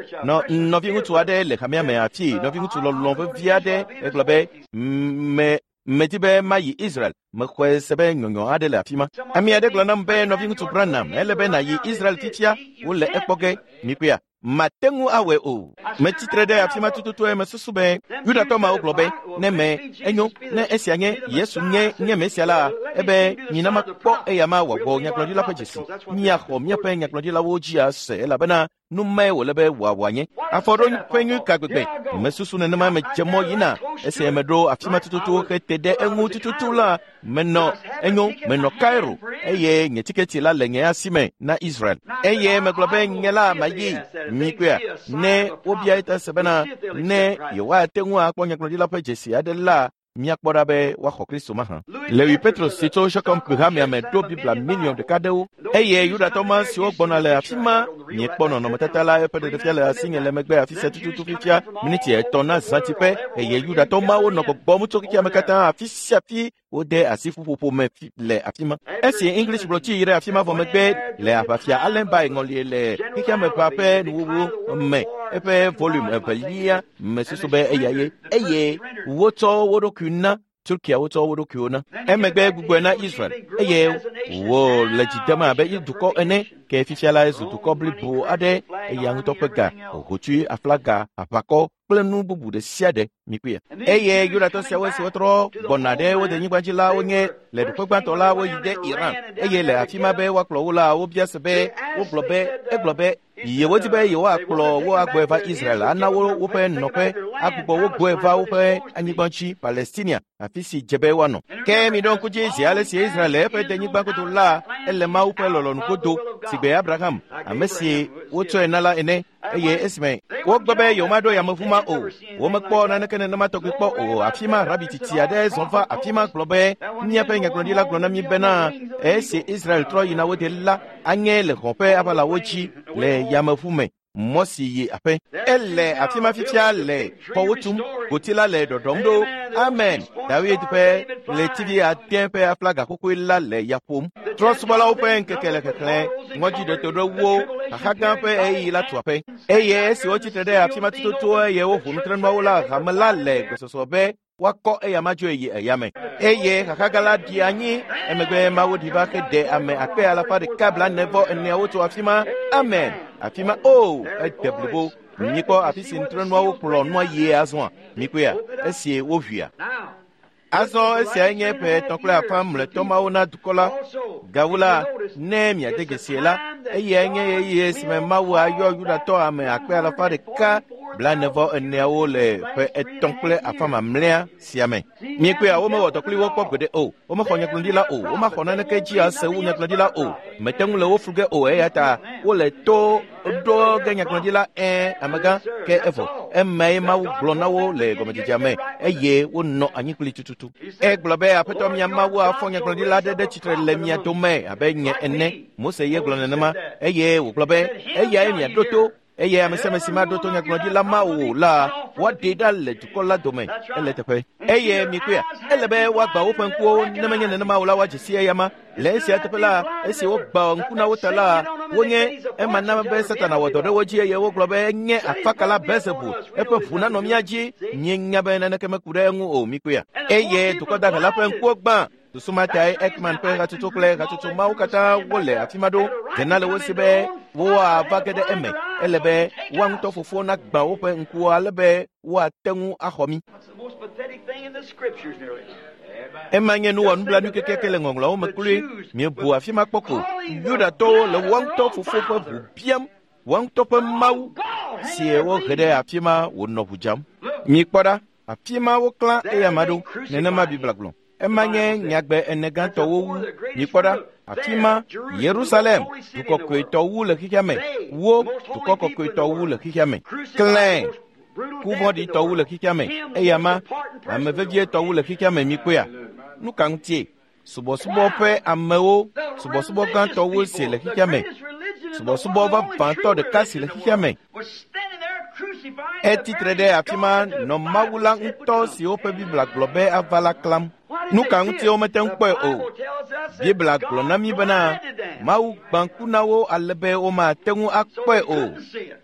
nɔviŋutsu aɖe le hamea me afi nɔviŋutsu lɔlɔ̃ vevi aɖe egblɔ be medi be mayi Israel. Mexɔe se be nyɔnyɔ aɖe le afi ma. Ame aɖe gblɔ nam be nɔviŋutsu Branham ele be nàyi Israel fifia wole ekpɔ ge mikpɔea. Mate ŋu awɔe o. Metsitre ɖe afi ma tututue mesusu be Yudatɔ mawo gblɔ be ne me enyo ne esia nye Yesu nye nye Mesia la ebe mina makpɔ eya ma wòawɔ nyagblɔɖila ƒe dzesi. Míaxɔ míaƒe nyagblɔɖilawo dzi ase elabena nu mae wòle be wòawɔ nye. Afɔɖoƒe nyui ka gbegbe. Mesusu nenema medze mɔ yina. Esi meɖo afi ma tututu hete ɖe eŋu tututu la, menɔ enyo menɔ Cairo eye nye tiketi la le nye asi me na Israel. Eye megblɔ be nye la mayi mikpɔea ne wobia eta se bena ne yewoate ŋu akpɔ nyagblɔɖila ƒe dzesi aɖe la, míakpɔ ɖa be woaxɔ Kristo mahã. Lewi Petros si tso Shechem hamea me ɖo Biblia 1 million ɖewo eye Yudatɔ ma siwo gbɔna le afi ma miekpɔ nɔnɔmetata la eƒe ɖeɖefia le asinye le megbe afi sia tututu fifia miniti 3 na zãtiƒe eye Yudatɔ mawo nɔ gbɔgbɔm tso xexea me katã afi sia afi wode asi ƒuƒoƒo me le afi ma. Esi English gblɔtsi yi ɖe afi ma vɔ megbe le aʋafia Allenby ŋɔlie le xexea me ʋa ƒe nuwuwu me eƒe volume 2 mesusu be eya ye eye wotsɔ wo ɖokui na Turkia wotsɔ wo ɖokuiwo na. Emegbe gbugbɔe na Israel eye wole dzi dem abe dukɔ ene ke fifia la ezu dukɔ blibo aɖe eya ŋutɔ ƒe ga, hotsui, aflaga, aʋakɔ kple nu bubu ɖe sia ɖe mikpɔe. Eye Yudatɔ siawo esiwo trɔ gbɔna ɖe wo denyigba dzi la wonye le ɖoƒe gbãtɔ la woyi ɖe Iran eye le afi ma be woakplɔ wo la wobia se be wogblɔ be egblɔ be yewodi be yewoakplɔ wo agbɔe va Israel ana wo woƒe nɔƒe agbugbɔ wo gbɔe va woƒe anyigba dzi Palestinia afi si dze be woanɔ. Ke miɖo ŋku dzi zi ale si Israel le eƒe denyigba godo la ele Mawu ƒe lɔlɔ̃nu godo sigbe Abraham ame si wotsɔe na la ene eye esime wogbe be yewomaɖo yameʋu ma o womekpɔ naneke nenema tɔgbi kpɔ o. Afi ma rabi tsitsi aɖe zɔ va afi ma gblɔ be míaƒe nyagblɔɖila gblɔ na mí bena esi Israel trɔ yina wo de la anye le xɔ ƒe aʋalawo dzi le yameʋu me mɔ si yi aƒe. Ele afi ma fifia le xɔwo tum, goti la le ɖɔɖɔm ɖo. Amen. David ƒe ɣletivi 8 ƒe aflaga xoxoe la le ya ƒom. Trɔ̃subɔlawo ƒe ŋkeke le xexlẽ, ŋɔdziɖeto ɖe wo, xaxa gã ƒe ɣeyiɣi la tu aƒe. Eye esi wotsitre ɖe afi ma tututu eye woʋu nutrenuawo la, hame la le gbesɔsɔ be woakɔ eya ma dzoe yi eya me. Eye xaxa gã la ɖi anyi emegbe Mawu ɖi va heɖe ame 144,000 tso afi ma. Amen. Afi ma o ede blibo. Mikpɔ afi si nutrenuawo kplɔ nua yie azɔa. Mikpɔea esi woʋuia. Azɔ esiae nye ƒe 3.5 mlɔetɔ mawo na dukɔ la. Gawu la, ne miade dzesie la, eyae nye ɣeyiɣi esime Mawu ayɔ Yudatɔ ame 144,000 44 le ƒe 3 kple afã mamlɛa sia me. Miekpɔea, womewɔ dɔ kpli wo kpɔ gbeɖe o. Womexɔ nyagblɔɖila o. Womaxɔ naneke dzi ase wu nyagblɔɖila o. Mete ŋu le wo flu ge o, eya ta wole to ɖo ge nyagblɔɖila amegã ke evɔ. Emae Mawu gblɔ na wo le gɔmedzedzea me eye wonɔ anyi kpli tututu. Egblɔ be Aƒetɔ mia Mawu afɔ nyagblɔɖila aɖe ɖe tsitre le mia dome abe nye ene. Mose ye gblɔ nenema eye wògblɔ be eyae miaɖo to. Eye ame sia ame si maɖo to nyagblɔɖila ma o la, woaɖee ɖa le dukɔ la dome. Ele teƒe. Eye mikpɔea, ele be woagbã woƒe ŋkuwo, ne menye nenema o la, woadze si eyama. Le esia teƒe la, esi wogbã ŋku na wo ta la, wonye ema na be Satana wɔ dɔ ɖe wo dzi eye wogblɔ be enye afakala Beelzebul, eƒe ʋu nanɔ mía dzi. Míenya be naneke meku ɖe eŋu o, mikpɔea. Eye dukɔ dahe la ƒe ŋkuwo gbã. Susu ma tae Ekman ƒe hatsotso kple hatsotso mawo katã wole afi ma ɖo. Dzena le wo si be woava ge ɖe eme. Ele be woa ŋutɔ fofowo nagbã woƒe ŋkuwo ale be woate ŋu axɔ mí. Ema nye nuwɔnublanui kekeake le ŋɔŋlɔawo me kloe. Miebu afi ma kpɔ ko. Yudatɔwo le woa ŋutɔ fofo ƒe ʋu biam, woa ŋutɔ ƒe Mawu si wohe ɖe afi ma wònɔ ʋu dzam. Mikpɔ ɖa, afi ma woklã eyama ɖo. Nenema Biblia gblɔ. Ema nye nyagbe ene gãtɔwo wu. Mikpɔ ɖa, afi ma Yerusalem, dukɔ kɔkɔetɔ wu le xexea me. Wo, dukɔ kɔkɔetɔ wu le xexea me. Klẽ, ku vɔ̃ɖitɔ wu le xexea me. Eyama, ame vevietɔ wu le xexea me. Mikpɔea? Nu ka ŋutie? Subɔsubɔ ƒe amewo, subɔsubɔ gãtɔ wu si le xexea me. Subɔsubɔ vavãtɔ ɖeka si le xexea me. Etsitre ɖe afi ma nɔ Mawu la ŋutɔ si woƒe Biblia gblɔ be ava la klam. Nu ka ŋutie womete ŋu kpɔe o? Biblia gblɔ na mí bena Mawu gbã ŋku na wo ale be womate ŋu akpɔe o.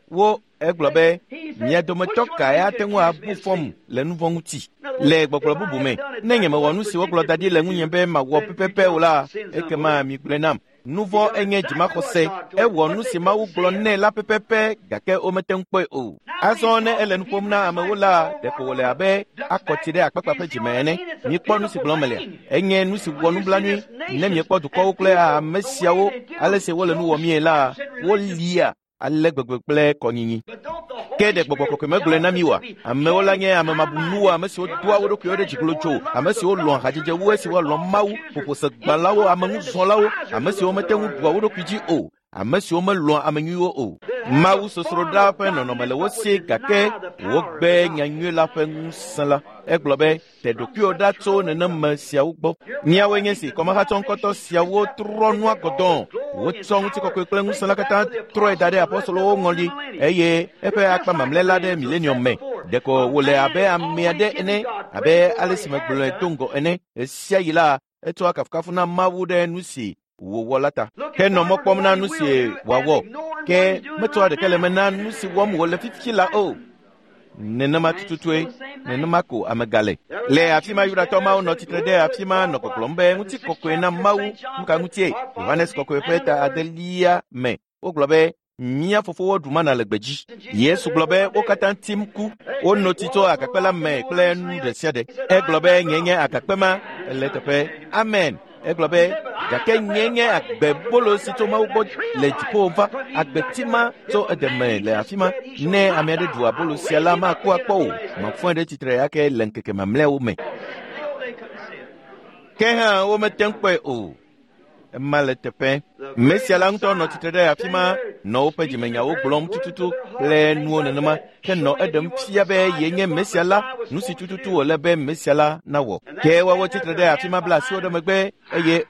Wo egblɔ be mia dometɔ kae ate ŋu abu fɔm le nu vɔ̃ ŋuti? Le gbɔgblɔ bubu me, ne nyemewɔ nu si wogblɔ da ɖi le ŋunye be mawɔ pɛpɛpɛ o la, ekema migblɔe nam. Nu vɔ̃ enye dzimaxɔse. Ewɔ nu si Mawu gblɔ nɛ la pɛpɛpɛ gake womete ŋu kpɔe o. Azɔ ne ele nu ƒom na amewo la, ɖeko wòle abe akɔti ɖe akpakpa ƒe dzime ene. Mikpɔ nu si gblɔm melia. Enye nu si wɔ nublanui ne miekpɔ dukɔwo kple ame siawo ale si wole nu wɔmie la, wolia ale gbegbe kple kɔnyinyi. Ke ɖe gbɔgbɔ kɔkɔe megblɔe na mi oa? Amewo la nye ame mabunuwo, ame siwo doa wo ɖokuiwo ɖe dzi glotso, ame siwo lɔ̃a hadzedze wu esi woalɔ̃ Mawu, ƒoƒosegbalẽwo, ameŋuzɔlawo, ame siwo mete ŋu ɖua wo ɖokui dzi o, ame siwo melɔ̃a ame nyuiwo o. Mawu sosroɖa ƒe nɔnɔme le wo si gake wogbe nyanyui la ƒe ŋusẽ la. Egblɔ be te ɖokuiwo ɖa tso neneme siawo gbɔ. Míawoe nye si kɔmahatsɔ ŋkɔtɔ siawo trɔ nua gɔdɔ̃. Wotsɔ ŋutikɔkɔe kple ŋusẽ la katã trɔe da ɖe apɔstolowo ŋɔli eye eƒe akpa mamlɛ la ɖe milenium me. Ɖeko wòle abe ame aɖe ene, abe ale si megblɔe do ŋgɔ ene. Ɣesia ɣi la, etsɔa kafukafu na Mawu ɖe nu si wòwɔ la ta. Ke nɔ mɔ kpɔm na nu si wòawɔ, ke metsɔa ɖeke le me na nu si wɔm wòle fifi la o. Nenema tututue, nenema ko ame gale. Le afi ma Yudatɔ mawo nɔ tsitre ɖe afi ma nɔ gbɔgblɔm be ŋutikɔkɔe na Mawu. Nu ka ŋutie? Yohanes kɔkɔe ƒe ta adelia me. Wogblɔ be mía fofowo ɖu mana le gbedzi. Yesu gblɔ be wo katã tim ku. Wono tsi tso agakpe la me kple nu ɖe sia ɖe. Egblɔ be nye nye agakpe ma le teƒe. Amen. Egblɔ be gake nye nye agbebolo si tso Mawu gbɔ le dziƒo va. Agbeti ma tso edeme le afi ma. Ne ame aɖe ɖu abolo sia la, maku akpɔ o. Mafɔe ɖe tsitre ake le ŋkeke mamlɛawo me. Ke hã womete ŋu kpɔe o. Ema le teƒe. Mesia la ŋutɔ nɔ tsitre ɖe afi ma, nɔ woƒe dzimenyawo gblɔm tututu kple nuwo nenema, ke nɔ eɖem fia be yenye Mesia la, nu si tututu wòle be Mesia la nawɔ. Ke woawo tsitre ɖe afi ma bla asiwo ɖe megbe eye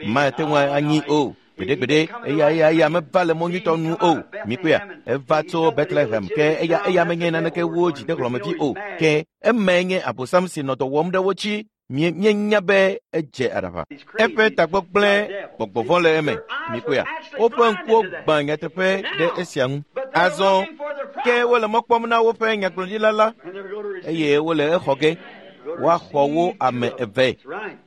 mate ŋu anyi o. Gbeɖegbeɖe, eya meva le mɔ nyuitɔ nu o. Mikpɔea, eva tso Bethlehem, ke eya menye naneke wu dzidehlɔ̃mevi o. Ke emae nye Abosam si nɔ dɔ wɔm ɖe wo dzi. Míenya be edze aɖaʋa. Eƒe tagbɔ gblẽ gbɔgbɔ vɔ̃ le eme. Mikpɔea, woƒe ŋkuwo gbã nyateƒe ɖe esia ŋu. Azɔ ke wole mɔ kpɔm na woƒe nyagblɔɖila la eye wole exɔ ge. Woaxɔ wo ame eve.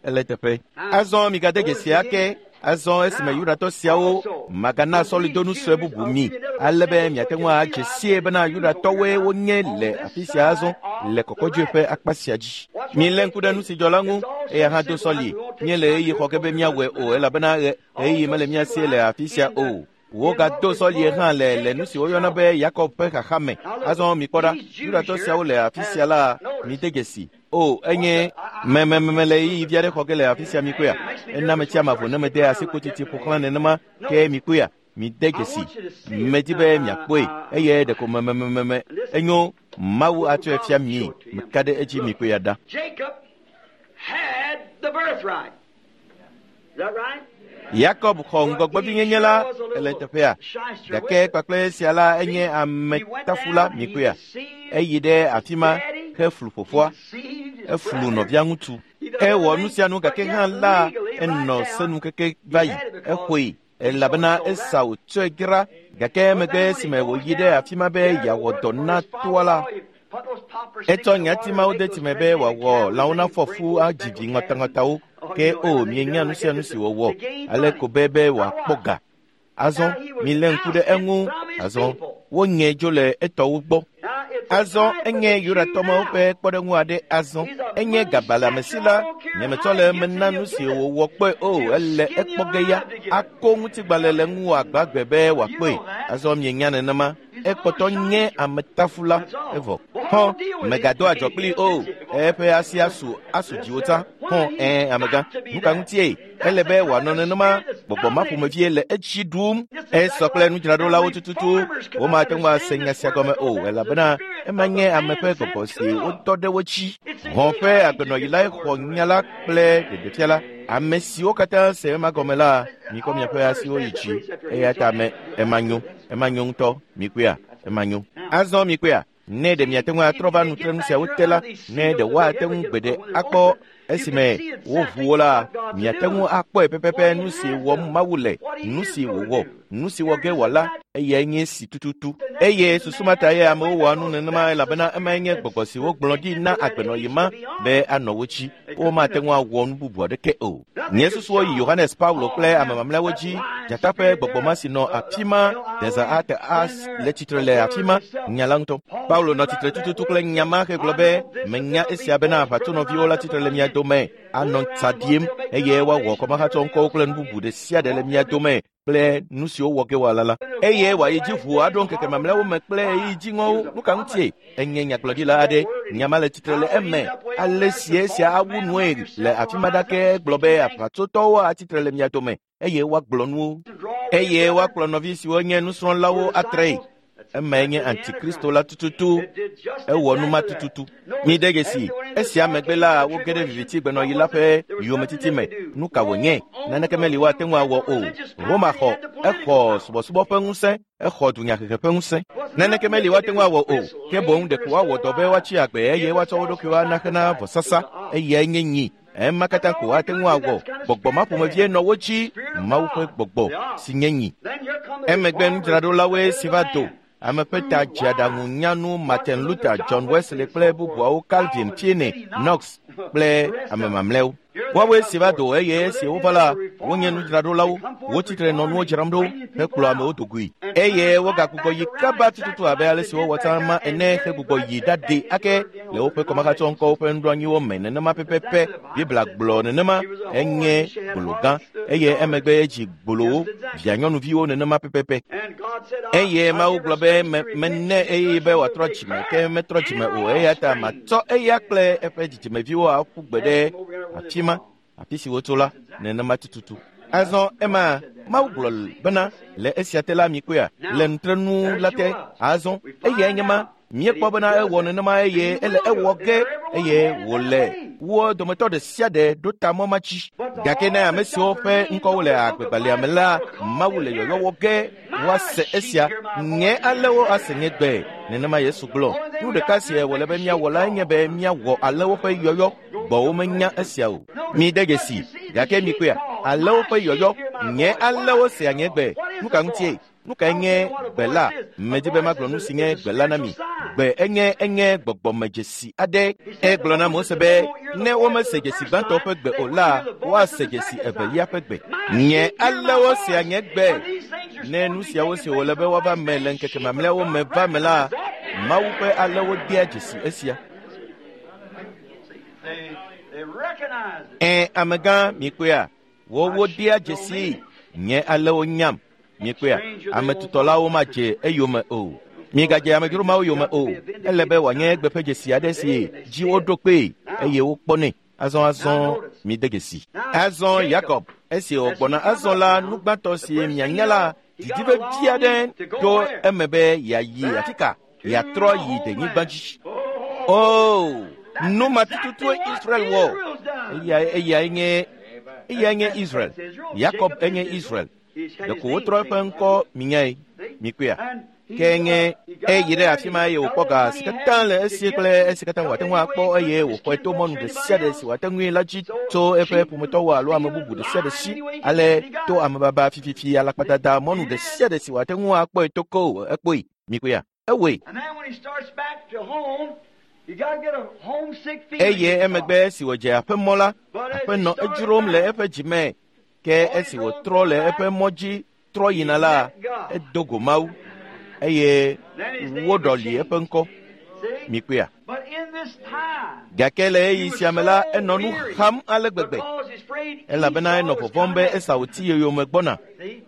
Ele teƒe. Azɔ migade dzesi ake. Azɔ esime Yudatɔ siawo magana sɔlidonu sue bubu mi ale be miate ŋu adze sie bena Yudatɔwoe wonye le afi sia azɔ le kɔkɔdzoe ƒe akpa sia dzi. Milé ŋku ɖe nu si dzɔ la ŋu, eya hã do sɔli. Míele ɣeyiɣi xɔ ge be míawɔe o elabena ɣeyiɣi mele mía si le afi sia o. Wogado sɔlie hã le nu si woyɔna be Yakob ƒe xaxa me. Azɔ mikpɔ ɖa, Yudatɔ siawo le afi sia la, mide dzesi. O, enye memememe le ɣeyiɣi vi aɖe xɔ ge le afi sia mikpɔea. Ena metsi amavo ne mede asikpotiti ƒo xlã nenema ke mikpɔea. Mide dzesi. Medi be miakpɔe eye ɖeko memememe enyo Mawu atsɔe fia mie. Meka ɖe edzi mikpɔea ɖa. Yakob xɔ ŋgɔgbevinyenye la le teƒea, gake kpakple esia la enye ametafula mikpɔea. Eyi ɖe afi ma heflu fofoa, eflu nɔvia ŋutsu. Ewɔ nu sia nu gake hã la enɔ senu keke va yi. Exɔe elabena Esau tsɔe dzra gake emegbe esime wòyi ɖe afi ma be yeawɔ dɔ na toa la, etsɔ nyati mawo de tsime be wòawɔ lãwo nafɔ fu adzi vi ŋɔtaŋɔtawo. Ke o, mienya nu sia nu si wòwɔ ale ko be wòakpɔ ga. Azɔ milé ŋku ɖe eŋu. Azɔ wonye dzo le etɔwo gbɔ. Azɔ enye Yudatɔ mawo ƒe kpɔɖeŋu aɖe. Azɔ enye gabalẽamesi la. Nyemetsɔ le eme na nu si wòwɔ kpɔe o. Ele ekpɔ ge ya. Ako ŋutigbalẽ le ŋuwò agbagbe be wòakpɔe. Azɔ mienya nenema. Ekpɔtɔ nye ametafula evɔ. Hɔn, mègado adzɔ kpli o. Eƒe asi asu dziwò tsã. Hɔn, amegã. Nu ka ŋutie? Ele be wòanɔ nenema. Gbɔgbɔ ma ƒomevie le etsi ɖum. Esɔ kple nudzraɖolawo tututu. Womate ŋu ase nya sia gɔme o, elabena ema nye ame ƒe gbɔgbɔ si wotɔ ɖe wo dzi. Hɔn ƒe agbenɔɣi lae xɔ nya la kple ɖeɖefia la. Ame siwo katã se ema gɔme la, mikɔ miaƒe asiwo yi dzi. Eya ta me ema nyo. Ema nyo ŋutɔ. Mikpɔea? Ema nyo. Azɔ mikpɔea? Ne ɖe miate ŋu atrɔ va nutrenu siawo te la, ne ɖe woate ŋu gbeɖe akpɔ esime woʋu wo la, miate ŋu akpɔe pɛpɛpɛ nu si wɔm Mawu le, nu si wòwɔ, nu si wɔ ge wòala, eyae nye si tututu. Eye susu ma ta ye amewo wɔa nu nenema elabena emae nye gbɔgbɔ si wogblɔ ɖi na agbenɔɣi ma be anɔ wo dzi. Womate ŋu awɔ nu bubu aɖeke o. Nye susuwo yi Yohanes Paulo kple ame mamlɛawo dzi. Dzata ƒe gbɔgbɔ ma si nɔ afi ma, Deza ate as le tsitre le afi ma, nya la ŋutɔ. Paulo nɔ tsitre tututu kple nya ma hegblɔ be, menya esia bena aʋatsonɔviwo la tsitre le mia dome, anɔ tsa ɖiem eye woawɔ kɔmahatsɔ ŋkɔwo kple nu bubu ɖe sia ɖe le mia dome kple nu siwo wɔ ge wòala la. Eye wòayi dzi ʋu aɖo ŋkeke mamlɛawo me kple ɣeyiɣi dziŋɔwo. Nu ka ŋutie? Enye nyagblɔɖila aɖe. Nya ma le tsitre le eme. Ale si esia awu nue le afi ma ɖake gblɔ be aʋatsotɔwo atsitre le mia dome eye woagblɔ nuwo. Eye woakplɔ nɔvi siwo nye nusrɔ̃lawo atree. Emae nye Antikristo la tututu. Ewɔ nu ma tututu. Mide dzesi, esia megbe la woge ɖe viviti gbenɔɣi la ƒe yometiti me. Nu ka wònye? Naneke meli woate ŋu awɔ o. Roma xɔ, exɔ subɔsubɔ ƒe ŋusẽ, exɔ dunyahehe ƒe ŋusẽ. Naneke meli woate ŋu awɔ o. Ke boŋ ɖeko woawɔ dɔ be woatsi agbe eye woatsɔ wo ɖokuiwo ana hena vɔsasa. Eyae nye nyi. Ema katã ko woate ŋu awɔ. Gbɔgbɔ ma ƒomevie nɔ wo dzi, Mawu ƒe gbɔgbɔ si nye nyi. Emegbe nudzraɖolawoe si va do. Ame ƒe ta dze aɖaŋu nyanu Martin Luther, John Wesley kple bubuawo, Calvin, Finney, Knox kple ame mamlɛawo. Woawoe si va do eye esi wova la, wonye nudzraɖolawo. Wotsitre nɔ nuwo dzram ɖo hekplɔ amewo dogoe. Eye wogagbugbɔ yi kaba tututu abe ale si wowɔ tsã ma ene hegbugbɔ yi ɖaɖi ake le woƒe kɔmahatsɔŋkɔwo ƒe nuɖoanyiwo me nenema pɛpɛpɛ. Biblia gblɔ nenema. Enye gbolo gã eye emegbe edzi gbolowo, via nyɔnuviwo nenema pɛpɛpɛ. Eye Mawu gblɔ be mene eye be wòatrɔ dzime, ke metrɔ dzime o. Eya ta matsɔ eya kple eƒe dzidzimeviwo aƒu gbe ɖe afi ma, afi si wotso la, nenema tututu. Azɔ ema Mawu gblɔ bena le esia te la mikpɔea, le nutrenu la te. Azɔ eyae nye ma. Míekpɔ bena ewɔ nenema eye ele ewɔ ge eye wòle wo dometɔ ɖe sia ɖe ɖo ta mɔ ma dzi. Gake ne ame siwo ƒe ŋkɔwo le agbegbalẽa me la, Mawu le yɔyɔ wɔ ge woase esia. Nye alẽwo ase nye gbe. Nenema Yesu gblɔ. Nu ɖeka si wòle be míawɔ lae nye be míawɔ alẽwo ƒe yɔyɔ. Gbɔwo menya esia o. Mide dzesi, gake mikpɔea, alẽwo ƒe yɔyɔ. Nye alẽwo sea nye gbe. Nu ka ŋutie? Nu kae nye gbe la? Medi be magblɔ nu si nye gbe la na mi. Gbe enye gbɔgbɔmedzesi aɖe. Egblɔ na Mose be ne womese dzesi gbãtɔ ƒe gbe o la, woase dzesi evelia ƒe gbe. Nye alẽwo sea nye gbe. Ne nu siawo si wòle be woava me le ŋkeke mamlɛawo me va me la, Mawu ƒe alẽwo dea dzesi esia. Amegã, mikpɔea, wowo dea dzesi. Nye alẽwo nyam. Mikpɔea, ame tutɔlawo madze eyome o. Migadze amedzro mawo yome o. Ele be wòanye egbe ƒe dzesi aɖe si dzi woɖo kpee eye wokpɔnɛ. Azɔ mide dzesi. Azɔ Yakob, esi wògbɔna azɔ la, nu gbãtɔ si mianya la, didi vevi aɖe to eme be yeayi afi ka? Yeatrɔ yi denyigba dzi. O, nu ma tututue Israel wɔ. Eyae nye Israel. Yakob enye Israel. Ɖeko wotrɔ eƒe ŋkɔ minyae. Mikpɔea? Ke nye eyi ɖe afi ma eye wòkpɔ ga si katã le esi kple esi katã wòate ŋu akpɔ eye wòxɔe to mɔnu ɖe sia ɖe si wòate ŋui la dzi tso eƒe ƒometɔwo alo ame bubu ɖe sia ɖe si, ale to amebaba fififi alakpadada mɔnu ɖe sia ɖe si wòate ŋu akpɔe to ko ekpɔe. Mikpɔea? Ewɔe. Eye emegbe esi wòdze aƒemɔ la, aƒe nɔ edzrom le eƒe dzime. Ke esi wòtrɔ le eƒe mɔ dzi trɔ yina la, edo go Mawu eye woɖɔli eƒe ŋkɔ. Mikpɔea? Gake le ɣeyiɣi sia me la, enɔ nu xam ale gbegbe, elabena enɔ vɔvɔ̃m be Esau ti yeyome gbɔna.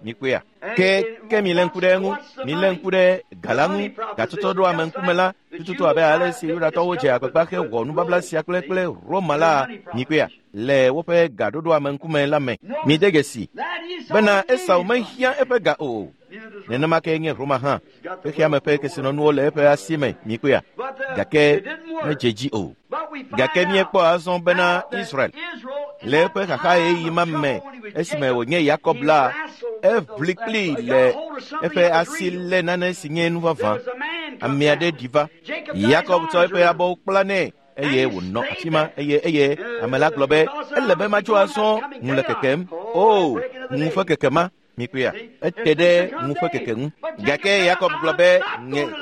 Mikpɔea? Ke milé ŋku ɖe eŋu, milé ŋku ɖe ga la ŋu, gatsɔtsɔ ɖo ame ŋkume la, tututu abe ale si Yudatɔwo dze agbagba hewɔ nubabla sia kple Roma la. Mikpɔea? Le woƒe gaɖoɖo ame ŋkume la me. Mide dzesi bena Esau mehiã eƒe ga o. Nenema ke nye Roma hã. Xexeame ƒe kesinɔnuwo le eƒe asi me. Mikpɔea? Gake medze dzi o. Gake míekpɔ azɔ bena Israel le eƒe xaxa ɣeyiɣi ma me esime wònye Yakob la, eʋli kplii le eƒe asi lé nane si nye nu vavã. Ame aɖe ɖi va. Yakob tsɔ eƒe abɔwo kpla nɛ eye wònɔ afi ma eye ame la gblɔ be ele be matso azɔ ŋu le kekem. O, ŋu ƒe keke ma. Mikpɔea? Ete ɖe ŋu ƒe keke ŋu. Gake Yakob gblɔ be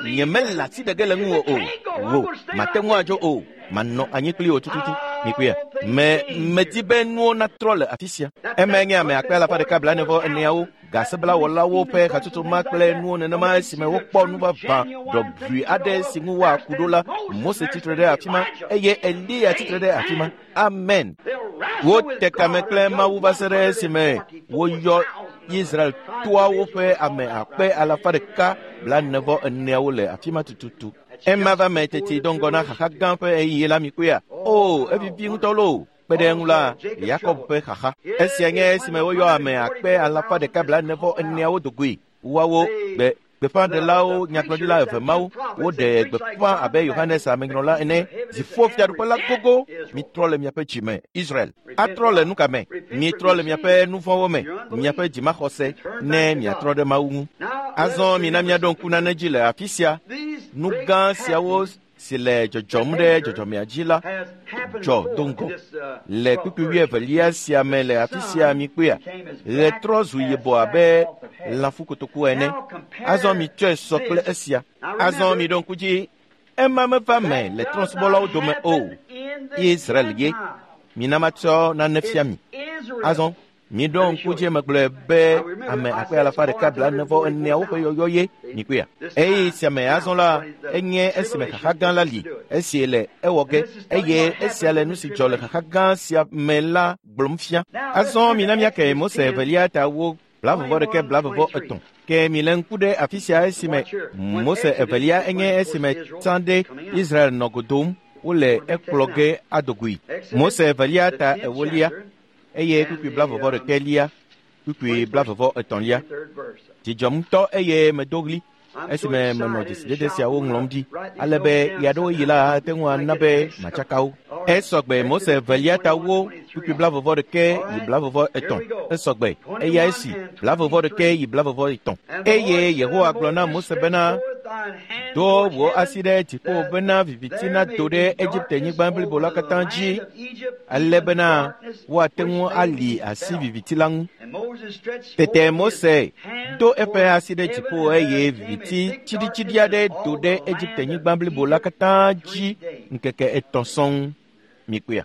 nye mele asi ɖe ge le ŋuwò o. Wò, mate ŋu adzo o. Manɔ anyi kpli wò tututu. Mikpɔea? Medi be nuwo natrɔ le afi sia. Emae nye ame akpe alafa ɖeka blaene-vɔ-eneawo, gaseblaewɔlawo ƒe hatsotso ma kple nuwo nenema esime wokpɔ nu vavã ɖɔʋui aɖe si ŋu woaku ɖo la. Mose tsitre ɖe afi ma eye Eliya tsitre ɖe afi ma. Amen. Wote kame kple Mawu va se ɖe esime woyɔ Israel toawo ƒe ame akpe alafa ɖeka blaene-vɔ-eneawo le afi ma tututu. Ema va me teti do ŋgɔ na xaxa gã ƒe ɣeyiɣi la. Mikpɔea? O, evivi ŋutɔ loo. Kpe ɖe eŋu la, Yakob ƒe xaxa. Esia nye esime woyɔ ame akpe alafa ɖeka blaene-vɔ-eneawo do goe. Woawo gbeƒãɖelawo, nyagblɔɖila eve mawo, woɖe gbeƒã abe Yohanes amenyrɔla ene. Dziƒo fiaɖuƒe la gogo. Mitrɔ le miaƒe dzi me, Israel. Atrɔ le nuka me? Mitrɔ le miaƒe nuvɔ̃wo me, miaƒe dzimaxɔse, ne miatrɔ ɖe Mawu ŋu. Azɔ mina míaɖo ŋku nane dzi le afi sia. Nu gã siawo si le dzɔdzɔm ɖe dzɔdzɔmea dzi la dzɔ do ŋgɔ. Le kpukpui wuievelia sia me le afi sia mikpɔea, ɣe trɔ zu yibɔ abe lãfukotoku ene. Azɔ mitsɔe sɔ kple esia. Azɔ miɖo ŋku dzi, ema meva me le trɔ̃subɔlawo dome o. Israel ye. Mina matsɔ nane fia mi. Azɔ miɖo ŋku dzi megblɔe be ame akpe alafa ɖeka blaene-vɔ-eneawo ƒe yɔyɔ ye. Mikpɔea? Eye sia me azɔ la, enye esime xaxa gã la li, esi le ewɔ ge, eye esia le nu si dzɔ le xaxa gã sia me la gblɔm fia. Azɔ mina míake Mose evelia ta wo 21 23. Ke mile ŋku ɖe afi sia esime Mose evelia enye esime tsã ɖe Israel nɔ go dom, wole ekplɔ ge ado goe. Mose evelia ta ewolia eye kpukpui 21 kpukpui 23. Dzidzɔm ŋutɔ eye medo ɣli esime menɔ dzesidede siawo ŋlɔm ɖi, ale be ɣeaɖewoɣi la ate ŋu ana be matsaka wo. Esɔgbe Mose evelia ta wo kpukpui 21 yi 23. Esɔgbe eya esi 21 yi 23. Eye Yehowa gblɔ na Mose bena, do wò asi ɖe dziƒo bena viviti nado ɖe Egipte-nyigba blibo la katã dzi, ale bena woate ŋu ali asi viviti la ŋu. Tete Mose do eƒe asi ɖe dziƒo eye viviti tsiɖitsiɖi aɖe do ɖe Egipte-nyigba blibo la katã dzi ŋkeke etɔ̃ sɔŋ. Mikpɔea?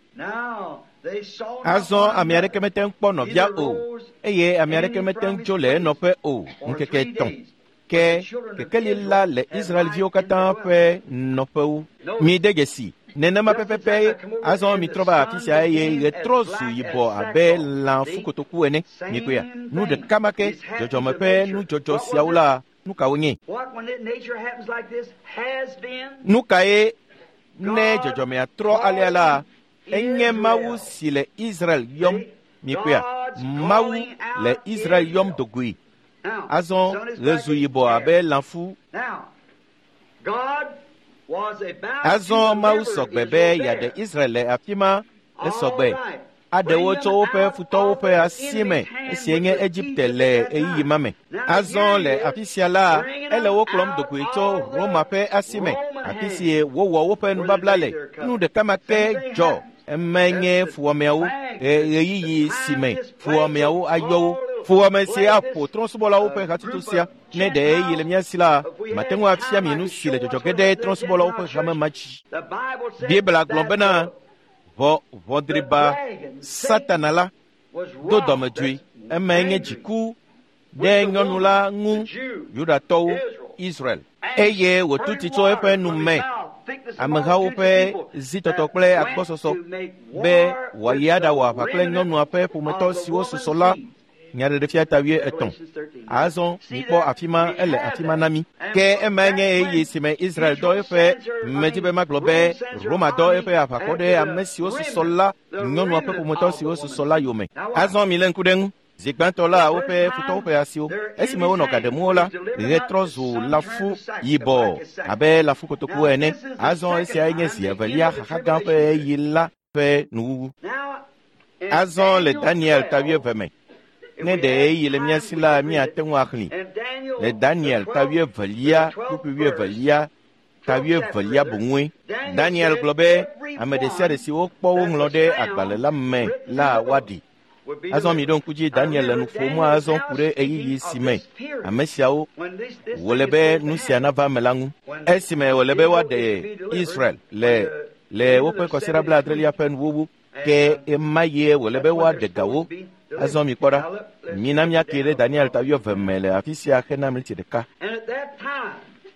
Azɔ ame aɖeke mete ŋu kpɔ nɔvia o, eye ame aɖeke mete ŋu tso le enɔƒe o ŋkeke etɔ̃. Ke kekeli la le Israelviwo katã ƒe nɔƒewo. Mide dzesi. Nenema pɛpɛpɛ azɔ mitrɔ va afi sia eye ɣetrɔ zu yibɔ abe lã fukotoku ene. Mikpɔea, nu ɖeka ma ke dzɔdzɔme ƒe nudzɔdzɔ siawo la, nu kawo nye? Nu kae ne dzɔdzɔmea trɔ alea la, enye Mawu si le Israel yɔm. Mikpɔea, Mawu le Israel yɔm dogoe. Azɔ ɣe zu yibɔ abe lãfu. Azɔ Mawu sɔgbe be yeaɖe Israel le afi ma. Esɔgbe aɖe wo tso woƒe futɔwo ƒe asi me esie nye Egipte le ɣeyiɣi ma me. Azɔ le afi sia la, ele wo kplɔm dogoe tso Roma ƒe asi me, afi si wowɔ woƒe nubabla le. Nu ɖeka ma ke dzɔ. Emae nye fuwɔameawo ɣeyiɣi si me fuwɔameawo ayɔ wo. Fuwɔame si aƒo trɔ̃subɔlawo ƒe hatsotso sia. Ne ɖe ɣeyiɣi le mía si la, mate ŋu afia mi nu si le dzɔdzɔ ge ɖe trɔ̃subɔlawo ƒe hame ma dzi. Biblia gblɔ bena ʋɔdriba Satana la do dɔmedzoe. Emae nye dziku ɖe nyɔnu la ŋu, Yudatɔwo, Israel. Eye wòtu tsi tso eƒe nu me amehawo ƒe zitɔtɔ kple agbɔsɔsɔ be wòayi aɖawɔ aʋa kple nyɔnua ƒe ƒometɔ siwo susɔ la. Nyaɖeɖefia ta 13. Azɔ mikpɔ afi ma, ele afi ma na mí. Ke emae nye ɣeyiɣi si me Israel dɔ eƒe medzi be magblɔ be Roma dɔ eƒe aʋakɔ ɖe ame siwo susɔ la, nyɔnua ƒe ƒometɔ siwo susɔ la yome. Azɔ milé ŋku ɖe eŋu. Zi gbãtɔ la, woƒe futɔwo ƒe asiwo. Esime wonɔ ga ɖem wo la, ɣe trɔ zu lãfu yibɔ abe lãfu kotoku ene. Azɔ esiae nye zi evelia xaxa gã ƒe ɣeyiɣi la ƒe nuwuwu. Azɔ le Daniel ta 11 me. Ne ɖe ɣeyiɣi le mía si la, míate ŋu axlẽ. Le Daniel ta 11, kpukpui 11, ta 11 boŋue. Daniel gblɔ be ame ɖe sia ɖe si wokpɔ woŋlɔ ɖe agbalẽ la me la woaɖi. Azɔ mi ɖo ŋku dzi Daniel le nu ƒom azɔ ku ɖe ɣeyiɣi si me ame siawo wòle be nu sia nava me la ŋu. Esime wòle be woaɖe Israel le woƒe kɔsiɖa 70 ƒe nuwuwu, ke ema ye wòle be woaɖe gawo. Azɔ mi kpɔ ɖa, mina míake ɖe Daniel ta 11 me le afi sia hena miniti ɖeka.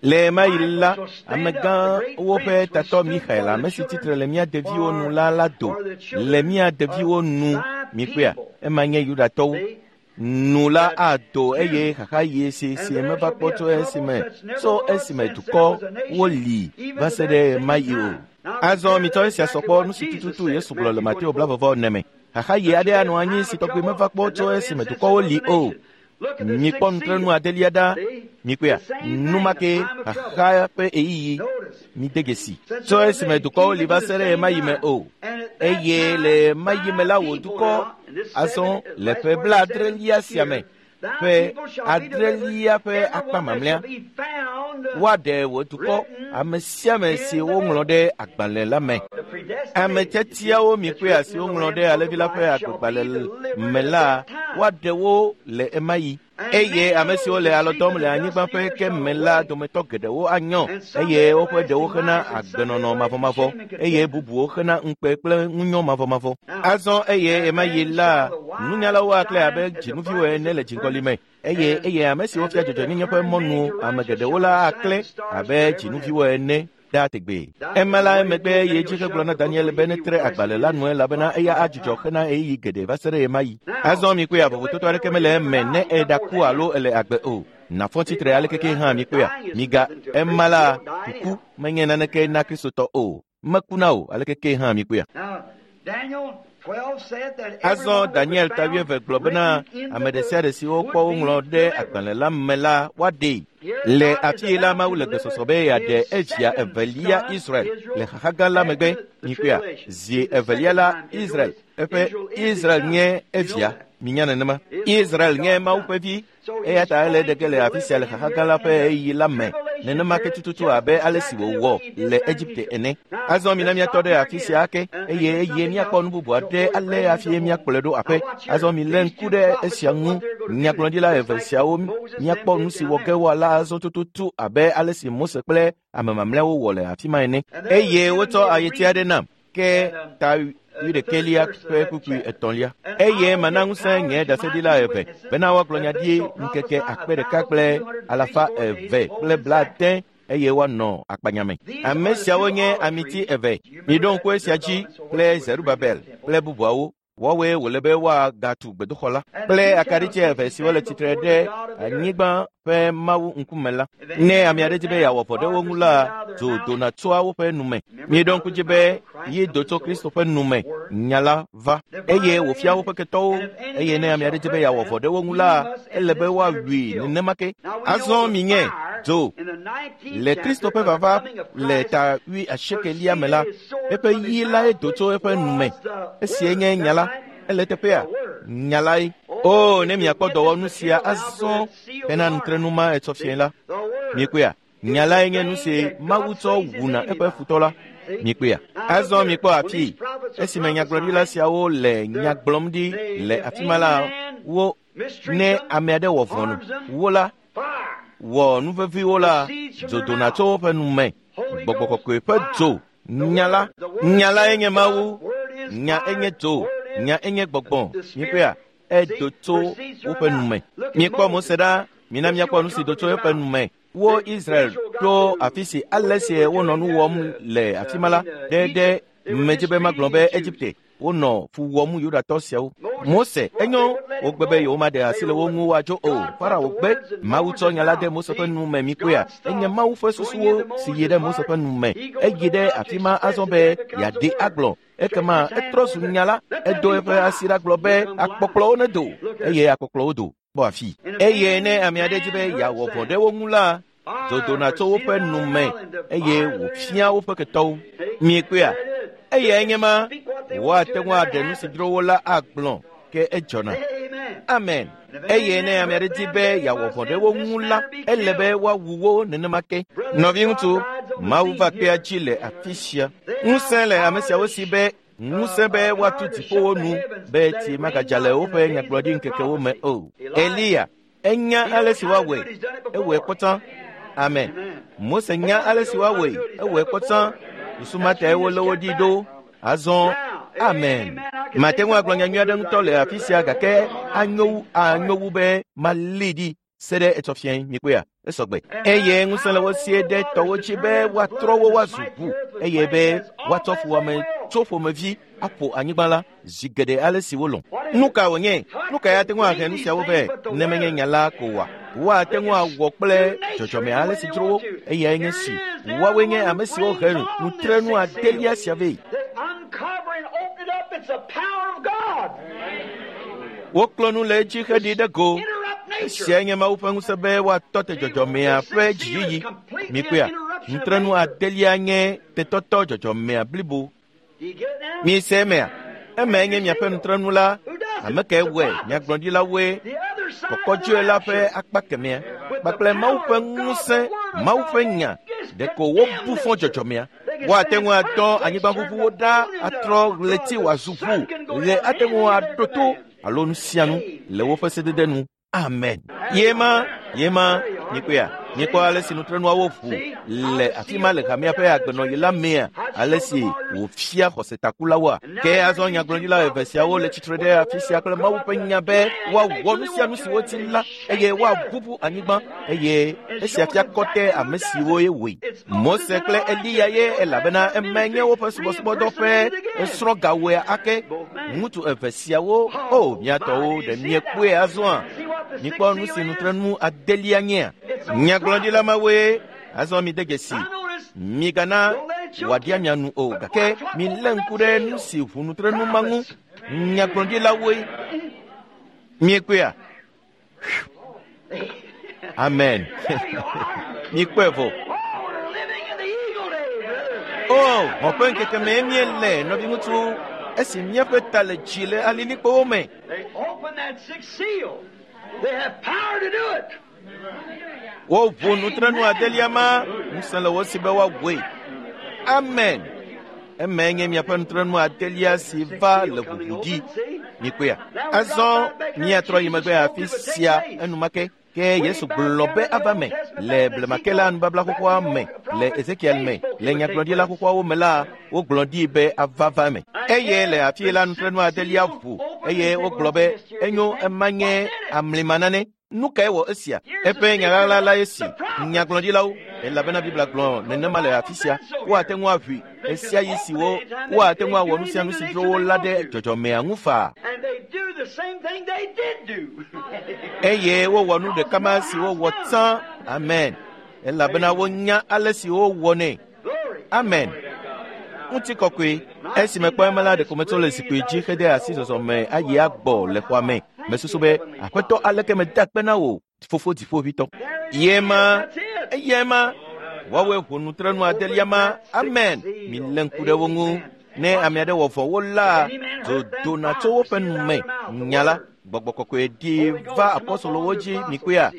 Le ema yi la, amegãwo ƒe tatɔ Michael, ame si tsitre le mía deviwo nu la do le mía deviwo nu. Mikpɔea, ema nye Yudatɔwo. Nu la ado eye xaxa ɣi si meva kpɔ tso esime dukɔ woli va se ɖe ema yi o. Azɔ mitsɔ esia sɔ kpɔ nu si tututu Yesu gblɔ le Mateo 24 me. Xaxa ɣi aɖe anɔ anyi si tɔgbi meva kpɔ tso esime dukɔwo li o. Mikpɔ nutrenu adelia ɖa. Mikpɔea, nu ma ke xaxa ƒe ɣeyiɣi mide dzesi. Tso esime dukɔwo li va se ɖe ema yi me o. Eye le ema yi me la wò dukɔ azɔ le ƒe 70 sia me, ƒe 7 ƒe akpa mamlɛa, woaɖe wò dukɔ ame sia ame si woŋlɔ ɖe agbalẽ la me. Ame tiatiawo mikpɔea si woŋlɔ ɖe Alẽvi la ƒe agbegbalẽ me la, woaɖe wo le ema yi. Eye ame siwo le alɔ dɔm le anyigba ƒe ke me la dometɔ geɖewo anyɔ, eye woƒe ɖewo hena agbenɔnɔ mavɔmavɔ, eye bubuwo hena ŋukpe kple ŋunyɔ mavɔmavɔ. Azɔ eye ema yi la, nunyalawo aklẽ abe dzinuviwo ene le dziŋgɔli me, eye ame siwo fia dzɔdzɔenyenye ƒe mɔnu ame geɖewo la aklẽ abe dzinuviwo ene ɖaa tegbee. Ema la emegbe yi edzi hegblɔ na Daniel be netre agbalẽ la nu elabena eya adzudzɔ hena ɣeyiɣi geɖe va se ɖe ɣemaɣi. Azɔ mikpɔea, vovototo aɖeke mele eme ne eɖaku alo ele agbe o. Nafɔ tsitre alekeke hã mikpɔea, miga ema la kuku menye naneke na Kristotɔ o. Mekuna o alekeke hã mikpɔea. Azɔ Daniel ta 11 gblɔ bena ame ɖe sia ɖe si wokpɔ woŋlɔ ɖe agbalẽ la me la woaɖee. Le afi la Mawu le gbesɔsɔ be yeaɖe evia evelia Israel le xaxa gã la megbe. Mikpɔea, zi evelia la Israel, eƒe Israel nye evia. Minya nenema. Israel nye Mawu ƒe vi. Eya ta ele ɖe ge le afi sia le xaxa gã la ƒe ɣeyiɣi la me. Nenema ke tututu abe ale si wòwɔ le Egipte ene. Azɔ mina míatɔ ɖe afi sia ake, eye míakpɔ nu bubu aɖe ale hafi míakplɔe ɖo aƒe. Azɔ milé ŋku ɖe esia ŋu. Nyagblɔɖila eve siawo míakpɔ nu si wɔ ge woala azɔ tututu abe ale si Mose kple ame mamlɛawo wɔ le afi ma ene. Eye wotsɔ ayeti aɖe nam, ke ta 11 ƒe kpukpui 3. Eye mana ŋusẽ nye ɖaseɖila eve bena woagblɔ nya ɖi ŋkeke 1280. eye woanɔ akpanya me. Ame siawo nye amiti eve. Miɖo ŋku esia dzi kple Zerubabel kple bubuawo. Woawoe wòle be woagatu gbedoxɔ la kple akaɖitsi eve siwo le tsitre ɖe anyigba ƒe Mawu ŋkume la. Ne ame aɖe di be yeawɔ vɔ̃ ɖe wo ŋu la, dzo dona tsoa woƒe nu me. Mieɖo ŋku dzi be yi do tso Kristo ƒe nu me nya la va eye wòfia woƒe ketɔwo eye ne ame aɖe di be yeawɔ vɔ̃ ɖe wo ŋu la, ele be woawui nenema ke. Azɔ minye dzo le Kristo ƒe vava le ta 80 me la, eƒe yi lae do tso eƒe nu me. Esie nye nya la. Ele teƒea? Nya lae. O, ne miakpɔ dɔwɔnu sia azɔ hena nutrenu ma etsɔ fiẽ la. Miekpɔea? Nya lae nye nu si Mawu tsɔ wuna eƒe futɔ la. Miekpɔea? Azɔ mikpɔ afii. Esime nyagblɔɖila siawo le nya gblɔm ɖi le afi ma la, wo ne ame aɖe wɔ vɔ̃ nu wo la, wɔ nu veviwo la, dzo dona tso woƒe nu me. Gbɔgbɔ kɔkɔe ƒe dzo. Nya la. Nya lae nye Mawu. Nya enye dzo. Nya enye gbɔgbɔ. Miekpɔea? Edo tso woƒe nu me. Miekpɔ Mose ɖa. Mina miakpɔ nu si do tso eƒe nu me. Wo Israel ɖo afi si ale si wonɔ nu wɔm le afi ma la ɖe medzi be magblɔ be Egipte wonɔ fu wɔm Yudatɔ siawo. Mose enyo wogbe be yewomaɖe asi le wo ŋu woadzo o. Farao gbe. Mawu tsɔ nya la de Mose ƒe nu me mikpɔea. Enye Mawu ƒe susuwo si yi ɖe Mose ƒe nu me. Eyi ɖe afi ma azɔ be yeaɖe agblɔ. Ekema etrɔ zu nya la. Edo eƒe asi ɖa gblɔ be akpɔkplɔwo nedo eye akpɔkplɔwo do. Kpɔ afi. Eye ne ame aɖe di be yeawɔ vɔ̃ ɖe wo ŋu la, dzo dona tso woƒe nu me eye wòfia woƒe ketɔwo. Miekpɔea? Eyae nye ma woate ŋu aɖe nu si dzro wo la agblɔ ke edzɔna. Amen. Eye ne ame aɖe di be yeawɔ vɔ̃ ɖe wo ŋu la, ele be woawu wo nenema ke. Nɔviŋutsu, Mawu va kpea dzi le afi sia. Ŋusẽ le ame siawo si be ŋusẽ be woatu dziƒowo nu be tsi magadza le woƒe nyagblɔɖi ŋkekewo me o. Eliya enya ale si woawɔe, ewɔe kpɔtɔ. Amen. Mose nya ale si woawɔe, ewɔe kpɔtɔ. Susu ma tae wolé wo ɖi ɖo. Azɔ, amen. Mate ŋu agblɔ nyanyui aɖe ŋutɔ le afi sia gake anyo wu be malée ɖi se ɖe etsɔ fiẽ. Mikpɔea? Esɔgbe. Eye ŋusẽ le wo sie ɖe tɔwo dzi be woatrɔ wo woazu ʋu eye be woatsɔ fuwɔame tso ƒomevi aƒo anyigba la zi geɖe ale si wolɔ̃. Nu ka wònye? Nu kae ate ŋu ahe nu siawo vɛ ne menye nya la ko oa? Woate ŋu awɔ kple dzɔdzɔme ale si dzro wo eyae nye si. Woawoe nye ame siwo he nutrenu adelia sia vɛ. Woklɔ nu le edzi heɖi ɖe go. Esiae nye Mawu ƒe ŋusẽ be woatɔ te dzɔdzɔmea ƒe dziyiyi. Mikpɔea? Nutrenu adelia nye tetɔtɔ dzɔdzɔmea blibo. Mise emea? Emae nye miaƒe nutrenu la. Ame kae wɔe? Nyagblɔɖilawoe. Kɔkɔdzoe la ƒe akpa kemɛa kpakple Mawu ƒe ŋusẽ, Mawu ƒe nya. Ɖeko wobu fɔ dzɔdzɔmea. Woate ŋu adɔ anyigbaʋuʋuwo ɖa atrɔ ɣleti wòazu ʋu. Ɣe ate ŋu aɖo to alo nu sia nu le woƒe sedede nu. Amen. Yema, mikpɔea? Mikpɔ ale si nutrenuawo ʋu le afi ma le hamea ƒe agbenɔɣi la mea, ale si wòfia xɔsetakulawoa. Ke azɔ nyagblɔɖila eve siawo le tsitre ɖe afi sia kple Mawu ƒe nya be woawɔ nu sia nu si wodi la eye woaʋuʋu anyigba eye esia fia kɔtɛ ame siwo ye wɔe. Mose kple Eliya ye elabena emae nye woƒe subɔsubɔdɔ ƒe esrɔ̃gawɔe ake. Ŋutsu eve siawo, o mia tɔwo, ɖe miekpɔe azɔa? Mikpɔ nu si nutrenu adelia nyea? Nyagblɔɖila mawoe azɔ mide dzesi. Migana wòaɖia mia nu o, gake milé ŋku ɖe nu si ʋu nutrenu ma ŋu. Nyagblɔɖilawoe. Miekpɔea? Amen. Mikpɔe vɔ. O, hɔ̃ ƒe ŋkeke mee míele, nɔviŋutsu, esi míaƒe ta le dzi le alilikpowo me. Woʋu nutrenu adelia ma, ŋusẽ le wo si be woawɔe. Amen. Emae nye miaƒe nutrenu adelia si va le ʋuʋu ɖi. Mikpɔea? Azɔ míatrɔ yi megbe afi sia enumake. Ke Yesu gblɔ be ava me le blemakela la nubabla xoxoa me, le Ezekiel me, le nyagblɔɖila xoxoawo me la, wogblɔ ɖi be ava va me. Eye le afi la nutrenu adelia ʋu eye wogblɔ be enyo ema nye amlima nane. Nu kae wɔ esia? Eƒe nya ɣaɣla la esi nyagblɔɖilawo, elabena Biblia gblɔ nenema le afi sia. Woate ŋu aʋui ɣe sia ɣi si wo woate ŋu awɔ nu sia nu si dzro wo la ɖe dzɔdzɔmea ŋu faa. And they do the same thing they did do. Eye wowɔ nu ɖeka ma si wowɔ tsã. Amen. Elabena wonya ale si wowɔnɛ. Glory. Amen. Ŋutikɔkɔe. Esi mekpɔ ema la, ɖeko metso le zikpui dzi hede asi zɔzɔme ayi agbɔ le xɔa me. Mesusu be, Aƒetɔ, aleke meda akpe na wò, Fofo Dziƒoʋĩtɔ. Ye ma, eyae ma. Woawoe ʋu nutrenu adelia ma. Amen. Milé ŋku ɖe wo ŋu. Ne ame aɖe wɔ vɔ̃ wo la, dzo dona tso woƒe nu me. Nya la, Gbɔgbɔ Kɔkɔe ɖi va apɔstolowo dzi mikpɔea?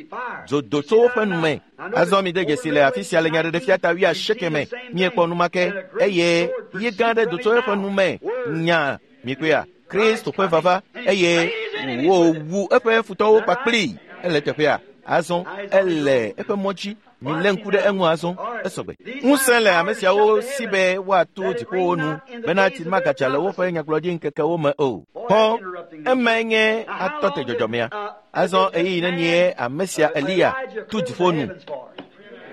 Dzo do tso woƒe nu me. Azɔ mide dzesi le afi sia le Nyaɖeɖefia ta wuiasieke me. Míekpɔ nu ma ke eye yi gã aɖe do tso eƒe nu me. Nya mikpɔea? Kristo ƒe vava eye wòwu eƒe futɔwo kpakplii. Ele teƒea. Azɔ ele eƒe mɔ dzi. Milé ŋku ɖe eŋu azɔ. Esɔgbe. Ŋusẽ le ame siawo si be woato dziƒowo nu bena tsi magadza le woƒe nyagblɔɖi ŋkekewo me o. Xɔ emae nye atɔ te dzɔdzɔmea. Azɔ ɣeyiɣi nenie ame sia Eliya tu dziƒo nu?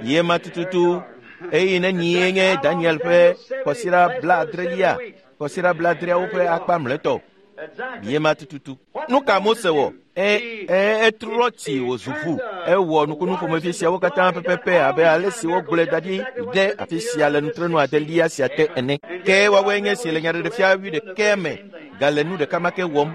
Ye ma tututu. Ɣeyiɣi nenie nye Daniel ƒe kɔsiɖa blaadrelia, kɔsiɖa blaadreawo ƒe akpa mlɔetɔ? Exactly. Ye ma tututu. Nu ka Mose wɔ? E, e, etrɔ tsi wòzu ʋu. Ewɔ nukunu ƒomevi siawo katã pɛpɛpɛ abe ale si wogblɔe da ɖi ɖe afi sia le nutrenu adelia sia te ene. Ke woawoe nye esi le Nyaɖeɖefia wuiɖekɛ me gale nu ɖeka ma ke wɔm.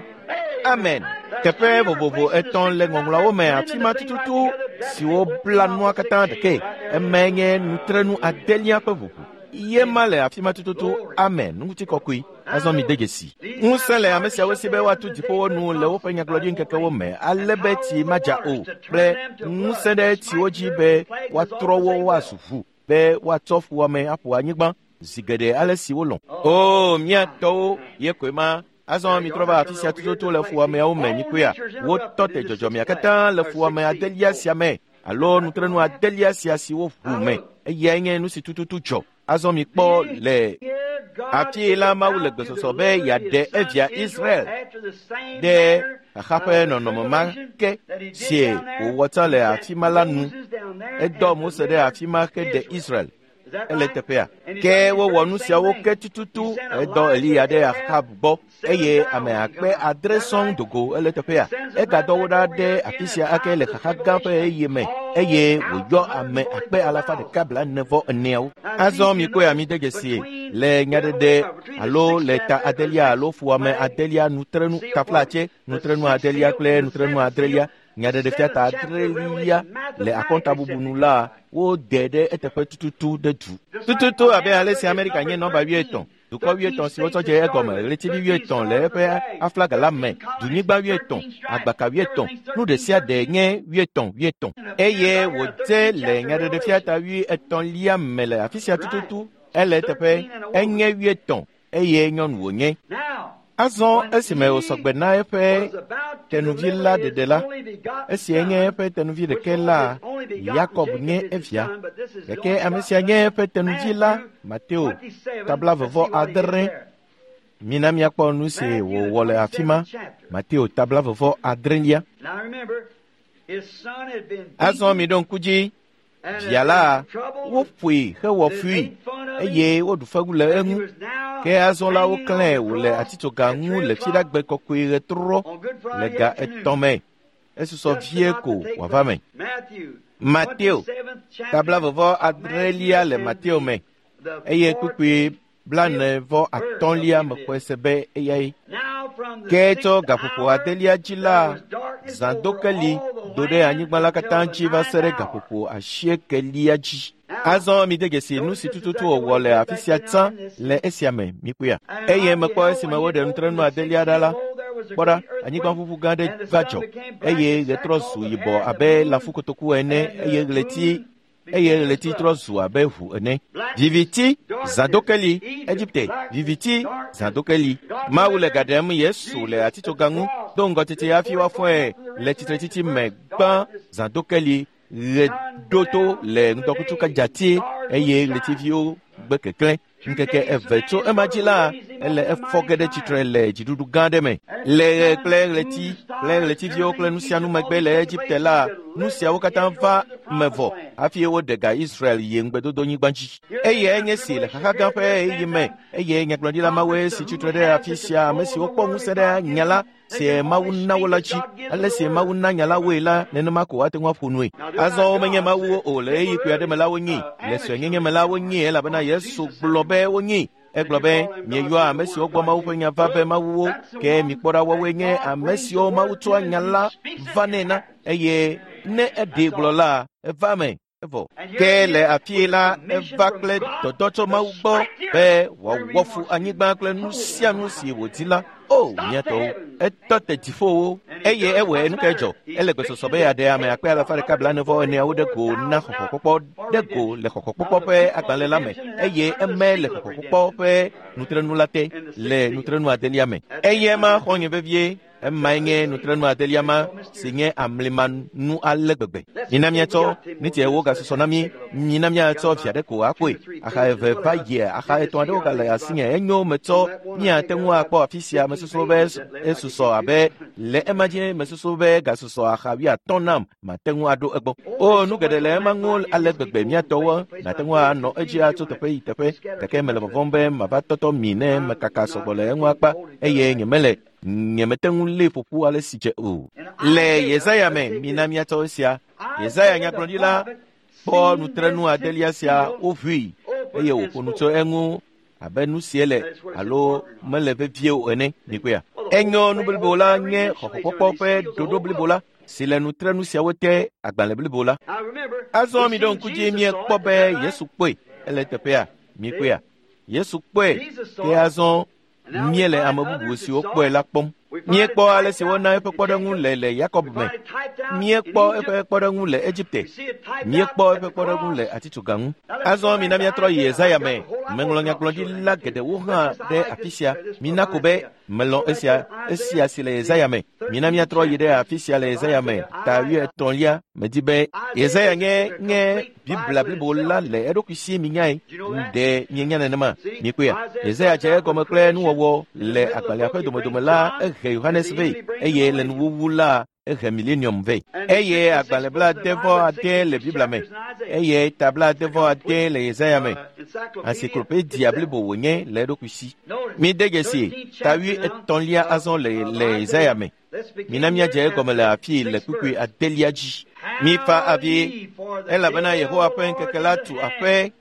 Amen. Teƒe vovovo etɔ̃ le ŋɔŋlɔawo me afi ma tututu siwo bla nua katã ɖekae. Emae nye nutrenu adelia ƒe ʋuʋu. Ye ma le afi ma tututu. Amen. Ŋutikɔkɔe. Azɔ mide dzesi. Ŋusẽ le ame siawo si be woatu dziƒowo nu le woƒe nyagblɔɖi ŋkekewo me ale be tsi madza o kple ŋusẽ ɖe tsiwo dzi be woatrɔ wo woazu ʋu be woatsɔ fuwɔame aƒo anyigba zi geɖe ale si wolɔ̃. O, mía tɔwo ye koe ma. Azɔ mitrɔ va afi sia tututu le fuwɔameawo me mikpɔea? Wotɔ te dzɔdzɔmea katã le fuwɔame adelia sia me alo nutrenu adelia sia si woʋu me. Eyae nye nu si tututu dzɔ. Azɔ mikpɔ le afi la Mawu le gbesɔsɔ be yeaɖe evia Israel ɖe xaxa ƒe nɔnɔme ma ke si wòwɔ tsã le afi ma la nu. Edɔ Mose ɖe afi ma heɖe Israel. Ele teƒea. Ke wowɔ nu siawo ke tututu. Edɔ Eliya ɖe Ahab gbɔ eye ame akpe adre sɔŋ do go. Ele teƒea. Egadɔ wo ɖa ɖe afi sia ake le xaxa gã ƒe ɣeyiɣi me eye wòyɔ ame akpe alafa ɖeka blaene vɔ eneawo. Azɔ mikpɔe mide dzesi le nyaɖeɖe alo le ta adelia alo fuwɔame adelia nutrenu taflatse nutrenu adelia kple nutrenu adrelia Nyaɖeɖefia ta adrelia le akɔntabubu nu la wode ɖe eteƒe tututu ɖe du. Tututu abe ale si Amerika nye nɔmba wuietɔ̃, dukɔ wuietɔ̃ si wotsɔ dze egɔme, ɣletivi wuietɔ̃ le eƒe aflaga la me, dunyigba wuietɔ̃, agbaka wuietɔ̃, nu ɖe sia ɖe nye wuietɔ̃ wuietɔ̃. Eye wòdze le nyaɖeɖefia ta wuietɔ̃lia me le afi sia tututu. Ele eteƒe, enye wuietɔ̃ eye nyɔnu wònye. Now, Azɔ esime wòsɔgbe na eƒe tenuvi la ɖeɖe la, esia nye eƒe tenuvi ɖeke la, Yakob nye evia. Gake ame sia nye eƒe tenuvi la, Mateo, ta blaeve vɔ adre. Mina míakpɔ nu si wòwɔ le afi ma. Mateo ta blaeve vɔ adrelia. Now remember, his son had been Azɔ beaten miɖo ŋku dzi, and via had la, been troubled, woƒoe hewɔ they fui made fun of him, eye woɖu fewu le and he eŋu. was now Ke azɔ la hanging on woklãe the wòle cross atitsoga at ŋu 3 le o'clock Fiɖagbe kɔkɔe ɣetrɔ on Good le Friday ga afternoon. etɔ̃ me. Esusɔ Just vie about ko to take wòava place. me. Matthew, Mateo, 27th chapter, ta blaeve vɔ adrelia le Matthew Mateo and me the eye fourth kpukpui blaene vɔ atɔ̃lia verse mexɔe se be eyae. Now from the Ke tso sixth gaƒoƒo hour adelia dzi there la, was darkness over zãdokeli all the do ɖe land anyigba la until katã the dzi va se ɖe ninth hour. gaƒoƒo asiekelia dzi. Now, Azɔ mide dzesi nu notice si just tututu exactly wòwɔ what le he did afi back sia there tsã now in this. le esia me mikpɔea. And Eye I mekpɔ beheld esime when he woɖe had nutrenu opened the sixth adelia ɖa la, seal, lo, there was a kpɔ ɖa, great earthquake, anyigbaʋuʋu gã aɖe and the va sun dzɔ became black eye as ɣetrɔ sackcloth zu of yibɔ hair, and the abe moon lãfukotoku ene and eye the ɣleti moon eye became as ɣleti trɔ blood. zu abe ʋu ene. Blackness, Viviti, darkness, zãdokeli, Egypt, Egipte, blackness, viviti, darkness. zãdokeli. God Mawu le ga delivering ɖem Yesu le Jesus at the atitsoga ŋu cross do ŋgɔ tete before hafi he woafɔe brought the le resurrection tsitretsitsi me first, gbã darkness, zãdokeli ɣe sun ɖo went to out le through the ŋdɔkutsu day, kadzati stars eye wouldn't shine. ɣletiviwo gbe keklẽ. 2 Ŋkeke days eve from tso that ema is dzi going to la, raise him up ele in a efɔ mighty ge ɖe tsitre triumph. le dziɖuɖu gã aɖe me. And at Le the ɣe sun, kple moon, ɣleti and stars kple ɣletiviwo kple nu sia nu megbe le Egipte la, nu siawo katã va me vɔ hafi woɖe ga Israel yi ŋugbedodonyigba dzi. Eyae nye si le xaxa gã ƒe ɣeyiɣi me eye nyagblɔɖila mawoe si tsitre ɖe afi sia ame siwo kpɔ ŋusẽ ɖe nya la si Mawu na wo la dzi. Ale si Mawu na nya la woe la, nenema ko woate ŋu aƒo nue. Azɔ womenye mawuwo o le ɣeyiɣi kpui aɖe me la wonyii, le suenyenye me la wonyii elabena Yesu gblɔ be wonyii. Egblɔ be, mieyɔa ame siwo gbɔ Mawu ƒe nya va be mawuwo, ke mikpɔ ɖa woawoe nye ame siwo Mawu tsɔa nya la vanɛ na eye ne eɖee gblɔ la, eva eme. Evɔ. Ke le afii la, eva kple dɔdɔ tso Mawu gbɔ be wòawɔ fu anyigba kple nu sia nu si wòdi la. O, mía tɔwo, etɔ te dziƒowo eye ewɔe nu kae dzɔ. Ele gbesɔsɔ be yeaɖe ame akpe alafa ɖeka blaene-vɔ-eneawo ɖe go na xɔxɔkpɔkpɔ ɖe go le xɔxɔkpɔkpɔ ƒe agbalẽ la me eye eme le xɔxɔkpɔkpɔ ƒe nutrenu la te le nutrenu adelia me. Eye ma xɔ nye vevie. Emae nye nutrenu adelia ma si nye amlimanu ale gbegbe. Mina míatsɔ niti ewo gasusɔ na mí. Mina míatsɔ via ɖe ko akpɔe. Axa eve va yia, axa etɔ̃ aɖewo gale asinye. Enyo metsɔ míate ŋu akpɔ afi sia. Mesusu be esusɔ abe le ema dzi mesusu be gasusɔ axa wuiatɔ̃ nam mate ŋu aɖo egbɔ. O, nu geɖe le ema ŋu ale gbegbe míatɔwo nate ŋu anɔ edzi atso teƒe yi teƒe gake mele vɔvɔ̃m be mava tɔtɔ mi ne mekaka sɔgbɔ le eŋu akpa eye nyemele nyemete ŋu lé ƒoƒu ale si dze o. Le Yesaya me, mina míatsɔ esia. Yesaya nyagblɔɖila kpɔ nutrenu adelia sia woʋui eye wòƒo nu tso eŋu abe nu sie le alo mele vevie o ene. Mikpɔea? Enyo nu blibo la nye xɔxɔkpɔkpɔ ƒe ɖoɖo blibo la si le nutrenu siawo te agbalẽ blibo la. Azɔ miɖo ŋku dzi miekpɔ be Yesu kpɔe ele teƒea. Mikpɔea? Yesu kpɔe ke azɔ míele ame bubu siwo kpɔe la kpɔm. Míekpɔ ale si wona eƒe kpɔɖeŋu le le Yakob me. Míekpɔ eƒe kpɔɖeŋu le Egipte. Míekpɔ eƒe kpɔɖeŋu le atitsoga ŋu. Azɔ mina míatrɔ yi Yesaya me. Meŋlɔ nyagblɔɖila geɖewo hã ɖe afi sia. Mina ko be melɔ̃ esia, esia si le Yesaya me. Mina míatrɔ yi ɖe afi sia le Yesaya me, ta wuietɔ̃lia. Medi be Yesaya nye nye Biblia blibo la le eɖokui si minyae. Ɖe mienya nenema? Mikpɔea? Yesaya dze egɔme kple nuwɔwɔ le agbalẽa ƒe domedome la ehe Yohanes vɛ eye le nuwuwu la ehe Millennium vɛ. Eye agbalẽ blaade-vɔ-ade le Biblia me eye ta blaade-vɔ-ade le Yesaya me. Encyclopedia blibo wònye le eɖokui si. Mide dzesi ta wuietɔ̃lia azɔ le le Yesaya me. Mina míadze egɔme le afii le kpukpui adelia dzi. Mifa avi elabena Yehowa ƒe ŋkeke la tu aƒe.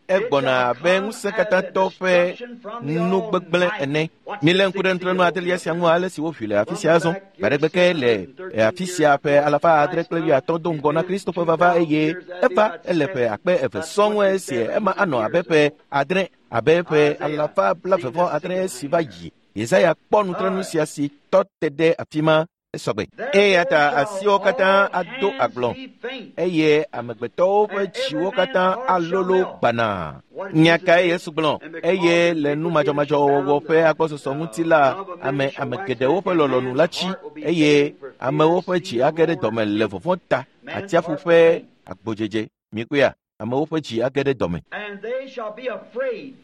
Egbɔna abe ŋusẽkatãtɔ ƒe nu gbegblẽ ene. Milé ŋku ɖe nutrenu adelia sia ŋu ale si woʋui le afi sia azɔ. Gbaɖegbe ke le afi sia ƒe alafa adre kple wuiatɔ̃ do ŋgɔ na Kristo ƒe vava eye eva ele ƒe akpe eve sɔŋ esie ema anɔ abe ƒe adre abe ƒe alafa blaeve-vɔ-adre si va yi. Yesaya kpɔ nutrenu sia si tɔ te ɖe afi ma esɔgbe. Eya ta asiwo katã ado agblɔ eye amegbetɔwo ƒe dziwo katã alolo gbanaa. Nya kae Yesu gblɔ? Eye le nu madzɔmadzɔwɔwɔ ƒe agbɔsɔsɔ ŋuti la, ame ame geɖewo ƒe lɔlɔ̃nu la tsi eye amewo ƒe dzi age ɖe dɔme le vɔvɔ̃ ta. Atsiaƒu ƒe agbodzedze. Mikpɔea? Amewo ƒe dzi age ɖe dɔme. And they shall be afraid.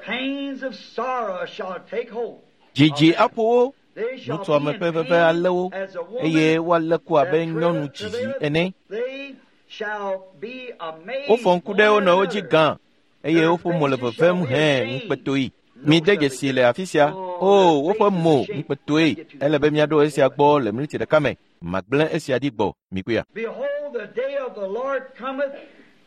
Pains of sorrow shall take hold. Dzidzi aƒo wo, They shall nutɔame be ƒe in veve pain alé wo as a woman eye woalé ku abe that nyɔnu dzidzi travaileth. ene. They shall be amazed Wofɔ ŋku ɖe wo one nɔewo dzi another. gã eye woƒe mo le vevem hẽ ŋukpetoe. Mide dzesi le afi sia. O, woƒe mo ŋukpetoe. Ele be míaɖo esia gbɔ le miniti ɖeka me. Magblẽ esia ɖi gbɔ. Mikpɔea? Behold, the day of the Lord cometh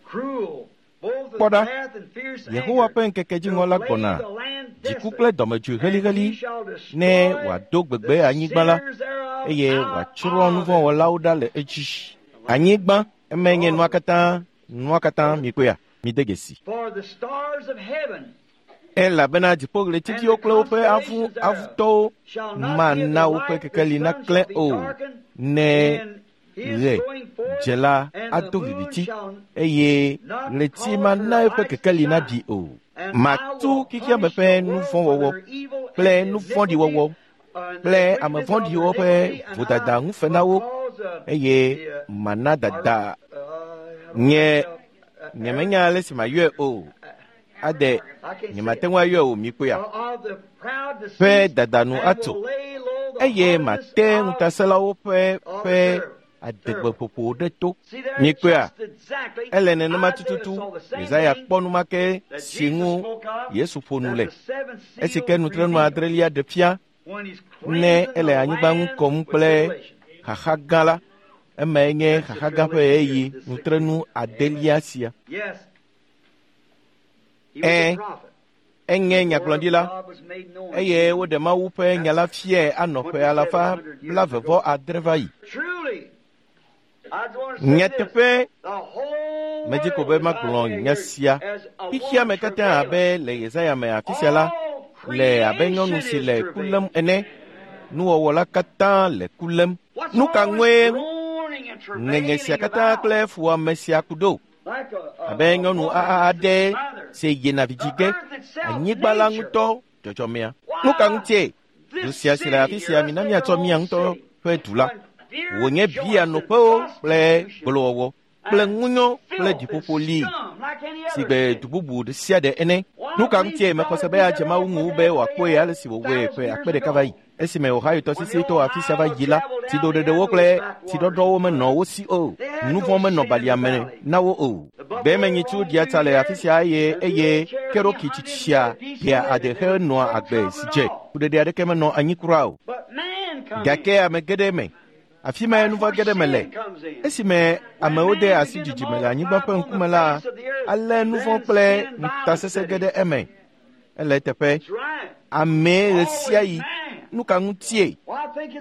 cruel, both with Kpɔ ɖa, wrath and fierce Yehowa anger, ƒe ŋkeke to dziŋɔ la lay gbɔna. the land Dziku desolate, kple dɔmedzoe and heliheli he shall destroy ne wòado gbegbe the anyigba la sinners thereof eye out wòatsrɔ̃ of it. nuvɔ̃wɔlawo ɖa le edzi. Anyigba, emae nye nua katã, nua katã mikpɔea? Mide dzesi. For the stars of heaven Elabena and dziƒoɣletiviwo the kple woƒe avu constellations thereof avutɔwo shall not give mana their woƒe light, the kekeli sun naklẽ shall be o. darkened Ne in his ɣe going forth, dze la and the ado moon viviti shall eye not ɣleti cause her mana eƒe light to kekeli shine. naɖi o. And I Matu will xexeame punish ƒe the world for nuvɔ̃wɔwɔ their evil kple and nu vɔ̃ɖi iniquity, wɔwɔ and kple the ame wickedness of their vɔ̃ɖiwo ƒe iniquity, and vodada I ŋu fe na will wo cause eye the mana dada I don't nye know, nyemenya ale si mayɔe o. Ade I can't say nyemate it. ŋu ayɔe o mikpɔea. Of the proud Ƒe deceased, dada nu and atso will lay low eye mate ŋutasẽlawo ƒe adegbeƒoƒo ɖe to. Mikpɔea, ele nenema tututu. Yesaya kpɔ nu ma ke si ŋu Yesu ƒo nu le esi ke nutrenu adrelia ɖe fia ne ele anyigba ŋu kɔm kple xaxa gã la. Emae nye xaxa gã ƒe ɣeyiɣi nutrenu adelia sia. Enye nyagblɔɖila eye woɖe Mawu ƒe nya la fiae anɔ ƒe alafa 75 va yi. Nyateƒe, medzi ko be magblɔ nya sia. Xexea me katã abe le Yesaya me afi sia la le abe nyɔnu si le ku lém ene. Nuwɔwɔ la katã le ku lém. Nu ka ŋue ŋeŋe sia katã kple fuwɔame sia ku ɖo? Abe nyɔnu aɖe si yina vidzi ge, anyigba la ŋutɔ dzɔdzɔmea. Nu ka ŋutie? Du sia si le afi sia mina míatsɔ mía ŋutɔ ƒe du la. Wònye bia nɔƒewo kple gbolowɔwɔ kple ŋunyɔ kple ɖiƒoƒo li si gbe du bubu ɖe sia ɖe ene. Nu ka ŋutie mexɔ se be adze Mawu ŋu be wòakpɔe ale si wòwɔe ƒe akpe ɖeka va yi? Esime Ohio tɔsisi to afi sia va yi la, tsiɖoɖeɖewo kple tsiɖɔɖɔwo menɔ wo si o. Nu vɔ̃ menɔ balia me na wo o. Gbemenyitsu ɖia tsa le afi sia eye Cherokee tsitsia ɖea ade henɔa agbe si dze. Kuɖeɖe aɖeke menɔ anyi kura o. Gake ame geɖe me. Afi mae nu vɔ̃ geɖe me le. Esime amewo de asi dzidzime le anyigba ƒe ŋkume la, alé nu vɔ̃ kple ŋutasesẽ ge ɖe eme. Ele eteƒe. Amee ɣe sia ɣi. Nu ka ŋutie?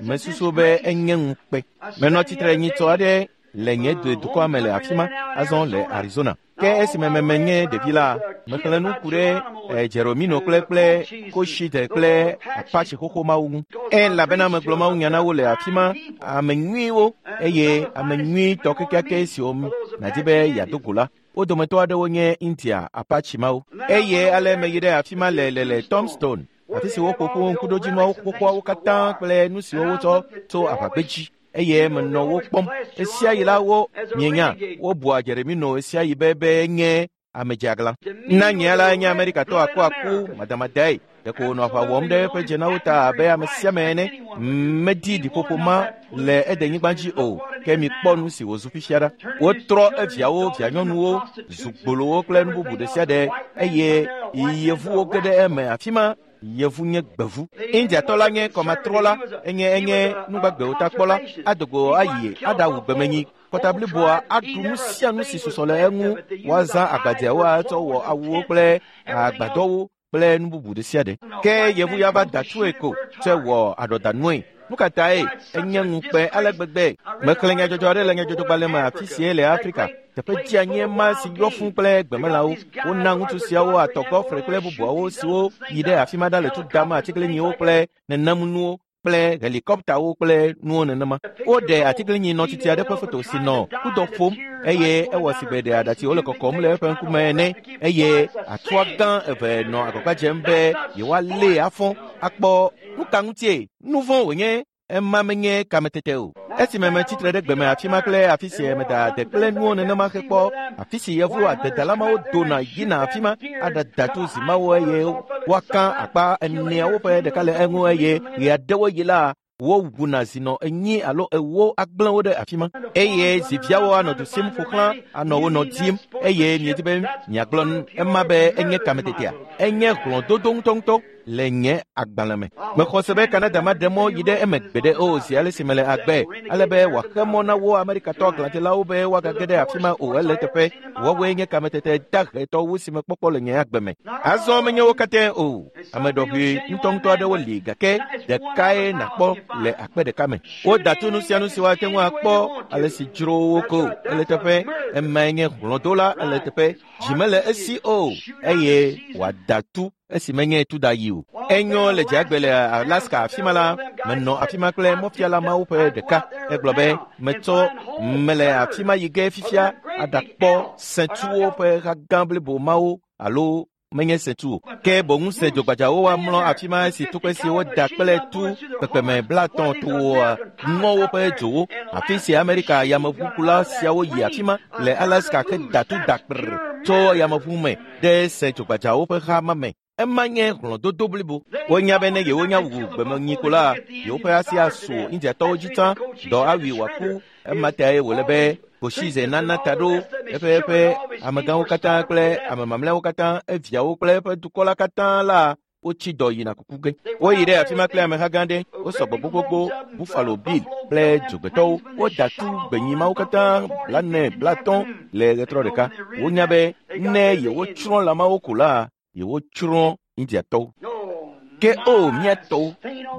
Mesusu be enye ŋukpe. Menɔ tsitre nyitsɔ aɖe le nye dukɔa me le afi ma, azɔ le Arizona. Ke esime menye ɖevi la, mexlẽ nu ku ɖe Jeromino kple Koshite kple Apache xoxo mawo ŋu. Elabena megblɔ Mawu nya na wo le afi ma, ame nyuiwo eye ame nyuitɔ kekeake siwo nàdi be yeado go la. Wo dometɔ aɖewo nye India Apache mawo. Eye ale meyi ɖe afi ma le Tombstone, afi si woƒo ƒu ŋkuɖodzinuawo xoxoawo katã kple nu siwo wotsɔ tso aʋagbedzi. Eye menɔ wo kpɔm. Ɣesiaɣi la wo mienya wobua Jeremino ɣesiaɣi be nye ame dzeaglã. Na nye la nye Amerikatɔ akuaku madamadae. Ɖeko wònɔ aʋa wɔm ɖe eƒe dzenawo ta abe ame sia ame ene. Medi ɖiƒoƒo ma le edenyigba dzi o. Ke mikpɔ nu si wòzu fifia ɖa. Wotrɔ eviawo, vianyɔnuwo, zu gbolowo kple nu bubu ɖe sia ɖe eye yevuwo ge ɖe eme afi ma. Yevu nye gbevu. Indiatɔ la nye kɔmatrɔla, enye nugbagbewo takpɔla, adogo ayi aɖawu gbemenyi. Kɔta bliboa aɖu nu sia nu si susɔ le eŋu. Woazã agbadzeawo atsɔ wɔ awuwo kple agbadɔwo kple nu bubu ɖe sia ɖe. Ke yevu ya va da tsoe ko tsɔe wɔ aɖɔdanue. Nu ka tae enye ŋukpe ale gbegbe? Mexlẽ nyadzɔdzɔ aɖe le nyadzɔdzɔgbalẽ me afi sie le Afrika. Teƒe dzeanyi ma si yɔ fũ kple gbemelãwo. Wona ŋutsu siawo atɔ gɔfre kple bubuawo siwo yi ɖe afi ma ɖa le tu dam atiglinyiwo kple nenemunuwo kple helikɔptawo kple nuwo nenema. Woɖe atiglinyi nɔtsitsi aɖe ƒe foto si nɔ kudɔ ƒom eye ewɔ si gbe ɖe aɖatsiwo le kɔkɔm le eƒe ŋkume ene eye atua gã eve nɔ agbagba dzem be yewoalée afɔ akpɔ nu ka ŋutie nu vɔ̃ wònye. Ema menye kametete o. Esime metsitre ɖe gbeme afi ma kple afi si meda ade kple nuwo nenema hekpɔ afi si yevu adedala mawo dona yina afi ma aɖada tu zi mawo eye woaka akpa eneawo ƒe ɖeka le eŋu eye ɣeaɖewo yi la wowuna zinɔ 4 alo 4 agblẽ wo ɖe afi ma eye ziviawo anɔ du sim ƒo xlã anɔ wo nɔ dim eye miedi be miagblɔ ema be enye kametetea. Enye hlɔ̃dodo ŋutɔŋutɔ le nye agbalẽ me. Mexɔ se be Canada maɖe mɔ yi ɖe eme gbeɖe o zi ale si mele agbe, ale be wòaxe mɔ na wo Amerikatɔ aglãdzelawo be woagage ɖe afi ma o. Ele teƒe. Woawoe nye kametete dahetɔwo si mekpɔkpɔ le nye agbe me. Azɔ menye wo katã o. Ame ɖɔʋui ŋutɔŋutɔ aɖewo li gake ɖekae nàkpɔ le akpe ɖeka me. Woda tu nu sia nu si woate ŋu akpɔ ale si dzro wo ko. Ele teƒe. Emae nye hlɔ̃dola. Ele teƒe. Dzi mele esi o eye wòada tu esi menye tu da yi o. Enyo le dzeagbe le Alaska afi ma la, menɔ afi ma kple mɔfiala mawo ƒe ɖeka. Egblɔ be metsɔ mele afi ma yi ge fifia aɖakpɔ sẽtuwo ƒe ha gã blibo mawo alo menye sẽtu o. Ke boŋ sẽ dzogbadzawo woamlɔ afi ma esi tukpe si woda kple tu kpekpeme 50 toa ŋɔwo ƒe dzowo. Afi si Amerika yameʋukula siawo yi afi ma le Alaska ke da tu da kprr tso yameʋu me ɖe sẽ dzogbadzawo ƒe ha ma me. Ema nye hlɔ̃dodo blibo. Wonya be ne yewonya wu gbemenyi ko la, yewoƒe asi asu Indiatɔwo dzi tsã, dɔ awui wòaku. Ema tae wòle be Kosize nana ta ɖo eƒe amegãwo katã kple ame mamlɛawo katã, eviawo kple eƒe dukɔ la katã la wotsi dɔ yina kuku ge. Woyi ɖe afi ma kple ameha gã aɖe, wosɔgbɔ gbogbogbo, Buffalo Bill kple dzogbetɔwo. Woda tu gbenyi mawo katã 40, 50 le ɣetrɔ ɖeka. Wonya be ne yewotsrɔ̃ lãmawo ko la, yewotsrɔ̃ Indiatɔwo. Ke o mía tɔwo,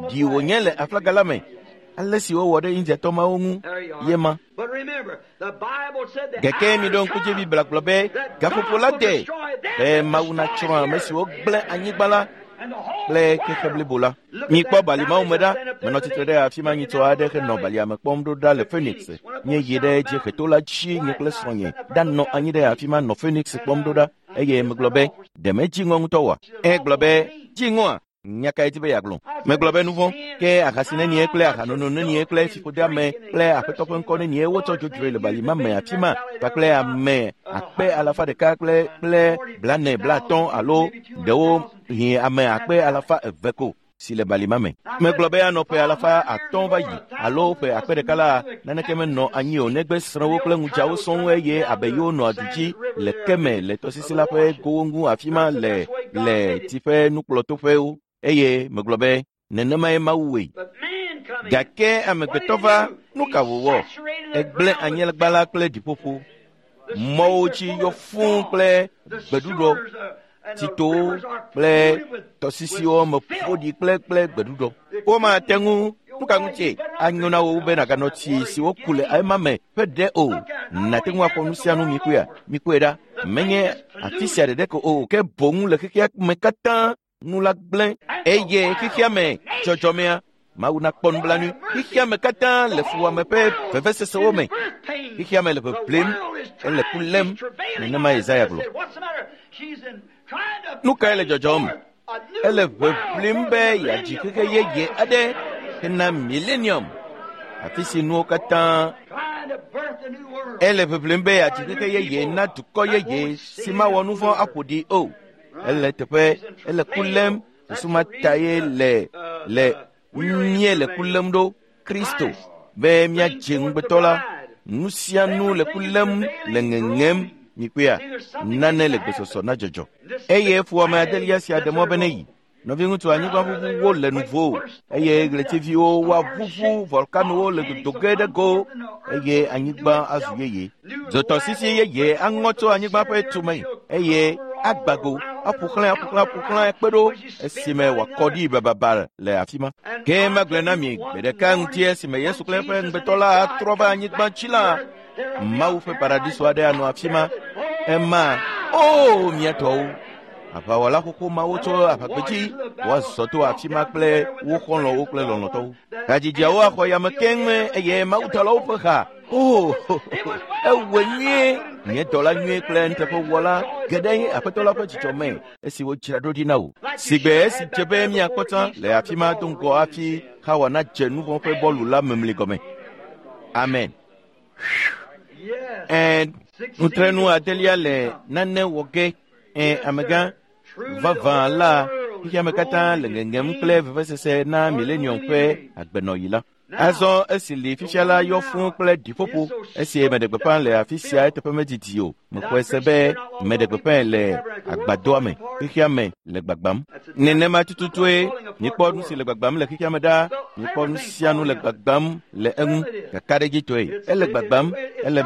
ɖi wònye le aflaga la me. Ale si wowɔ ɖe Indiatɔ mawo ŋu ye ma. Gake miɖo ŋku dzi Biblia gblɔ be gaƒoƒo la de be Mawu natsrɔ̃ ame siwo gblẽ anyigba la kple xexe blibo la. Mikpɔ bali mawo me ɖa. Menɔ tsitre ɖe afi ma nyitsɔ aɖe henɔ balia me kpɔm ɖo ɖa le Phoenix. Nye yi ɖe dzieheto la dzi nye kple srɔ̃nye ɖanɔ anyi ɖe afi ma nɔ Phoenix kpɔm ɖo ɖa eye megblɔ be ɖe medzi ŋɔ ŋutɔ oa? Egblɔ be dzi ŋɔa? Nya kae di be yeagblɔ? Megblɔ be nu vɔ̃, ke ahasi nenie kple ahanono nenie kple fiƒodeame kple aƒetɔ ƒe ŋkɔ nenie wotsɔ dzodzroe le bali ma me afi ma kpakple ame 100,000 kple 40, 50 alo ɖewo hi ame 200,000 ko si le bali ma me. Megblɔ be anɔ ƒe 500 va yi alo ƒe 1000 la naneke menɔ anyi o negbe srɔ̃wo kple ŋudzawo sɔŋ eye abe yewo nɔ aɖu dzi le keme le tɔsisi la ƒe gowo ŋu afi ma le tsi ƒe nukplɔtoƒewo. Eye megblɔ be nenemae Mawu wɔe. Gake amegbetɔ va, nu ka wòwɔ? Egblẽ anyigba la kple ɖiƒoƒo. Mɔwo dzi yɔ fũu kple gbeɖuɖɔ, tsitowo kple tɔsisiwo me ƒo ɖi kple gbeɖuɖɔ. Womate ŋu nu ka ŋutie anyo na wo be nàganɔ tsi si woku le ema me ƒe ɖe o. Nàte ŋu akpɔ nu sia nu mikpɔea? Mikpɔe ɖa. Menye afi sia ɖeɖe ko o, ke boŋ le xexea me katã nu la gblẽ eye xexea me dzɔdzɔmea Mawu nakpɔ nublanui. Xexea me katã le fuwɔame ƒe vevesesewo me. Xexea me le ʋeʋlem, ele ku lém. Nenema Yesaya gblɔ. Nu kae le dzɔdzɔm? Ele ʋeʋlem be yeadzi xexe yeye aɖe hena millennium, afi si nuwo katã. Ele ʋeʋlem be yeadzi xexe yeye na dukɔ yeye si mawɔ nu vɔ̃ aƒo ɖi o. Ele teƒe, ele ku lém. Susu ma tae le mie le ku lém ɖo Kristo be míadze ŋugbetɔ la. Nu sia nu le ku lém le ŋeŋem mikpɔea nane le gbesɔsɔ na dzɔdzɔ. Eye fuwɔame adelia sia ɖe mɔ be ne yi. Nɔviŋutsu anyigbaʋuʋuwo le nuvo eye ɣletiviwo woaʋuʋu, volkanowo le dodo ge ɖe go eye anyigba azu yeye. Dzotɔsisi yeye aŋɔ tso anyigba ƒe tume eye agbago aƒo xlã kpe ɖo esime wòakɔ ɖi bababa le afi ma. Ke magblɔe na mi gbe ɖeka ŋuti esime Yesu kple eƒe ŋugbetɔ la atrɔ va anyigba dzi la, Mawu ƒe paradiso aɖe anɔ afi ma. Ema o mía tɔwo. Aʋawɔla xoxo mawo tso aʋagbedzi woazɔ to afi ma kple wo xɔlɔ̃wo kple lɔlɔ̃tɔwo. Hadzidziawo axɔ yame keŋ eye mawudɔlawo ƒe ha. O, ewɔe nyuie, nye dɔla nyuie kple nuteƒewɔla geɖe aƒetɔ la ƒe dzidzɔ me esi wodzra ɖo ɖi na wò. Sigbe esi dze be míakpɔ tsã le afi ma do ŋgɔ hafi Hawa nadze nu vɔ̃ ƒe bɔlu la memli gɔme. Amen. Nutrenu adelia le nane wɔ ge. Amegã vavã la xexea me katã le ŋeŋem kple vevesese na millennium ƒe agbenɔɣi la. Azɔ esi li fifia la yɔ fũu kple ɖiƒoƒo esi meɖe gbeƒã le afi sia eteƒe medidi o. Mexɔe se be meɖe gbeƒãe le agbadɔa me. Xexea me le gbagbam. Nenema tututue mikpɔ nu si le gbagbam le xexea me ɖa. Mikpɔ nu sia nu le gbagbam le eŋu. Kakaɖedzitɔe ele gbagbam. Ele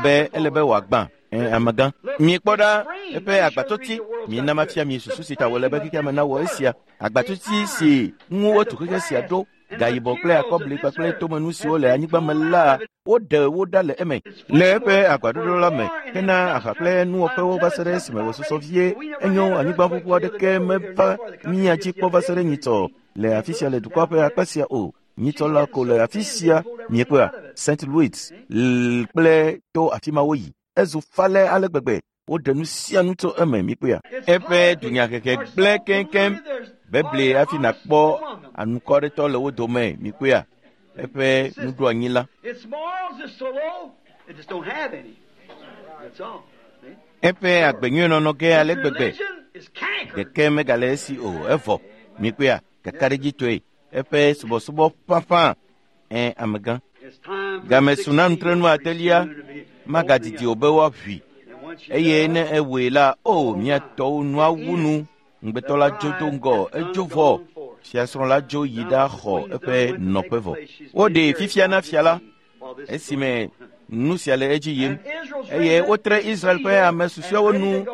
be wòagbã. Amegã, mikpɔ ɖa eƒe agbatɔti. Mina mafia mi susu si ta wòle be xexea me nawɔ esia. Agbatɔti si ŋu wotu xexe sia ɖo, gayibɔ kple akɔbli kpakple tomenu siwo le anyigba me la, woɖe wo ɖa le eme le eƒe agbaɖoɖo la me hena aha kple nuwɔƒewo va se ɖe esime wòsusɔ vie. Enyo anyigbaʋuʋu aɖeke meva mía dzi kpɔ va se ɖe nyitsɔ le afi sia le dukɔa ƒe akpa sia o. Nyitsɔ la ko le afi sia miekpɔa St. Louis kple to afi ma woyi. Ezu falɛ ale gbegbe woɖe nu sia nu tso eme mikpɔea. Eƒe dunyahehe gblẽ keŋkeŋ. Bebli hafi nàkpɔ anukɔɖetɔ le wo dome mikpɔea. Eƒe nuɖoanyi la. Eƒe agbenyuienɔnɔ ge ale gbegbe. Ɖeke megale esi o, evɔ. Mikpɔea, kakaɖedzitɔe, eƒe subɔsubɔ ƒaƒã. Ẽ, amegã. Game su na nutrenu adelia, magadidi o be woaʋui. Eye ne ewɔe la, o, mía tɔwo nua wu nu. Ŋugbetɔ la dzo do ŋgɔ, edzo vɔ. Fiasrɔ̃ la dzo yi ɖaxɔ eƒe nɔƒe vɔ. Woɖee fifia na fia la esime nu sia le edzi yim, eye wotre Israel ƒe ame susɔeawo nu,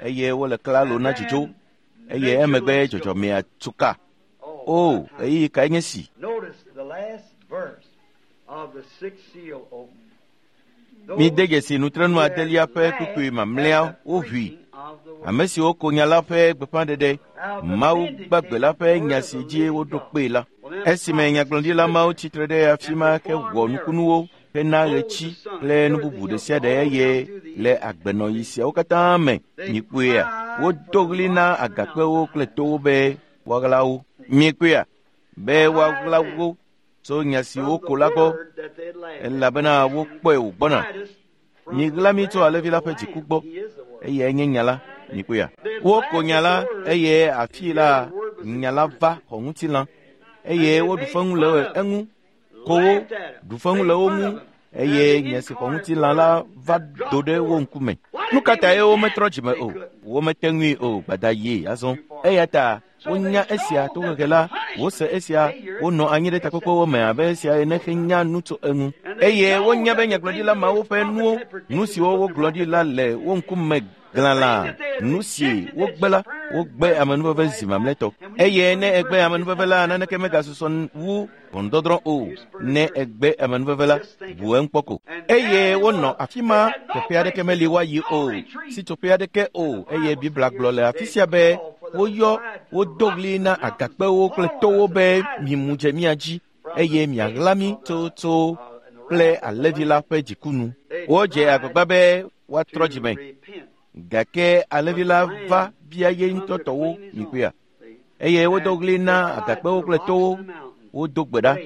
eye wole klalo na dzidzo, eye emegbe dzɔdzɔmea tu ka. O, ɣeyiɣi kae nye si? Mide dzesi nutrenu adelia ƒe kpukpui mamlɛa woʋui. Ame siwo ko nya la ƒe gbeƒãɖeɖe, Mawu gbagbe la ƒe nya si dzi woɖo kpee la. Esime nyagblɔɖila mawo tsitre ɖe afi ma hewɔ nukunuwo, hena ɣetsi kple nu bubu ɖe sia ɖe eye le agbenɔɣi siawo katã me, mikpɔea, wodo ɣli na agakpewo kple towo be woaɣla wo. Mikpɔea, be woaɣla wo tso nya si woko la gbɔ, elabena wokpɔe wògbɔna. Miɣla mí tso alẽvi la ƒe dziku gbɔ, eyae nye nya la. Mikpɔea, woko nya la, eye afii la nya la va xɔ ŋutilã, eye woɖu feŋu le eŋu, ko wo, ɖu feŋu le wo ŋu, eye nya si xɔ ŋutilã la va do ɖe wo ŋkume. Nu ka tae wometrɔ dzime o? Womete ŋui o, gbada yie azɔ. Eya ta wonya esia tohehe la, wose esia, wonɔ anyi ɖe takpekpewo me abe esia ene henya nu tso eŋu. Eye wonya be nyagblɔɖila mawo ƒe nuwo, nu siwo wogblɔ ɖi la le wo ŋkume glalã. Nu si wogbe la, wogbe amenuveve zi mamlɛtɔ. Eye ne egbe amenuveve la, naneke megasusɔ wu ʋɔnudɔdrɔ̃ o. Ne egbe amenuveve la, ʋu eŋu kpɔ ko. Eye wonɔ afi ma, teƒe aɖeke meli woayi o, sitsoƒe aɖeke o. Eye Biblia gblɔ le afi sia be woyɔ, wodo ɣli na agakpewo kple towo be mimu dze mía dzi, eye miaɣla mí tso kple alẽvi la ƒe dziku nu. Wodze agbagba be woatrɔ dzime, gake alẽvi la va bia ye ŋutɔ tɔwo mikpɔea, eye wodo ɣli na agakpewo kple towo, wodo gbe ɖa,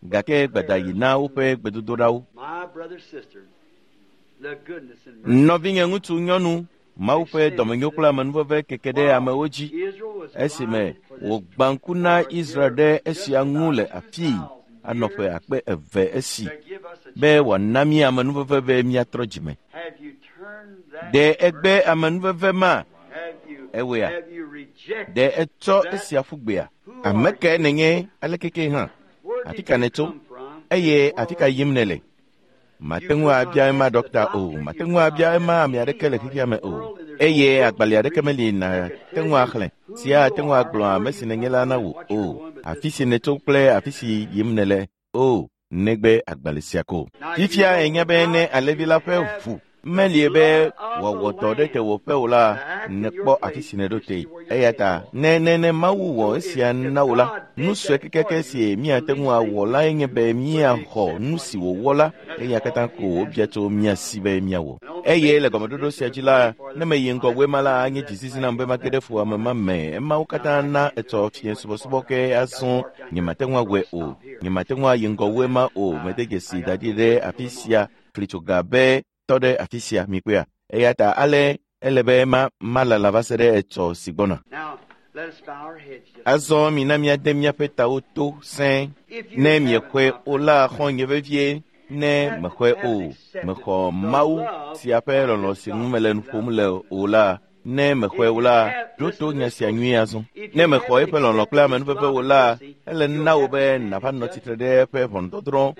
gake gbada yi na woƒe gbedodoɖawo. Nɔvinye ŋutsu nyɔnu, Mawu ƒe dɔmenyo kple amenuveve keke ɖe amewo dzi esime wògbã ŋku na Israel ɖe esia ŋu le afii anɔ ƒe akpe eve esi be wòana mí amenuveve be míatrɔ dzime. Ɖe egbe amenuveve ma? Ewɔea? Ɖe etsɔ esia ƒu gbea? Ame kae nènye aleke ke hã? Afi ka nètso? Eye afi ka yim nèle? Mate ŋu abia ema ɖɔkta o, mate ŋu abia ema ame aɖeke le xexea me o, eye agbalẽ aɖeke meli nàte ŋu axlẽ sia ate ŋu agblɔ ame si nènye la na wò o, afi si nètso kple afi si yim nèle o, negbe agbalẽ sia ko. Fifia ènya be ne alẽvi la ƒe ʋu melie be wòawɔ dɔ ɖe tewòƒe o la, nèkpɔ afi si nèɖo te. Eya ta ne ne Mawu wɔ esia na wò la, nu sue kekeake si míate ŋu awɔ lae nye be míaxɔ nu si wòwɔ la, eya katã ko wòbia tso mía si be míawɔ. Eye le gɔmeɖoɖo sia dzi la, ne meyi ŋgɔ wu ema la, anye dzizizi nam be mage ɖe fuwɔame ma me. Emawo katã na etsɔ fiẽ subɔsubɔ ke azɔ nyemate ŋu awɔe o. Nyemate ŋu ayi ŋgɔ wu ema o. Mede dzesi da ɖi ɖe afi sia flitsoga be tɔ ɖe afi sia, mikpɔea. Eya ta ale ele be malala va se ɖe etsɔ si gbɔna. Azɔ mina míade míaƒe tawo to sẽe. Ne miexɔe o la, xɔ̃nye vevie, ne mexɔe o, mexɔ Mawu sia ƒe lɔlɔ̃ si ŋu mele nu ƒom le o la, ne mexɔe o la, ɖo to nya sia nyuie azɔ. Ne mexɔ eƒe lɔlɔ̃ kple amenuveve o la, ele na wò be nàva nɔ tsitre ɖe eƒe ʋɔnudɔdrɔ̃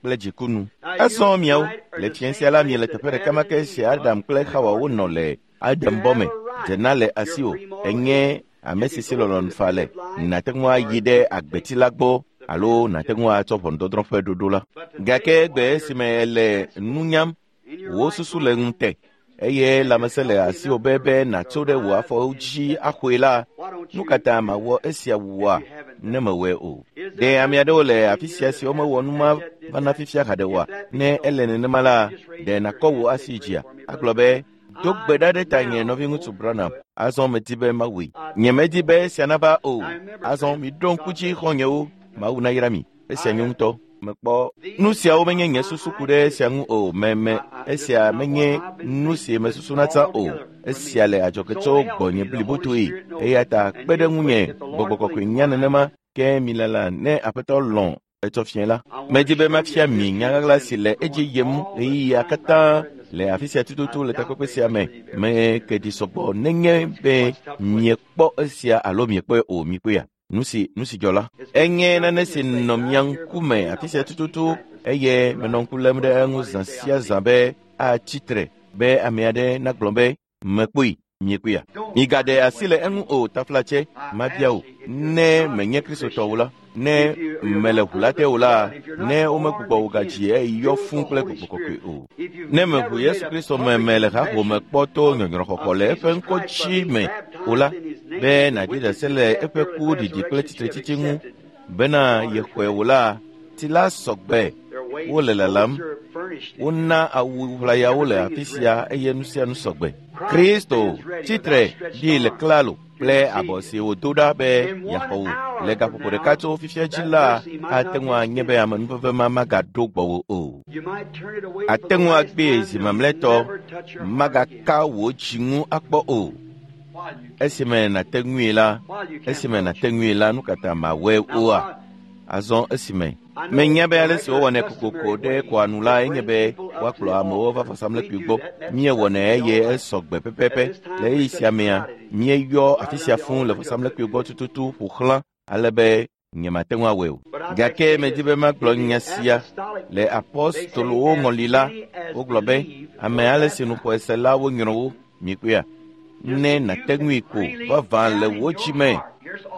kple dziku nu. Azɔ miawo, le fiẽ sia la miele teƒe ɖeka ma ke si Adam kple Xawa wonɔ le Adam bɔ me. Dzena le asiwò, enye ame si si lɔlɔ̃nu fa le. Nàte ŋu ayi ɖe agbeti la gbɔ alo nàte ŋu atsɔ ʋɔnudɔdrɔ̃ ƒe ɖoɖo la. Gake egbe esime èle nu nyam, wò susu le ŋute, eye lãmesẽ le asiwò be be nàtso ɖe wò afɔwo dzi axɔe la, nu ka ta màwɔ esia wua ne mewɔe o? Ɖe ame aɖewo le afi sia siwo mewɔ nu ma vana fifia haɖe oa? Ne ele nenema la, ɖe nàkɔ wò asi dzia? Agblɔ be, do gbe ɖa ɖe tanye nɔviŋutsu Branham. Azɔ medi be mawɔe. Nyemedi be esia nava o. Azɔ miɖo ŋku dzi xɔ̃nyewo. Mawu nayra mi. Esia nyo ŋutɔ. Mekpɔ nu siawo menye nye susu ku ɖe esia ŋu o. Meme esia menye nu si mesusuna tsã o. Esia le adzɔge tso gbɔnye blibotoe. Eya ta kpe ɖe ŋunye gbɔgbɔ kɔkɔe nya nenema ke milala ne Aƒetɔ lɔ̃ etsɔ fiẽ la. Medi be mafia mi nya ɣaɣla si le edzi yim ɣeyiɣia katã le afi sia tututu le takpekpe sia me. Meke ɖi sɔgbɔ nenye be miekpɔ esia alo miekpɔe o mikpɔea. Nu si dzɔ la, enye nane si nɔ mia ŋkume afi sia tututu eye menɔ ŋku lém ɖe eŋu zã sia zã be atsi tre be ame aɖe nagblɔ be mekpɔe miekpɔea. Migaɖe asi le eŋu o taflatse mabia o ne menye Kristotɔ o la, ne mele ʋu la te o la, ne womegbugbɔ wò gadzi eyɔ fũ kple gbɔgbɔ kɔkɔe o. Ne meʋu Yesu Kristo me me le haƒome kpɔ to nyɔnyrɔxɔxɔ le eƒe ŋkɔ dzi me o la, be nàɖi ɖase le eƒe ku ɖiɖi kple tsitretsitsi ŋu bena yexɔe o la, tsi la sɔgbe wole lalam. Wona awu ʋlayawo le afi sia eye nu sia nu sɔgbe. Kristo tsitre ɖi le klalo kple abɔ si wòdo ɖa be yeaxɔ wò le gaƒoƒo ɖeka tso fifia dzi la ate ŋu anye be amenuveve ma magaɖo gbɔwò o. Ate ŋu agbee zi mamlɛtɔ magaka wò dzi ŋu akpɔ o. Esime nàte ŋui la, nu ka ta màwɔe oa? Azɔ esime menya be ale si wowɔnɛ kokoko ɖe kɔa nu la enye be woakplɔ amewo va vɔsamlekpui gbɔ. Míewɔnɛ eye esɔ gbe pɛpɛpɛ. Le ɣeyiɣi sia mea, míeyɔ afi sia fũu le vɔsamlekpui gbɔ tututu ƒo xlã ale be nyemate ŋu awɔe o. Gake medi be magblɔ nya sia. Le apɔstolowo ŋɔli la, wogblɔ be ame ale si nu xɔe se la wonyrɔ wo. Mikpɔea? Ne nàte ŋui ko vavã le wò dzi me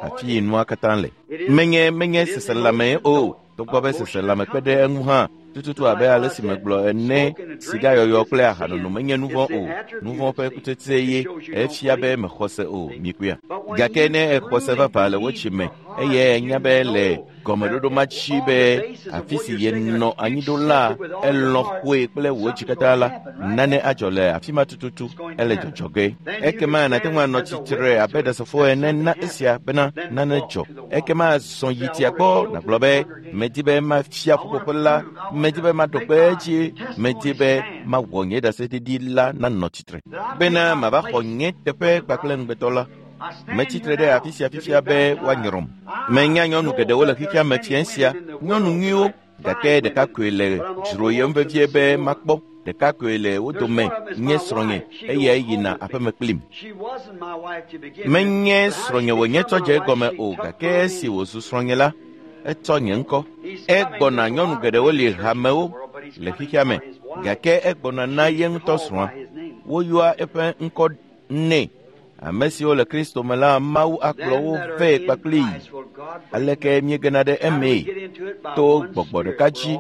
afi yi nua katã le. Menye seselãme o. Togbɔ be seselãme kpe ɖe eŋu hã tututu abe ale si megblɔ ene, sigayɔyɔ kple ahanono menye nu vɔ̃ o. Nu vɔ̃ ƒe kutsetse ye efia be mexɔ se o. Mikpɔea? Gake ne exɔ se vavã le wò dzi me eye enya be le gɔmeɖoɖo ma dzi be afi si yenɔ anyi ɖo la elɔ̃ xoe kple wò dzi katã la, nane adzɔ le afi ma tututu ele dzɔdzɔ ge. Ekema nàte ŋu anɔ tsitre abe ɖasefo ene na esia bena nane dzɔ. Ekema zɔ yi tsia gbɔ nàgblɔ be medi be mafia ƒuƒoƒe la, medi be maɖo kpe edzi, medi be mawɔ nye ɖaseɖiɖi la nanɔ tsitre bena mava xɔ nye teƒe kpakple ŋugbetɔ la. Metsitre ɖe afi sia fifia be woanyrɔm. Menya nyɔnu geɖewo le xexea me fiẽ sia, nyɔnu nyuiwo, gake ɖeka koe le dzroyem vevie be makpɔ. Ɖeka koe le wo dome nye srɔ̃nye eye yina aƒeme kplim. Menye srɔ̃nye wònye tsɔ dze egɔme o, gake esi wòzu srɔ̃nye la, etsɔ nye ŋkɔ. Egbɔna nyɔnu geɖewo li hamewo le xexea me, gake egbɔna na ye ŋutɔ srɔ̃a. Woyɔa eƒe ŋkɔ nɛ. Ame siwo le Kristo me la, Mawu akplɔ wo vɛ kpakplii. Aleke míegena ɖe emee? To gbɔgbɔ ɖeka dzi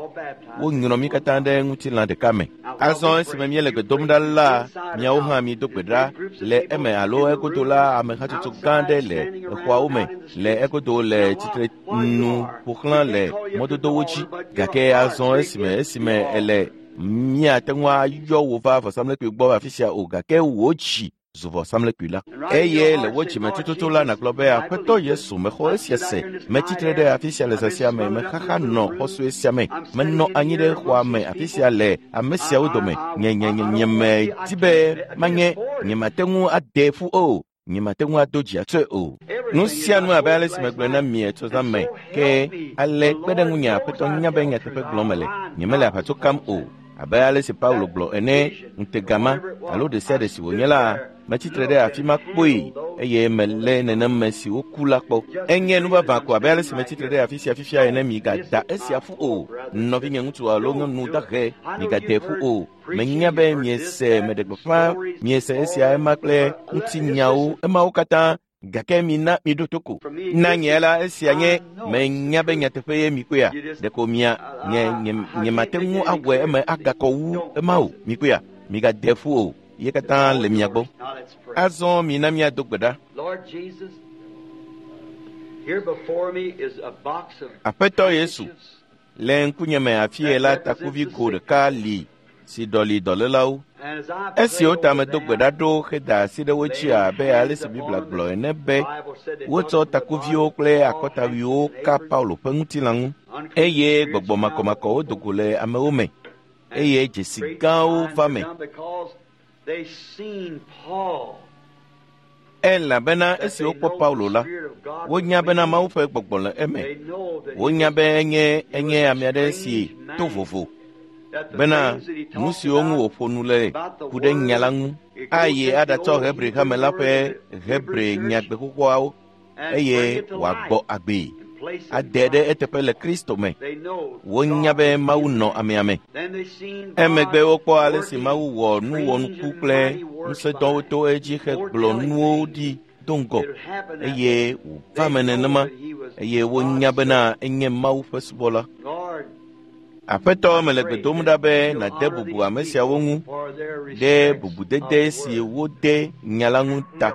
wonyrɔ mí katã ɖe ŋutilã ɖeka me. Azɔ esime míele gbe dom ɖa la, miawo hã mido gbe ɖa le eme alo egodo la, ame hatsotso gã aɖe le exɔawo me le egodo le tsitre nu ƒo xlã le mɔdodowo dzi. Gake azɔ esime ele míate ŋu ayɔ wò va vɔsamlekpui gbɔ afi sia o, gake wò dzi zu vɔsamlekpui la. Eye le wò dzime tututu la nàgblɔ be Aƒetɔ Yesu, mexɔ esia se. Metsitre ɖe afi sia le zã sia me, mexaxa nɔ xɔ sue sia me, menɔ anyi ɖe xɔa me afi sia le ame siawo dome. Nye medi be manye, nyemate ŋu ade ƒu o, nyemate ŋu ado dzi atsɔe o. Nu sia nu abe ale si megblɔe na mi etsɔ zã me, ke ale kpe ɖe ŋunye Aƒetɔ nya be nyateƒe gblɔm mele, nyemele aʋatso kam o. Abe ale si Paulo gblɔ ene, ŋutega ma alo ɖe sia ɖe si wònye la, metsitre ɖe afi ma kpoe eye melé nenem me si woku la kpɔ. Enye nu vavã ko abe ale si metsitre ɖe afi sia fifia ene. Migada esia ƒu o, nɔvinye ŋutsu alo nyɔnu dahe, migade ƒu o. Menya be miese meɖe gbeƒã, miese esia ema kple ŋutinyawo emawo katã, gake mina miɖo to ko. Na nye la esia nye menya be nyateƒe ye mikpɔea, ɖeko mia nye nyemate ŋu awɔe eme agakɔ wu ema o. Mikpɔea, migade ƒu o, ye katã le mia gbɔ. Azɔ mina míado gbe ɖa. Aƒetɔ Yesu, le ŋkunye me afie la takuvi go ɖeka li si ɖɔli dɔlélawo. Esi wota medo gbe ɖa ɖo heda asi ɖe wo dzi abe ale si Biblia gblɔ ene be wotsɔ takuviwo kple akɔtawuiwo ka Paulo ƒe ŋutilã ŋu. Eye gbɔgbɔ makɔmakɔwo do go le amewo me eye dzesi gãwo va me. Elabena esi wokpɔ Paulo la, wonya bena Mawu ƒe gbɔgbɔ le eme. Wonya be enye enye ame aɖe si to vovo bena nu siwo ŋu wòƒo nu le ku ɖe nya la ŋu ayi aɖatsɔ Hebri hame la ƒe Hebri nyagbe xoxoawo eye wòagbɔ agbee ade ɖe eteƒe le Kristo me. Wonya be Mawu nɔ amea me. Emegbe wokpɔ ale si Mawu wɔ nu wɔnuku kple ŋusẽdɔwo to edzi hegblɔ nuwo ɖi do ŋgɔ eye wòva me nenema eye wonya bena enye Mawu ƒe subɔla. Aƒetɔ, mele gbe dom ɖa be nàde bubu ame siawo ŋu ɖe bubudede si wode nya la ŋu ta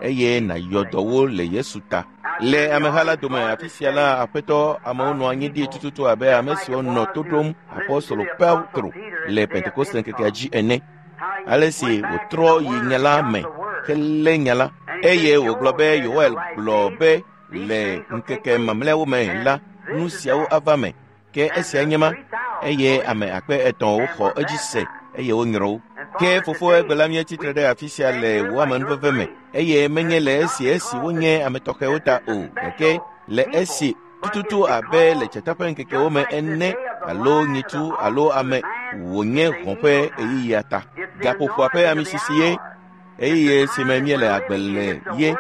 eye nàyɔ dɔ wo le Yesu ta. Le ameha la dome afi sia la, Aƒetɔ, amewo nɔ anyi ɖi tututu abe ame siwo nɔ to ɖom Apostolo Petro le Pentekoste ŋkekea dzi ene. Ale si wòtrɔ yi nya la me helé nya la eye wògblɔ be Yoel gblɔ be le ŋkeke mamlɛawo me la, nu siawo ava me. Ke esia nye ma eye ame akpe etɔ̃wo xɔ edzi se eye wonyrɔ wo. Ke fofo egbe la míetsi tre ɖe afi sia le wò amenuveve me eye menye le esi esi wonye ame tɔxɛwo ta o, gake le esi tututu abe le dzata ƒe ŋkekewo me ene alo nyitsu alo ame wònye hɔ̃ ƒe ɣeyiɣia ta. Gaƒoƒoa ƒe amisisi ye ɣeyiɣi si me míele agbe le ye.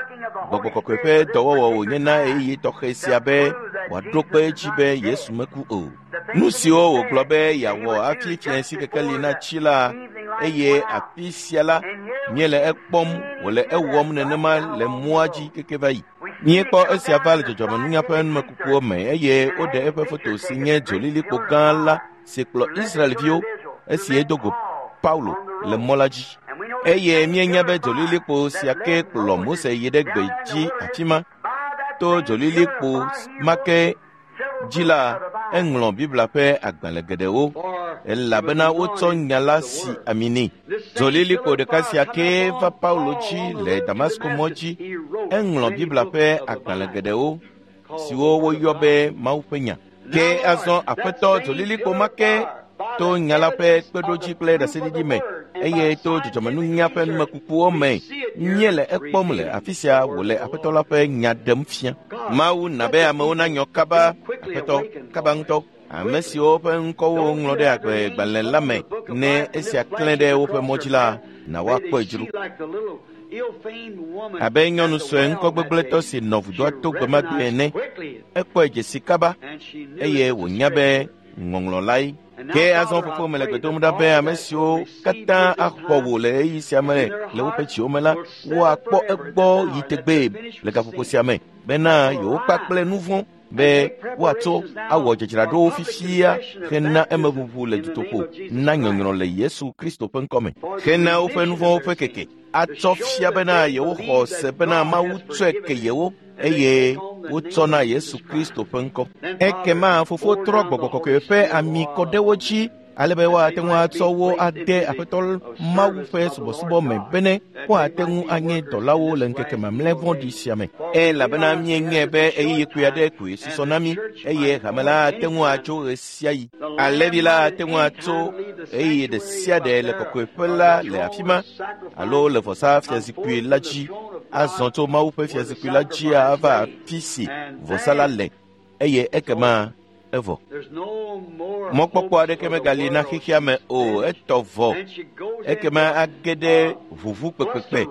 Gbɔgbɔ kɔkɔe ƒe dɔwɔwɔ wònye na ɣeyiɣi tɔxɛ sia be wòaɖo kpe edzi be Yesu meku o. Nu siwo wògblɔ be yeawɔ hafi fiẽ kekeli natsi la eye afi sia la míele ekpɔm wòle ewɔm nenema le mɔa dzi keke va yi. Míekpɔ esia va le dzɔdzɔmenunya ƒe numekukuwo me eye woɖe eƒe foto si nye dzolilikpo gã la si kplɔ Israelviwo esi edo go Paulo le mɔ la dzi. Eye míenya be dzolilikpo sia ke kplɔ Mose yi ɖe gbe dzi afi ma. To dzolilikpo ma ke dzi la, eŋlɔ Biblia ƒe agbalẽ geɖewo elabena wotsɔ nya la si ami nɛ. Dzolilikpo ɖeka sia kee va Paulo dzi le Damasko mɔ dzi. Eŋlɔ Biblia ƒe agbalẽ geɖewo siwo woyɔ be Mawu ƒe nya. Ke azɔ Aƒetɔ dzolilikpo ma ke to nya la ƒe kpeɖodzi kple ɖaseɖiɖi me eye to dzɔdzɔmenunya ƒe numekukuwo me míele ekpɔm le afi sia wòle Aƒetɔ la ƒe nya ɖem fia. Mawu na be amewo nanyɔ kaba, Aƒetɔ, kaba ŋutɔ. Ame siwo ƒe ŋkɔwo woŋlɔ ɖe agbegbalẽ la me ne esia klẽ ɖe woƒe mɔ dzi la, na woakpɔe dzro. Abe nyɔnu sue ŋkɔgbegblẽtɔ si nɔ vudoa to gbe ma gbe ene, ekpɔe dzesi kaba eye wònya be ŋɔŋlɔ lae. Ke azɔ fofo mele gbe dom ɖa be ame siwo katã axɔ wò le ɣeyiɣi sia me le woƒe dziwo me la, woakpɔ egbɔ yi tegbee le gaƒoƒo sia me bena yewokpa kple nu vɔ̃ be woatso awɔ dzadzraɖowo fifia hena emeʋuʋu le dutoƒo na nyɔnyrɔ le Yesu Kristo ƒe ŋkɔme hena woƒe nu vɔ̃wo ƒe keke atsɔ fia bena yewoxɔ se bena Mawu tsɔe ke yewo eye wotsɔ na Yesu Kristo ƒe ŋkɔ. Ekema fofo trɔ gbɔgbɔ kɔkɔe ƒe ami kɔ ɖe wo dzi ale be woate ŋu atsɔ wo ade Aƒetɔ Mawu ƒe subɔsubɔ me bene woate ŋu anye dɔlawo le ŋkeke mamlɛ vɔ̃ɖi sia me. Elabena míenyae be ɣeyiɣi kpui aɖe koe susɔ na mí eye hame la ate ŋu atso ɣe sia ɣi. Alẽvi la ate ŋu atso ɣeyiɣi ɖe sia ɖe le kɔkɔeƒe la le afi ma alo le vɔsa fiazikpui la dzi azɔ tso Mawu ƒe fiazikpui la dzi ava afi si vɔsa la le eye ekema evɔ. Mɔkpɔkpɔ aɖeke megali na xexea me o, etɔ vɔ. Ekema age ɖe ʋuʋu kpekpekpe,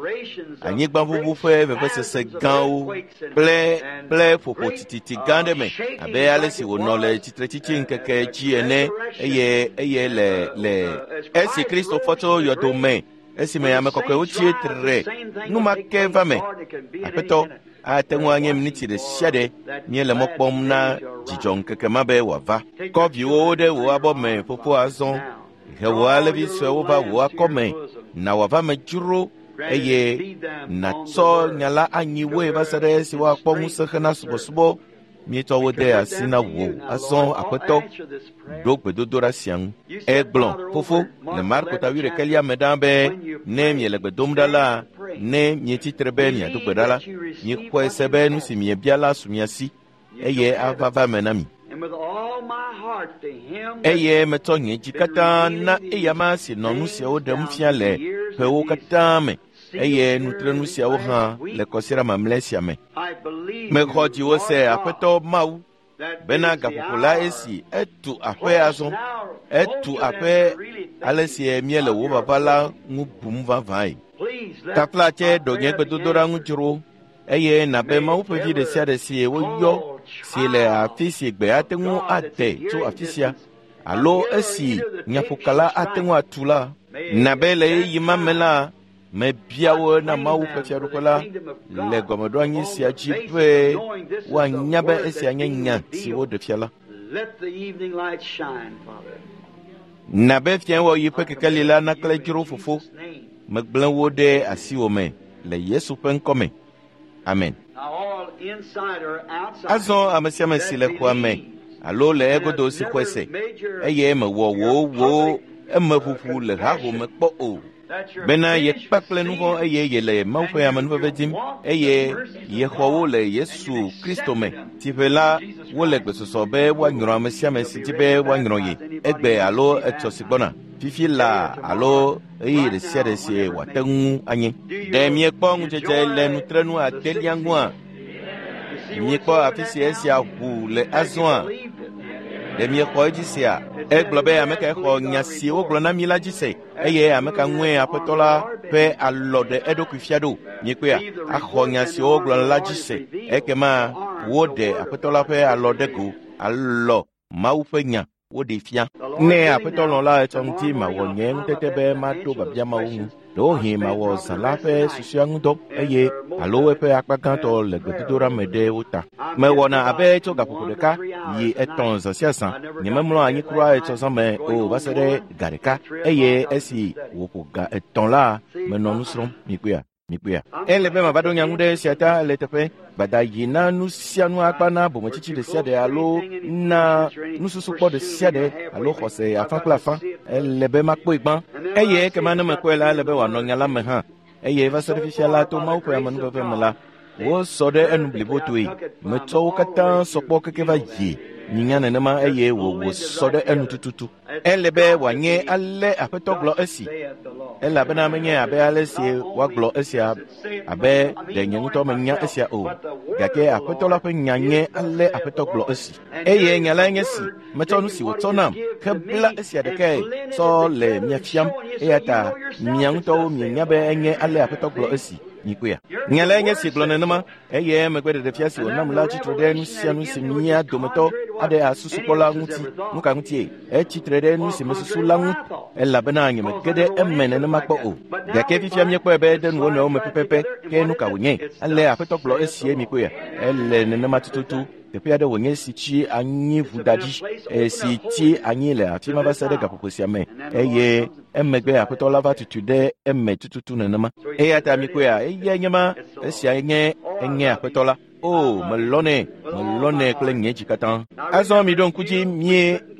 anyigbaʋuʋu ƒe vevesese gãwo kple kple ƒoƒo tititi gã ɖe me abe ale si wònɔ le tsitretsitsi ŋkeke dzi ene eye eye le le esi Kristo fɔ tso yɔdo me esime ame kɔkɔewo tsi tre nu ma ke va me. Aƒetɔ, ate ŋu anye miniti ɖe sia ɖe míele mɔ kpɔm na dzidzɔ ŋkeke ma be wòava. Kɔ viwòwo ɖe wò abɔ me fofo azɔ. He wò alẽvi suewo va wò akɔme. Na wòava me dzro eye nàtsɔ nya la anyi woe va se ɖe esi woakpɔ ŋusẽ hena subɔsubɔ. Míetsɔ wo de asi na wò azɔ Aƒetɔ, ɖo gbedodoɖa sia ŋu. Egblɔ, fofo, le Marko ta wuiɖekɛlia me ɖa be ne miele gbe dom ɖa la, ne mietsi tre be miado gbe ɖa la, miexɔe se be nu si miebia la su mia si eye ava va me na mi. Eye metsɔ nye dzi katã na eyama si nɔ nu siawo ɖem fia le ƒewo katã me, eye nutrenu siawo hã le kɔsiɖa mamlɛ sia me. Mexɔ dziwò se, Aƒetɔ Mawu, bena gaƒoƒo la esi etu aƒe azɔ, etu aƒe ale si míele wò vava la ŋu bum vavãe. Taflatse ɖo nye gbedodoɖa ŋu dzro, eye nabe Mawu ƒe vi ɖe sia ɖe si woyɔ si le afi si gbe ate ŋu ade tso afi sia alo esi nyaƒokala ate ŋu atu la, nabe le ɣeyiɣi ma me la, mebia wo na Mawu ƒe fiaɖuƒe la le gɔmeɖoanyi sia dzi be woanya be esia nye nya si woɖe fia la. Nabe fiawɔɣi ƒe kekeli la naklẽ dzro fofo, megblẽ wo ɖe asiwò me le Yesu ƒe ŋkɔ me. Amen. Azɔ ame sia ame si le xɔa me alo le egodo si xɔe se, eye mewɔ wò wò emeʋuʋu le hahome kpɔ o, bena yekpa kple nu vɔ̃ eye yele Mawu ƒe amenuveve dim, eye yexɔ wo le Yesu Kristo me. Tsiƒe la, wole gbesɔsɔ be woanyrɔ ame sia ame si di be woanyrɔ ye egbe alo etsɔ si gbɔna, fifi laa alo ɣeyiɣi ɖe sia ɖe si wòate ŋu anye. Ɖe miekpɔ ŋudzedze le nutrenu adelia ŋua? Miekpɔ afi si esia ʋu le azɔa? Ɖe miexɔ edzi sea? Egblɔ be ame kae xɔ nya si wogblɔ na mi la dzi se, eye ame ka ŋue Aƒetɔ la ƒe alɔ ɖe eɖokui fia ɖo? Miekpɔea? Axɔ nya siwo wogblɔ la dzi se, ekema woɖe Aƒetɔ la ƒe alɔ ɖe go, alɔ Mawu ƒe nya woɖee fia. Ne Aƒetɔ lɔ̃ la, etsɔ ŋuti mawɔ nye ŋutete be maɖo biabia mawo ŋu. Ɖewohĩ mawɔ zã la ƒe susɔea ŋudɔ eye alo eƒe akpa gãtɔ le gbedodoɖa me ɖe wo ta. Mewɔna abe tso gaƒoƒo ɖeka yi etɔ̃ zã sia zã. Nyememlɔ anyi kura etsɔ zã me o va se ɖe ga ɖeka, eye esi wòƒo ga etɔ̃ la, menɔ nu srɔ̃m. Mikpɔea? Mikpɔea? Ele be mava ɖo nya ŋu ɖe esia ta le teƒe. Gbada yi na nu sia nu akpa na bometsitsi ɖe sia ɖe alo na nususukpɔ ɖe sia ɖe alo xɔse afã kple afã. Ele be makpɔe gbã, eye ekema ne mekpɔe la, ele be wòanɔ nya la me hã. Eye va se ɖe fifia la, to Mawu ƒe amenuveve me la, wosɔ ɖe enu blibotoe. Metsɔ wo katã sɔ kpɔ keke va yi nyinya nenema, eye wòwò sɔ ɖe enu tututu. Ele be wòanye ale Aƒetɔ gblɔ esi, elabena menye abe ale si woagblɔ esia abe ɖe nye ŋutɔ menya esia o, gake Aƒetɔ la ƒe nya nye ale Aƒetɔ gblɔ esi. Eye nya lae nye si, metsɔ nu si wòtsɔ nam hebla esia ɖekae tsɔ le mia fiam, eya ta mia ŋutɔwo mienya be enye ale Aƒetɔ gblɔ esi. Mikpɔea? Nya lae nye si gblɔ nenema, eye emegbe ɖeɖefia si wònam la tsitre ɖe nu sia nu si mía dometɔ aɖe asusukpɔ la ŋuti. Nu ka ŋutie? Etsitre ɖe nu si mesusu la ŋu, elabena nyemege ɖe eme nenema kpɔ o. Gake fifia míekpɔe be ede nu wo nɔewo me pɛpɛpɛ. Ke nu ka wònye? Ale Aƒetɔ gblɔ esie, mikpɔea? Ele nenema tututu. Teƒe aɖe wònye si tsi anyi ʋuda dzi, si tsi anyi le afi ma va se ɖe gaƒoƒo sia me, eye emegbe Aƒetɔ la va tutu ɖe eme tututu nenema. Eya ta mikpɔea, eyae nye ma, esia nye enye Aƒetɔ la. O, melɔnɛ, melɔnɛ kple nye dzi katã. Azɔ miɖo ŋku dzi,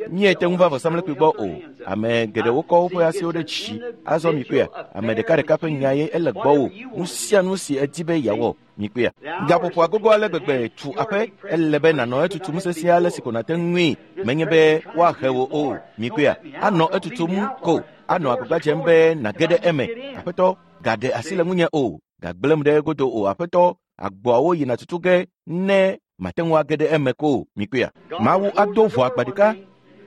miete ŋu va vɔsamlekpui gbɔ o. Ame geɖewo kɔ woƒe asiwo ɖe dzi. Azɔ mikpɔea, ame ɖekaɖeka ƒe nya ye ele gbɔwò. Nu sia nu si edi be yeawɔ, mikpɔea. Gaƒoƒo agogo ale gbegbe tu aƒe, ele be nànɔ etutum sesĩe ale si ko nàte ŋui, menye be woahe wò o. Mikpɔea, anɔ etutum ko, anɔ agbagba dzem be nàge ɖe eme. Aƒetɔ, gaɖe asi le ŋunye o, gagblẽm ɖe egodo o. Aƒetɔ, agboawo yina tutu ge ne mate ŋu age ɖe eme ko. Mikpɔea, Mawu ado ʋɔ agba ɖeka.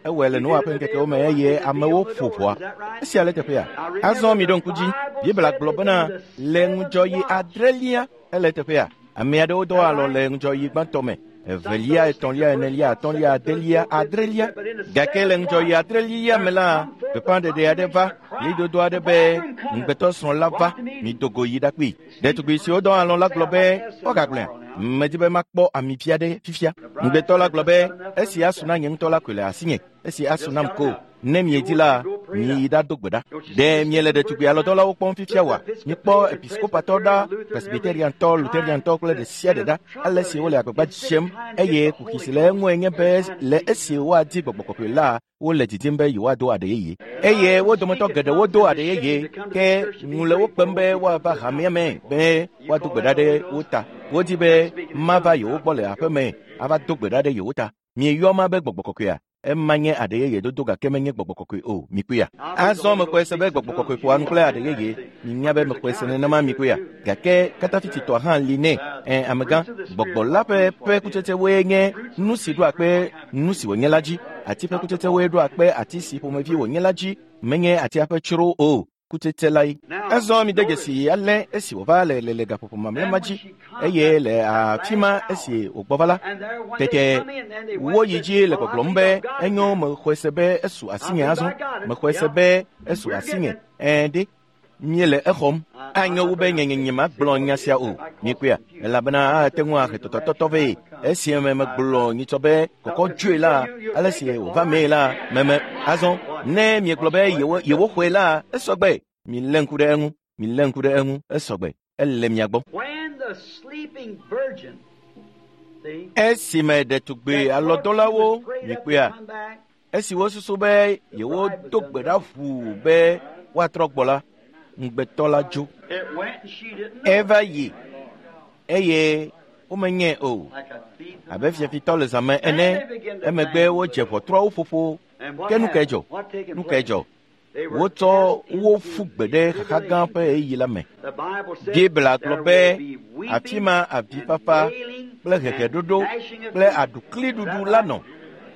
Ewɔe le Noa ƒe ŋkekewo me eye amewo ƒo ʋɔa. Esia le teƒea. Azɔ miɖo ŋku dzi. Biblia gblɔ bena le ŋudzɔɣi adrelia ele teƒea. Ame aɖewo dɔ alɔ le ŋudzɔɣi gbãtɔ me, evelia, etɔ̃lia, enelia, atɔ̃lia, adelia, adrelia. Gake le ŋudzɔɣi adrelia me la, gbeƒãɖeɖe aɖe va, ɣlidodo aɖe be ŋugbetɔsrɔ̃ la va, mido go yi ɖakpee. Ɖetugbi siwo dɔ alɔ la gblɔ be woagagblɔea, medi be makpɔ ami vi aɖe fifia. Ŋugbetɔ la gblɔ be esi asu na nye ŋutɔ la koe le asinye, esi asu nam ko. Ne miedi la, miyi ɖado gbe ɖa. Ɖe miele ɖetugbi alɔdɔlawo kpɔm fifia oa? Mikpɔ episkopatɔ ɖa, presbyteriantɔ, luteriantɔ kple ɖe sia ɖe ɖa, ale si wole agbagba dzem, eye kuxi si le eŋue nye be le esi woadi gbɔgbɔ kɔkɔe la, wole didim be yewoado aɖe yeye. Eye wo dometɔ geɖewo do aɖe yeye, ke ŋu le wo kpem be woava hamea me be woado gbe ɖa ɖe wo ta. Wodi be mava yewo gbɔ le aƒe me ava do gbe ɖa ɖe yewo ta. Mieyɔ ma be gbɔgbɔ kɔkɔea? Ema nye aɖe yeye dodo gake menye gbɔgbɔ kɔkɔe o, mikpɔea. Azɔ mexɔe se be gbɔgbɔ kɔkɔe ƒoa nu kple aɖe yeye. Minya be mexɔe se nenema mikpɔea. Gake katafititɔa hã li nɛ. Amegã, gbɔgbɔ la ƒe kutsetsewoe nye nu si ɖoa kpe nu si wònye la dzi. Ati ƒe kutsetsewoe ɖoa kpe ati si ƒomevi wònye la dzi. Menye atia ƒe tsro o. Kutsetse lae. Azɔ mide dzesi ale esi wòva le gaƒoƒo mamlɛ ma dzi eye le afi ma esi wògbɔ va la, tete woyi dzi le gbɔgblɔm be enyo mexɔe se be esu asinye azɔ, mexɔe se be esu asinye. Ɖe míele exɔm. Anyo wu be nye magblɔ nya sia o, mikpɔea, elabena ate ŋu ahe tɔtɔtɔtɔ vɛ. Esi me megblɔ nyitsɔ be kɔkɔ dzoe la, ale si wòva mee la, meme azɔ ne miegblɔ be yewoxɔe la, esɔgbe. Milé ŋku ɖe eŋu, milé ŋku ɖe eŋu, esɔgbe. Ele mia gbɔ. Esime ɖetugbi alɔdɔlawo mikpɔea, esi wosusu be yewodo gbe ɖa ʋuu be woatrɔ gbɔ la, ŋugbetɔ la dzo. Eva yi eye womenyae o. Abe fiafitɔ le zãme ene, emegbe wodze ʋɔtruawo ƒoƒo. Ke nu kae dzɔ? Nu kae dzɔ? Wotsɔ wo ƒu gbe ɖe xaxa gã ƒe ɣeyiɣi la me. Biblia gblɔ be afi ma avifafa kple heheɖoɖo kple aɖukliɖuɖu la nɔ.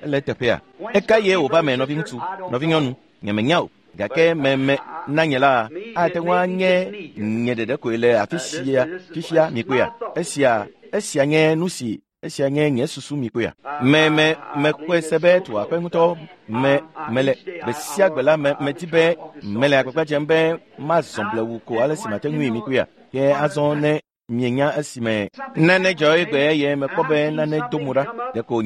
Ele teƒea. Eka ye wòva me nɔviŋutsu, nɔvinyɔnu, nyemenya o. Gake meme na nye la ate ŋu anye nye ɖeɖe koe le afi sia fifia mikpɔea. Esia nye nu si esia nye nye susu mikpɔea. Meme mekpɔe se be tu aƒe ŋutɔ me mele gbe sia gbe la medi be mele agbagba dzem be mazɔ blewu ko ale si mate ŋui mikpɔea. Ke azɔ ne mienya esime nane dzɔ egbe eye mekpɔ be nane do mo ɖa, ɖeko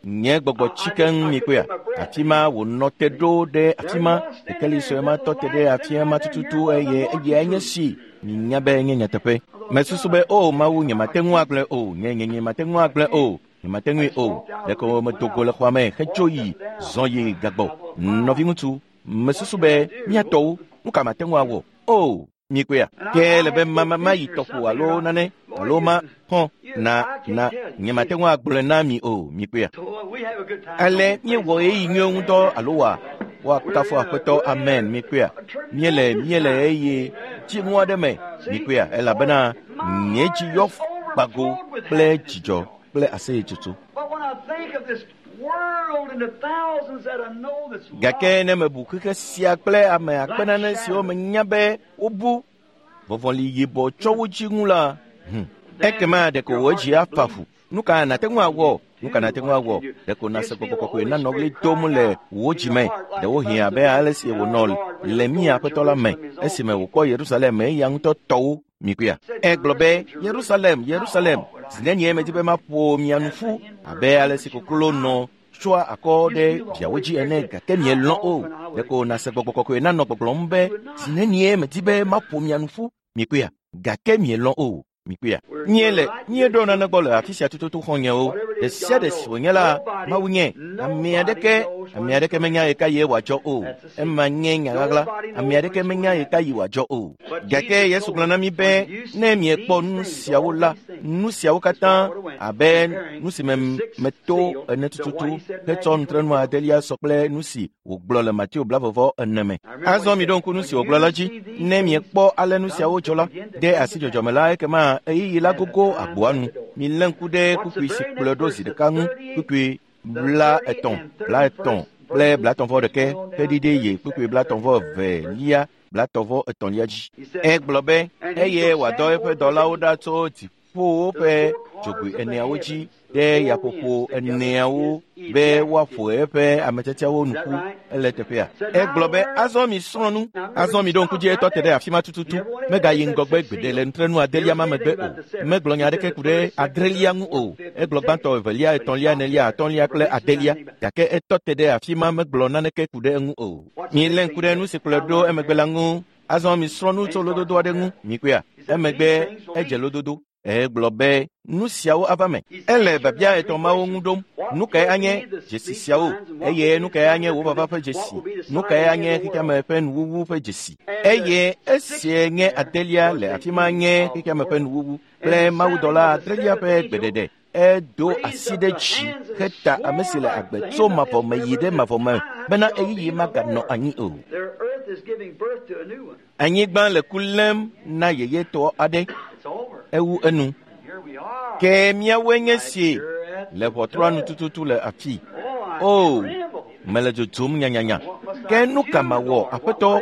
nye gbɔgbɔ tsi keŋ mikpɔea. Afi ma wònɔ te ɖo ɖe afi ma, kekeli sue ma tɔ te ɖe afi ma tututu eye eyae nye si minya be nye nyateƒe. Mesusu be o Mawu, nyemate ŋu agblɔe o, nye mate ŋu agblɔe o, nyemate ŋui o. Ɖeko medo go le xɔa me hedzo yi zɔ yi gagbɔ. Nɔviŋutsu, mesusu be míatɔwo, nu ka mate ŋu awɔ? O, mikpɔea. Ke le be mayi tɔƒo alo nane alo ma xɔ na nyemate ŋu agblɔe na mi o, mikpɔea. Ale míewɔ ɣeyiɣi nyuiwo ŋutɔ alo woakafu Aƒetɔ, amen, mikpɔea. Míele ɣeyiɣi dziŋu aɖe me, mikpɔea, elabena nye dzi yɔ gbago kple dzidzɔ kple aseyetsotso. Gake ne mebu xexe sia kple ame akpe nane siwo menya be wobu vɔvɔli yibɔ tsɔ wo dzi ŋu la, ekema ɖeko wò dzi afa fu. Nu ka nàte ŋu awɔ? Nu ka nàte ŋu awɔ? Ɖeko nàse gbɔgbɔ kɔkɔe nanɔ ɣli dom le wò dzi me. Ɖewohĩ abe ale si wònɔ le mía Aƒetɔ la me esime wòkpɔ Yerusalem eya ŋutɔ tɔwo mikpɔea. Egblɔ be Yerusalem, Yerusalem, zi nenie medi be maƒo mia nu ƒu abe ale si koklo nɔ tsɔa akɔ ɖe viawo dzi ene, gake mielɔ̃ o. Ɖeko nàse gbɔgbɔ kɔkɔe nanɔ gbɔgblɔm be zi nenie medi be maƒo mia nu ƒu mikpɔea, gake mielɔ̃ o. Mikpɔea. Míeɖo nane gbɔ le afi sia tututu xɔ̃nyewo. Ɖe sia ɖe si wònye la, Mawu nye. Ame aɖeke menya ɣeka ye wòadzɔ o. Ema nye nya ɣaɣla. Ame aɖeke menya ɣeka yi wòadzɔ o. Gake Yesu gblɔ na mí be ne miekpɔ nu siawo la, nu siawo katã abe nu si me meto ene tututu hetsɔ nutrenu adelia sɔ kple nu si wògblɔ le Mateo 24 me. Azɔ miɖo ŋku nu si wògblɔ la dzi. Ne miekpɔ ale nu siawo dzɔ la, de asi dzɔdzɔme la, ekema ɣeyiɣi la gogo agboa nu. Milé ŋku ɖe kpukpui si kplɔe ɖo zi ɖeka ŋu, kpukpui 33 kple 31 heɖiɖe yi kpukpui 32 33 dzi. Egblɔ be eye wòadɔ eƒe dɔlawo ɖa tso dziƒowo ƒe dzogoe eneawo dzi ɖe yaƒoƒo eneawo be woaƒo eƒe ametiatiawo nu ƒu. Ele teƒea. Egblɔ be azɔ mi srɔ̃ nu, azɔ mi ɖo ŋku dzi etɔ te ɖe afi ma tututu. Megayi ŋgɔgbe gbeɖe le nutrenu adelia ma megbe o. Megblɔ nya aɖeke ku ɖe adrelia ŋu o. Egblɔ gbãtɔ, evelia, etɔ̃lia, enelia, atɔ̃lia kple adelia. Gake etɔ te ɖe afi ma megblɔ naneke ku ɖe eŋu o. Milé ŋku ɖe nu si kplɔe ɖo emegbe la ŋu. Azɔ mi srɔ̃ nu tso lododo aɖe ŋu. Mikpɔea. Emegbe edze lododo. Egblɔ be nu siawo ava me. Ele biabia etɔ̃ mawo ŋu ɖom. Nu kae anye dzesi siawo? Eye nu kae anye wò vava ƒe dzesi? Nu kae anye xexeame ƒe nuwuwu ƒe dzesi? Eye esie nye adelia le afi ma nye xexeame ƒe nuwuwu kple mawudɔla adrelia ƒe gbeɖeɖe. Edo asi ɖe dzi heta ame si le agbe tso mavɔ me yi ɖe mavɔ me bena ɣeyiɣi maganɔ anyi o. Anyigba le ku lém na yeyetɔ aɖe. Ewu enu. Ke míawoe nye si le ʋɔtrua nu tututu le afii. O, mele dzodzom nyanyanya. Ke nu ka mawɔ, Aƒetɔ?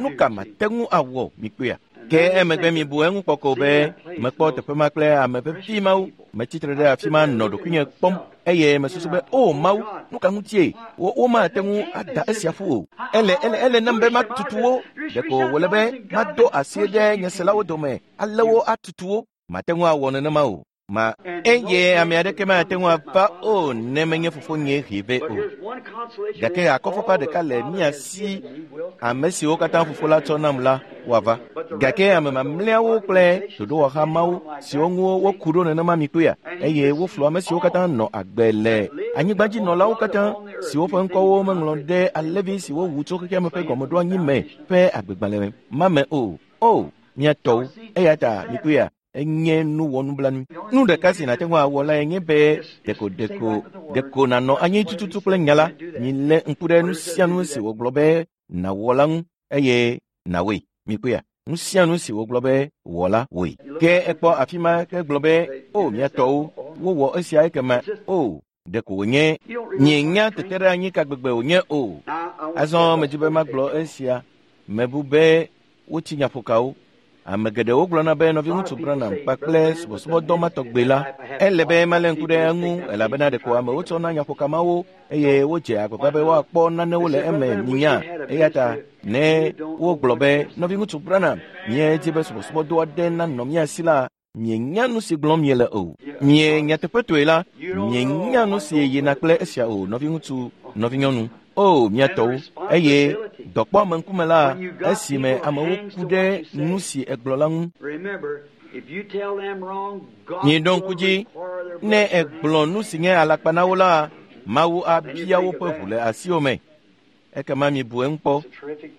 Nu ka mate ŋu awɔ, mikpɔea? Ke emegbe mibu eŋu kpɔ ko be mekpɔ teƒe ma kple ame vevi mawo. Metsitre ɖe afi ma nɔ ɖokuinye kpɔm eye mesusu be o Mawu, nu ka ŋutie womate ŋu ada esia ƒu o. Ele nam be matutu wo. Ɖeko wòle be mado asi ɖe nye selawo dome ale wo atutu wo. Mate ŋu awɔ nenema o. Ma eye ame aɖeke mate ŋu ava o ne menye fofonye hee vɛ o. Gake akɔfafa ɖeka le mía si, ame siwo katã fofo la tsɔ nam la woava. Gake ame mamlɛawo kple ɖoɖowɔha mawo siwo ŋu woku ɖo nenema mi kpɔea, eye woflu ame siwo katã nɔ agbe le anyigbadzinɔlawo katã siwo ƒe ŋkɔwo meŋlɔ ɖe alẽvi si wowu tso xexeame ƒe gɔmeɖoanyi me ƒe agbegbalẽ ma me o. O, mía tɔwo, eya ta mi kpɔea, enye nu wɔnublanui. Nu ɖeka si nàte ŋu awɔ lae nye be ɖeko nànɔ anyi tututu kple nya la. Milé ŋku ɖe nu sia nu si wògblɔ be nàwɔ la ŋu eye nàwɔe. Mikpɔea, nu sia nu si wògblɔ be wɔ la wɔe. Ke ekpɔ afi ma ke gblɔ be o mía tɔwo wowɔ esia ekema o ɖeko wònye mienya tete ɖe anyi ka gbegbe wònye o. Azɔ medzi be magblɔ esia. Mebu be wotsi nyaƒokawo. Ame geɖewo gblɔna be nɔviŋutsu Branham kpakple subɔsubɔdɔ ma tɔgbe la, ele be malé ŋku ɖe eŋu elabena ɖeko amewo tsɔna nyaƒokamawo eye wodze agbagba be woakpɔ nanewo le eme minya. Eya ta ne wogblɔ be nɔviŋutsu Branham míedzi be subɔsubɔdɔ aɖe nanɔ mía si la, mienya nu si gblɔm miele o. Mie nyateƒetoe la, mienya nu si yina kple esia o, nɔviŋutsu, nɔvinyɔnu. O, mía tɔwo, eye dɔkpɔ ame ŋkume la, esime amewo ku ɖe nu si egblɔ la ŋu. Miɖo ŋku dzi, ne egblɔ nu si nye alakpa na wo la, Mawu abia woƒe ʋu le asiwò me. Ekema mibu eŋu kpɔ,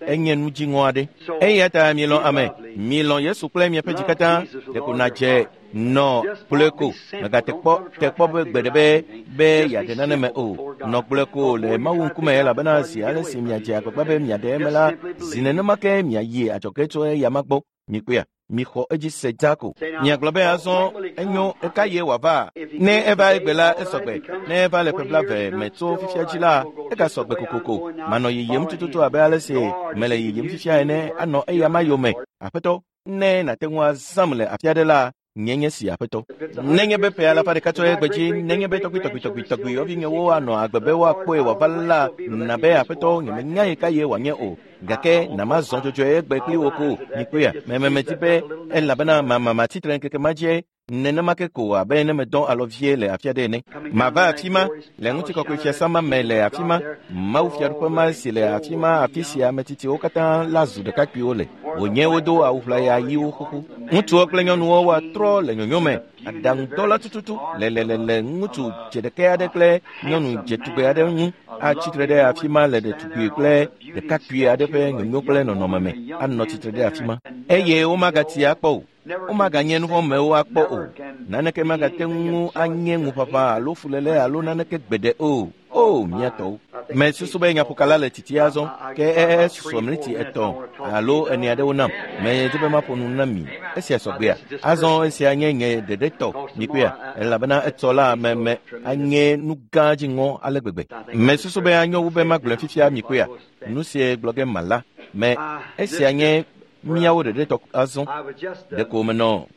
enye nu dziŋɔ aɖe. Eya ta mielɔ̃ ame, mielɔ̃ Yesu kple miaƒe dzi katã, ɖeko nàdze nɔ gblɔe ko. Mègate kpɔ be gbe ɖe be yeaɖe nane me o. Nɔ gblɔe ko le Mawu ŋkume elabena zi ale si miadze agbagba be miaɖe eme la, zi nenema ke miayi adzɔge tso eya ma gbɔ. Mikpɔea, mixɔ edzi se dzaa ko. Miagblɔ be azɔ enyo eka ye wòava. Ne eva egbe la, esɔgbe. Ne eva le ƒe 20 me tso fifia dzi la, egasɔgbe kokoko. Manɔ yiyim tututu abe ale si mele yiyim fifia ene anɔ eya ma yome. Aƒetɔ, ne nàte ŋu azãm le afi aɖe la, nye nye si Aƒetɔ. Nenye be ƒe alafa ɖeka tso egbe dzi, nenye be tɔgbi yɔvinyewo anɔ agbe be woakpɔe wòava la, na be Aƒetɔ nyemenya yi ka ye wòanye o. Gake namazɔ dzɔdzɔe egbe kpli wo ko. Mikpɔea, memedzi be elabena mamatsitre ŋkeke ma dzie nenema ke ko abe ne medɔ alɔ vie le afi aɖe ene. Mava afi ma le ŋutikɔkɔe fiasã ma me le afi ma, Mawu fiaɖuƒe ma si le afi ma, afi sia ame tsitsiwo katã la zu ɖekakpuiwo le. Wònye wodo awu ʋlaya ɣiwo xoxo. Ŋutsuwo kple nyɔnuwo woatrɔ le nyonyo me. Aɖaŋudɔla tututu le ŋutsu dzeɖekɛ aɖe kple nyɔnu dzetugbe aɖe ŋu atsitre ɖe afi ma le ɖetugbui kple ɖekakpui aɖe ƒe nyonyo kple nɔnɔme me anɔ tsitre ɖe afi ma. Eye womagati akpɔ o. Womaganye nuvɔ̃mewo akpɔ o. Naneke magate ŋu anye ŋuƒaƒã alo fuléle alo naneke gbeɖe o. O, mía tɔwo. Mesusu be nyaƒokala le tsitsi azɔ, ke esusɔ miniti 3 alo 4 aɖewo nam. Medzi be maƒo nu na mi. Esia sɔgbea. Azɔ esia nye nye ɖeɖe tɔ, mikpɔea, elabena etsɔ la me anye nu gã dziŋɔ ale gbegbe. Mesusu be anyo wu be magblɔe fifia mikpɔea. Nu sie gblɔ ge mala. Me esia nye míawo ɖeɖe tɔ azɔ. Ɖeko menɔ.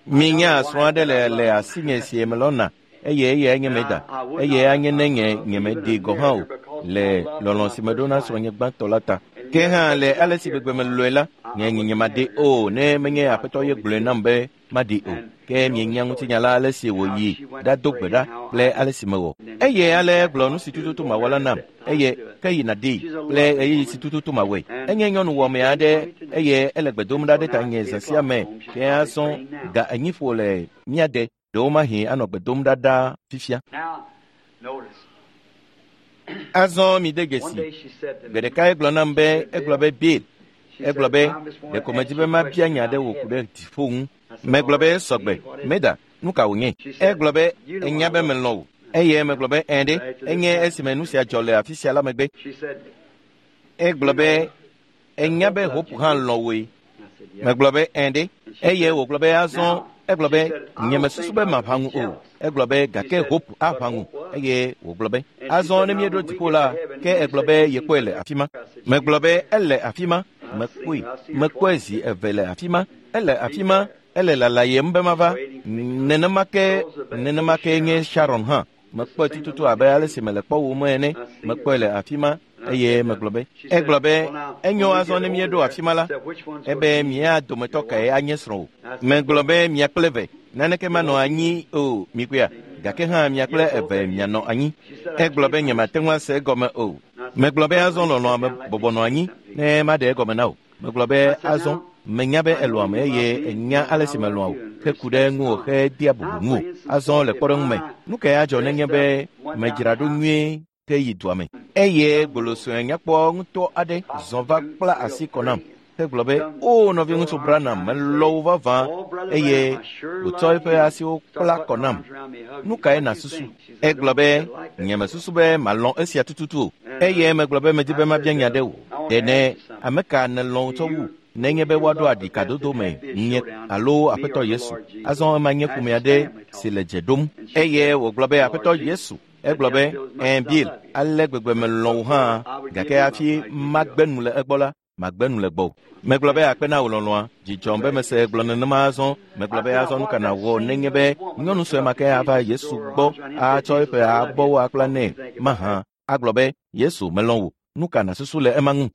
Minya srɔ̃ aɖe le asinye si melɔ̃na. Eye eyae nye meda. Eye anye ne nye nyemeɖee gɔ̃ hã o le lɔlɔ̃ si meɖo na srɔ̃nye gbãtɔ la ta. Ke hã le ale si gbegbe melɔ̃e la, nye nyemaɖee o ne menye Aƒetɔ ye gblɔe nam be maɖee o. Ke mienya ŋutinya la ale si wòyi ɖado gbe ɖa kple ale si mewɔ. Eye ale egblɔ nu si tututu mawɔ la nam. Eye ke yina ɖee kple ɣeyiɣi si tututu mawɔe. Enye nyɔnu wɔme aɖe eye ele gbe dom ɖa ɖe tanye zã sia me. Ke azɔ ga 4 ƒo le mía de. Ɖewo mahi anɔ gbe dom ɖa ɖaa fifia. Azɔ mi de dzesi. Gbe ɖeka egblɔ nam be, egblɔ be Bill, egblɔ be ɖeko medzi be mabia nya ɖe wò ku ɖe dziƒo ŋu. Megblɔ be sɔgbe, meda. Nu ka wònye? Egblɔ be enya be melɔ̃ wò. Eye megblɔ be ẽ ɖe, enye esime nu sia dzɔ le afi sia la megbe. Egblɔ be enya be Hope hã lɔ̃ wòe. Megblɔ be ẽ ɖe, eye wògblɔ be azɔ egblɔ be nyemesusu be maʋã ŋu o. Egblɔ be gake Hope aʋã ŋu eye wògblɔ be azɔ ne míeɖo dziƒo la, ke egblɔ be yekpɔe le afi ma. Megblɔ be ele afi ma, mekpɔe, mekpɔe zi eve le afi ma, ele afi ma, ele lalayem be mava. Nenema ke nye Sharon hã. Mekpɔe tututu abe ale si mele kpɔwòm ene, mekpɔe le afi ma eye megblɔ be egblɔ be enyo azɔ ne míeɖo afi ma la, ebe mía dometɔ kae anye srɔ̃wò. Megblɔ be mia kple eve, naneke manɔ anyi o, mikpɔea, gake hã mia kple eve mianɔ anyi. Egblɔ be nyemate ŋu ase egɔme o. Megblɔ be azɔ lɔlɔ̃a me bɔbɔ nɔ anyi ne maɖe egɔme na wò. Megblɔ be azɔ menya be elɔ̃ ame eye enya ale si melɔ̃a wò, heku ɖe ŋuwò hedea bubu ŋuwò. Azɔ le kpɔɖeŋu me, nu kae adzɔ nenye be medzra ɖo nyuie ke yi dua me? Eye gbolosue nyakpɔ ŋutɔ aɖe zɔ va kpla asi kɔ nam hegblɔ be, "O nɔviŋutsu Branham, melɔ̃ wò vavã," eye wòtsɔ eƒe asiwo kpla kɔ nam. Nu kae nàsusu? Egblɔ be, nyemesusu be malɔ̃ esia tututu o. Eye megblɔ be medi be mabia nya ɖe wò. Ɖe ne ame ka nèlɔ̃ tsɔ wu nenye be woaɖo aɖikadodo me nye alo Aƒetɔ Yesu? Azɔ ema nye ƒome aɖe si le dze ɖom. Eye wògblɔ be Aƒetɔ Yesu. Egblɔ be, "Ẽ Bill, ale gbegbe melɔ̃ wò hã, gake hafi magbe nu le egbɔ la, magbe nu le gbɔwò." Megblɔ be akpe na wò lɔlɔ̃a, dzidzɔm be mese egblɔ nenema azɔ. Megblɔ be azɔ nu ka nàwɔ nenye be nyɔnu sue ma ke ava Yesu gbɔ atsɔ eƒe abɔwo akpla nɛ mahã agblɔ be, "Yesu, melɔ̃ wò." Nu ka nàsusu le ema ŋu?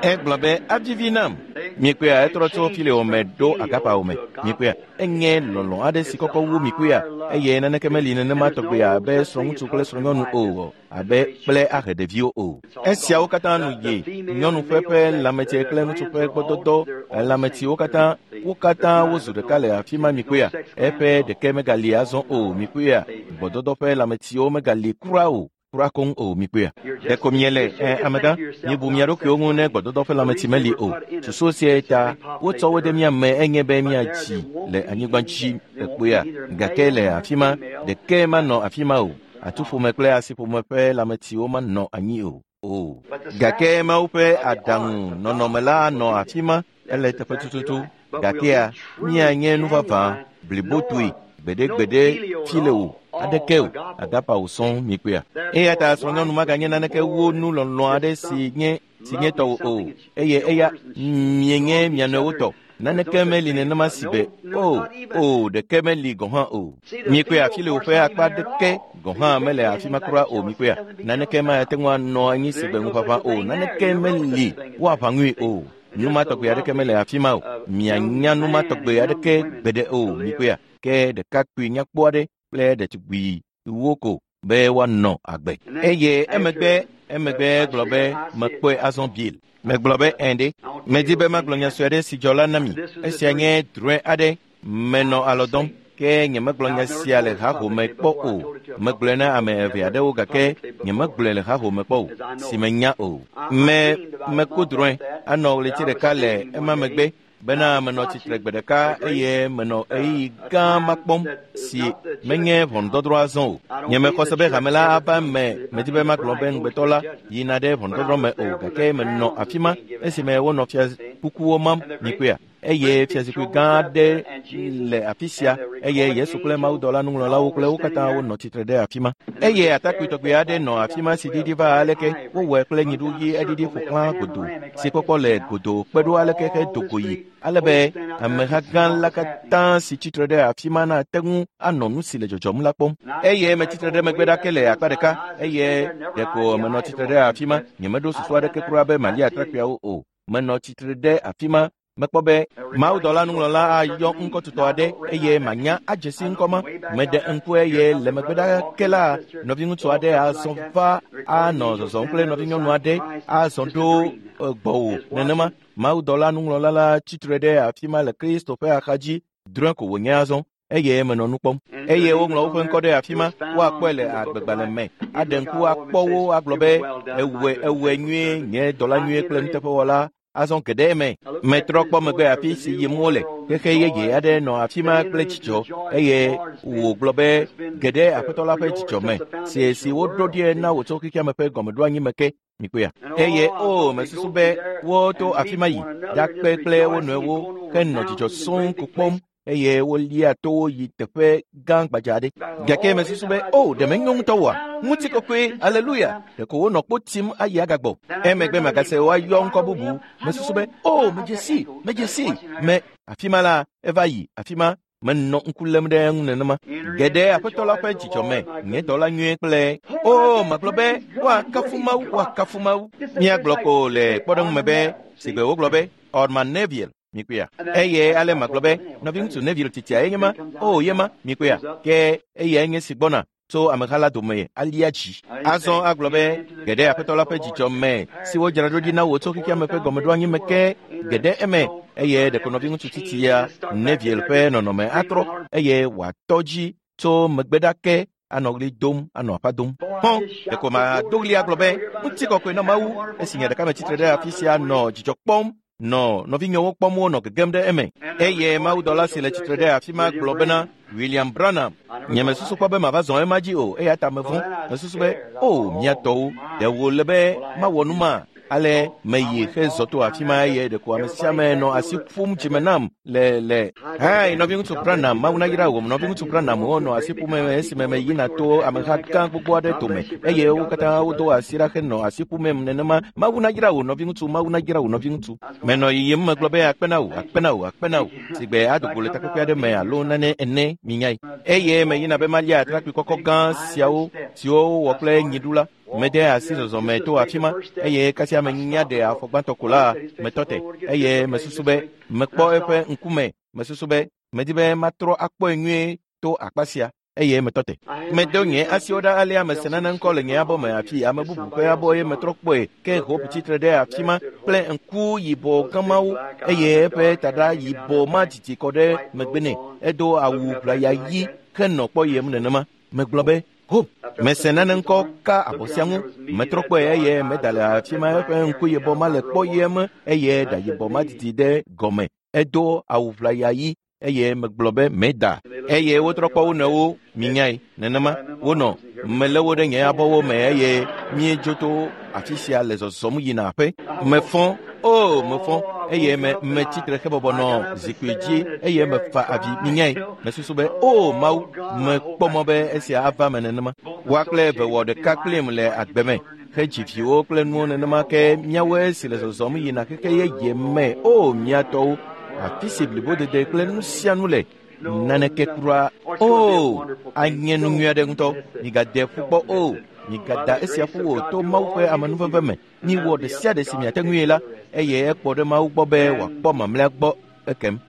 Egblɔ be avivi nam. Mikpɔea, etrɔ tso fileo me ɖo agapawo me. Mikpɔea, enye lɔlɔ̃ aɖe si kɔkɔ wu mikpɔea, eye naneke meli nenema tɔgbe abe srɔ̃ŋutsu kple srɔ̃nyɔnu o, abe kple ahe ɖeviwo o. Esiawo katã nu yi nyɔnu ƒe ƒe lãmetsi kple ŋutsu ƒe gbɔdɔdɔ lãmetsiwo katã, wo katã wozu ɖeka le afi ma mikpɔea. Eƒe ɖeke megali azɔ o mikpɔea, gbɔdɔdɔ ƒe lãmetsiwo megali kura o. Kura koŋ o mikpɔea. Ɖeko miele amegã, miebu mia ɖokuiwo ŋu ne gbɔdɔdɔ ƒe lãmetsi meli o. Susu sia ta wotsɔ wo ɖe mía me enye be míatsi le anyigba dzi ekpɔea, gake le afi ma ɖeke manɔ afi ma o. Atuƒome kple asiƒome ƒe lãmetsiwo manɔ anyi o. O. Gake Mawu ƒe aɖaŋu nɔnɔme la anɔ afi ma, ele teƒe tututu. Gakea míanye nu vavã blibotoe gbeɖegbeɖe fi le o aɖeke o agapa wò sɔŋ mikpɔea. Eya ta srɔ̃nyɔnu maganye naneke wu nu lɔlɔ̃ aɖe si nye tɔwò o, eye eya mienye mia nɔewo tɔ. Naneke meli nenema si be o o ɖeke meli gɔ̃ hã o. Mikpɔea, afi le woƒe akpa ɖeke gɔ̃ hã mele afi ma kura o mikpɔea. Naneke mate ŋu anɔ anyi si be ŋuʋaʋã o, naneke meli woaʋã ŋui o. Nu ma tɔgbe aɖeke mele afi ma o. Mianya nu ma tɔgbe aɖeke gbeɖe o mikpɔea. Ke ɖekakpui nyakpɔ aɖe kple ɖetugbi wo ko be woanɔ agbe. Eye emegbe gblɔ be mekpɔe azɔ Bill. Megblɔ be ẽ ɖe, medi be magblɔ nya sue aɖe si dzɔ la na mi. Esia nye drɔ̃e aɖe, menɔ alɔ dɔm, ke nyemegblɔ nya sia le hahome kpɔ o. Megblɔe na ame eve aɖewo gake nyemegblɔe le hahome kpɔ o, si menya o. Meku drɔ̃e anɔ ɣleti ɖeka le ema megbe bena menɔ tsitre gbe ɖeka eye menɔ ɣeyiɣi gã ma kpɔm si menye ʋɔnudɔdrɔ̃ azɔ o. Nyemexɔ se be hame la ava eme, medi be magblɔ be ŋugbetɔ la yina ɖe ʋɔnudɔdrɔ̃ me o, gake menɔ afi ma esime wonɔ fiakukuwo mam mikpɔea. Eye fiazikpui gã aɖe le afi sia eye Yesu kple mawudɔla nuŋlɔlawo kple wo katã wonɔ tsitre ɖe afi ma. Eye atakpui tɔgbe aɖe nɔ afi ma si ɖiɖi va aleke wowɔe kple nyiɖu ɣi eɖiɖi ƒo xlã godo si kpɔkpɔ le godo kpe ɖo aleke hedo go yi ale be ameha gã la katã si tsitre ɖe afi ma nate ŋu anɔ nu si le dzɔdzɔm la kpɔm. Eye metsitre ɖe megbe ɖake le akpa ɖeka eye ɖeko menɔ tsitre ɖe afi ma. Nyemeɖo susu aɖeke kura be malia atrakpuiawo o. Menɔ tsitre ɖe afi ma. Mekpɔ be mawudɔla nuŋlɔla ayɔ ŋkɔtutɔ aɖe eye manya adze si ŋkɔ ma. Meɖe ŋku eye le megbe ɖake la, nɔviŋutsu aɖe azɔ va anɔ zɔzɔm kple nɔvinyɔnu aɖe azɔ ɖo gbɔwò nenema. Mawudɔla nuŋlɔla la tsitre ɖe afi ma le Kristo ƒe axadzi, drɔ̃e ko wònye azɔ eye menɔ nu kpɔm. Eye woŋlɔ woƒe ŋkɔ ɖe afi ma, woakpɔe le agbegbalẽ me, aɖe ŋku akpɔ wo agblɔ be, ewɔe nyuie, nye dɔla nyuie kple nuteƒewɔla. Azɔ geɖe eme. Metrɔ kpɔ megbe afi si yim wole. Xexe yeye aɖe nɔ afi ma kple dzidzɔ eye wògblɔ be geɖe Aƒetɔ la ƒe dzidzɔ me si si woɖo ɖie na wò tso xexea me ƒe gɔmeɖoanyi me ke. Mikpɔea? Eye o mesusu be woto afi ma yi ɖakpe kple wo nɔewo henɔ dzidzɔ sɔŋ ko kpɔm eye wolia towo yi teƒe gã gbadza aɖe. Gake mesusu be o ɖe menyo ŋutɔ oa? Ŋutikɔkɔe, aleluya! Ɖeko wonɔ kpo tim ayi agagbɔ. Emegbe magase woayɔ ŋkɔ bubu. Mesusu be o medze si, medze si, me afi ma la eva yi afi ma menɔ ŋku lém ɖe eŋu nenema. Geɖe Aƒetɔ la ƒe dzidzɔ me, nye dɔla nyuie kple o magblɔ be woakafu Mawu, woakafu Mawu. Míagblɔ ko le kpɔɖeŋu me be sigbe wogblɔ be Orman Neville. Mikpɔea? Eye ale magblɔ be nɔviŋutsu Neville titia ye nye ma, o ye ma, mikpɔea? Ke eyae nye si gbɔna tso ameha la dome alia dzi. Azɔ agblɔ be geɖe Aƒetɔ la ƒe dzidzɔ me si wodzra ɖo ɖi na wò tso xexea me ƒe gɔmeɖoanyi me ke geɖe eme eye ɖeko nɔviŋutsu titia Neville ƒe nɔnɔme atrɔ eye wòatɔ dzi tso megbe ɖa ke anɔ ɣli dom anɔ aƒa dom. Hɔn ɖeko mado ɣli agblɔ be ŋutikɔkɔe na Mawu esi nye ɖeka metsitre ɖe afi sia nɔ dzidzɔ kpɔm nɔ nɔvinyewo kpɔm wonɔ gegem ɖe eme. Eye mawudɔla si le tsitre ɖe afi ma gblɔ bena William Branham, nye mesusu kpɔ be mava zɔ ema dzi o eya ta mevɔ̃. Mesusu be o mía tɔwo, ɖe wòle be mawɔ nu ma? Ale meyi hezɔ to afi ma eye ɖeko ame sia ame nɔ asi ƒom dzime nam le le. Hai nɔviŋutsu Branham, Mawu nayra wò. Nɔviŋutsu Branham wonɔ asi ƒom esime meyina to ameha gã gbogbo aɖe dome eye wo katã wodo asi ɖa henɔ asi ƒomem nenema. Mawu nayra wò nɔviŋutsu, Mawu nayra wò nɔviŋutsu. Menɔ yiyim megblɔ be akpe na wò, akpe na wò, akpe na wò. Sigbe adogo le takpekpe aɖe me alo nane ene minyae. Eye meyina be malia atrakpui kɔkɔ gã siawo siwo wowɔ kple nyiɖu la. Mede asi zɔzɔme to afi ma eye kasia menya ɖe afɔ gbãtɔ ko la metɔ te eye mesusu be mekpɔ eƒe ŋkume. Mesusu be medi be matrɔ akpɔe nyuie to akpa sia eye metɔ te. Medo nye asiwo ɖa alea mese nane ŋkɔ le nye abɔ me afi ame bubu ƒe abɔ ye metrɔ kpɔe ke Hope tsitre ɖe afi ma kple ŋku yibɔ gãmawo eye eƒe taɖa yibɔ ma didi kɔ ɖe megbe nɛ. Edo awu ʋlaya ɣi henɔ kpɔyem nenema. Megblɔ be Hope, mese nane ŋkɔ ka abɔ sia ŋu. Metrɔ kpɔe eye meda le afi ma eƒe ŋku yibɔ ma le kpɔyem eye ɖa yibɔ ma didi ɖe gɔme. Edo awu ʋlaya ɣi eye megblɔ be meda. Eye wotrɔ kpɔ wo nɔewo minyae nenema wonɔ melé wo ɖe nye abɔwo me eye míedzo to afi sia le zɔzɔm yina aƒe. Mefɔ, o mefɔ eye me metsitre hebɔbɔ nɔ zikpui dzi eye mefa avi minyae. Mesusu be o Mawu, mekpɔ mɔ be esia ava me nenema. Woa kple eve wɔ ɖeka kplim le agbe me hedzi viwo kple nuwo nenema ke míawoe si le zɔzɔm yina xexe yeye me. O mía tɔwo, afi si blibodede kple nu sia nu le naneke kura o anye nu nyui aɖe ŋutɔ. Migade ƒu kpɔ o, migada esia ƒu o to Mawu ƒe amenuveve me. Miwɔ ɖe sia ɖe si miate ŋui la eye ekpɔ ɖe Mawu gbɔ be wòakpɔ mamlɛa gbɔ ekem.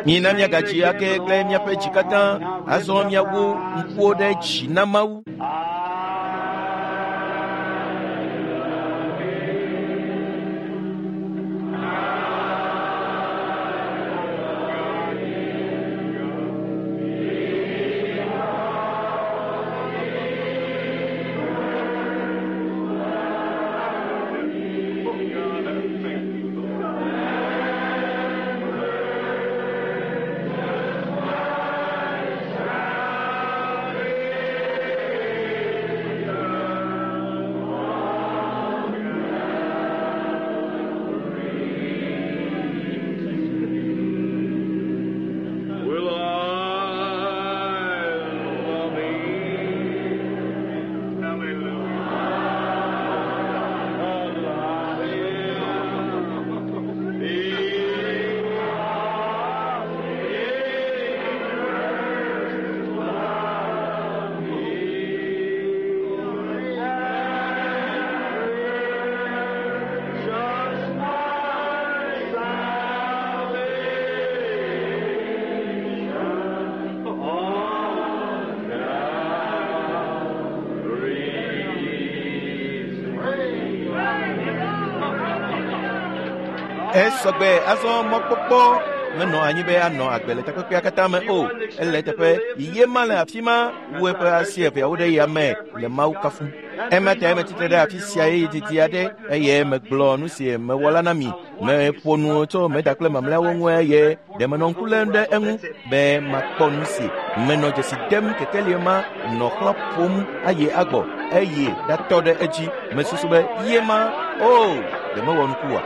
Mina míagadzi ake kple míaƒe dzi katã. Azɔ míawu ŋkuwo ɖe dzi na Mawu. Esɔgbe azɔ mɔkpɔkpɔ menɔ anyi be anɔ agbe le takpekpea katã me o. Ele teƒe ye ma le afi ma wu eƒe asi eveawo ɖe yame le Mawu kafum. Ema ta metsitre ɖe afi sia ɣeyiɣi didi aɖe eye megblɔ nu si mewɔ la na mi. Meƒo nu tso meda kple mamlɛawo ŋu eye ɖe menɔ ŋku lém ɖe eŋu be makpɔ nu si menɔ dzesi dem kekelie ma nɔ xlã ƒom ayi agbɔ eye ɖatɔ ɖe edzi. Mesusu be ye ma o ɖe mewɔ nuku oa?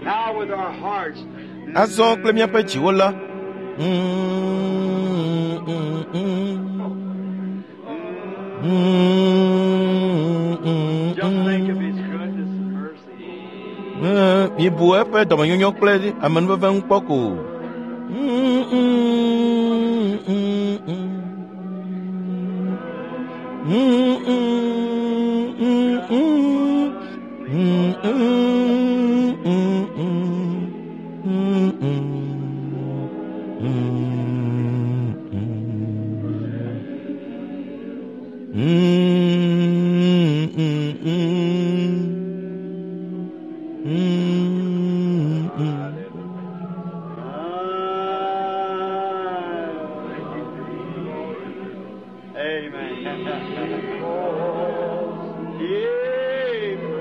Now with our hearts. Azɔ kple míaƒe dziwo la. Just think of His goodness and mercy. Mibu eƒe dɔmenyonyo kple amenuveve ŋu kpɔ ko. Amen. Ye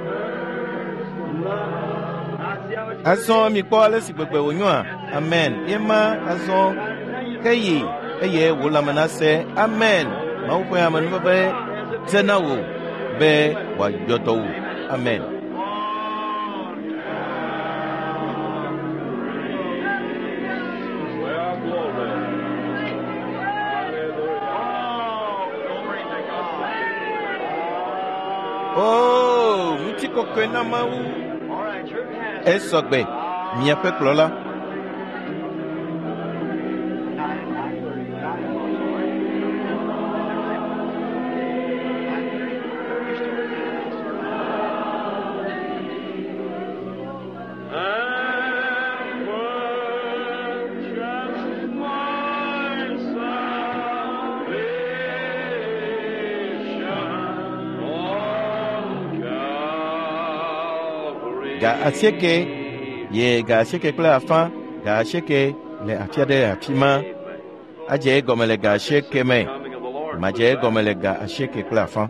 first love. I see how much Azɔ mikpɔ ale si gbegbe wònyoa. Amen. Ye ma azɔ ke yi eye wò lãme nase. Amen. Mawu ƒe amenuveve dze na wò be wòayɔ dɔ wò. Amen. Well, glory. Hallelujah. Oh, glory to God. Oo, ŋutikɔkɔe na Mawu. All right, your pastor. Esɔgbe, miaƒe kplɔla. And purchased my salvation on Calvary. Ga asieke ye ga asieke kple afã, ga asieke le afi aɖe le afi ma. Adze egɔme le ga asieke me. Coming of the Lord. Madze egɔme le ga asieke kple afã.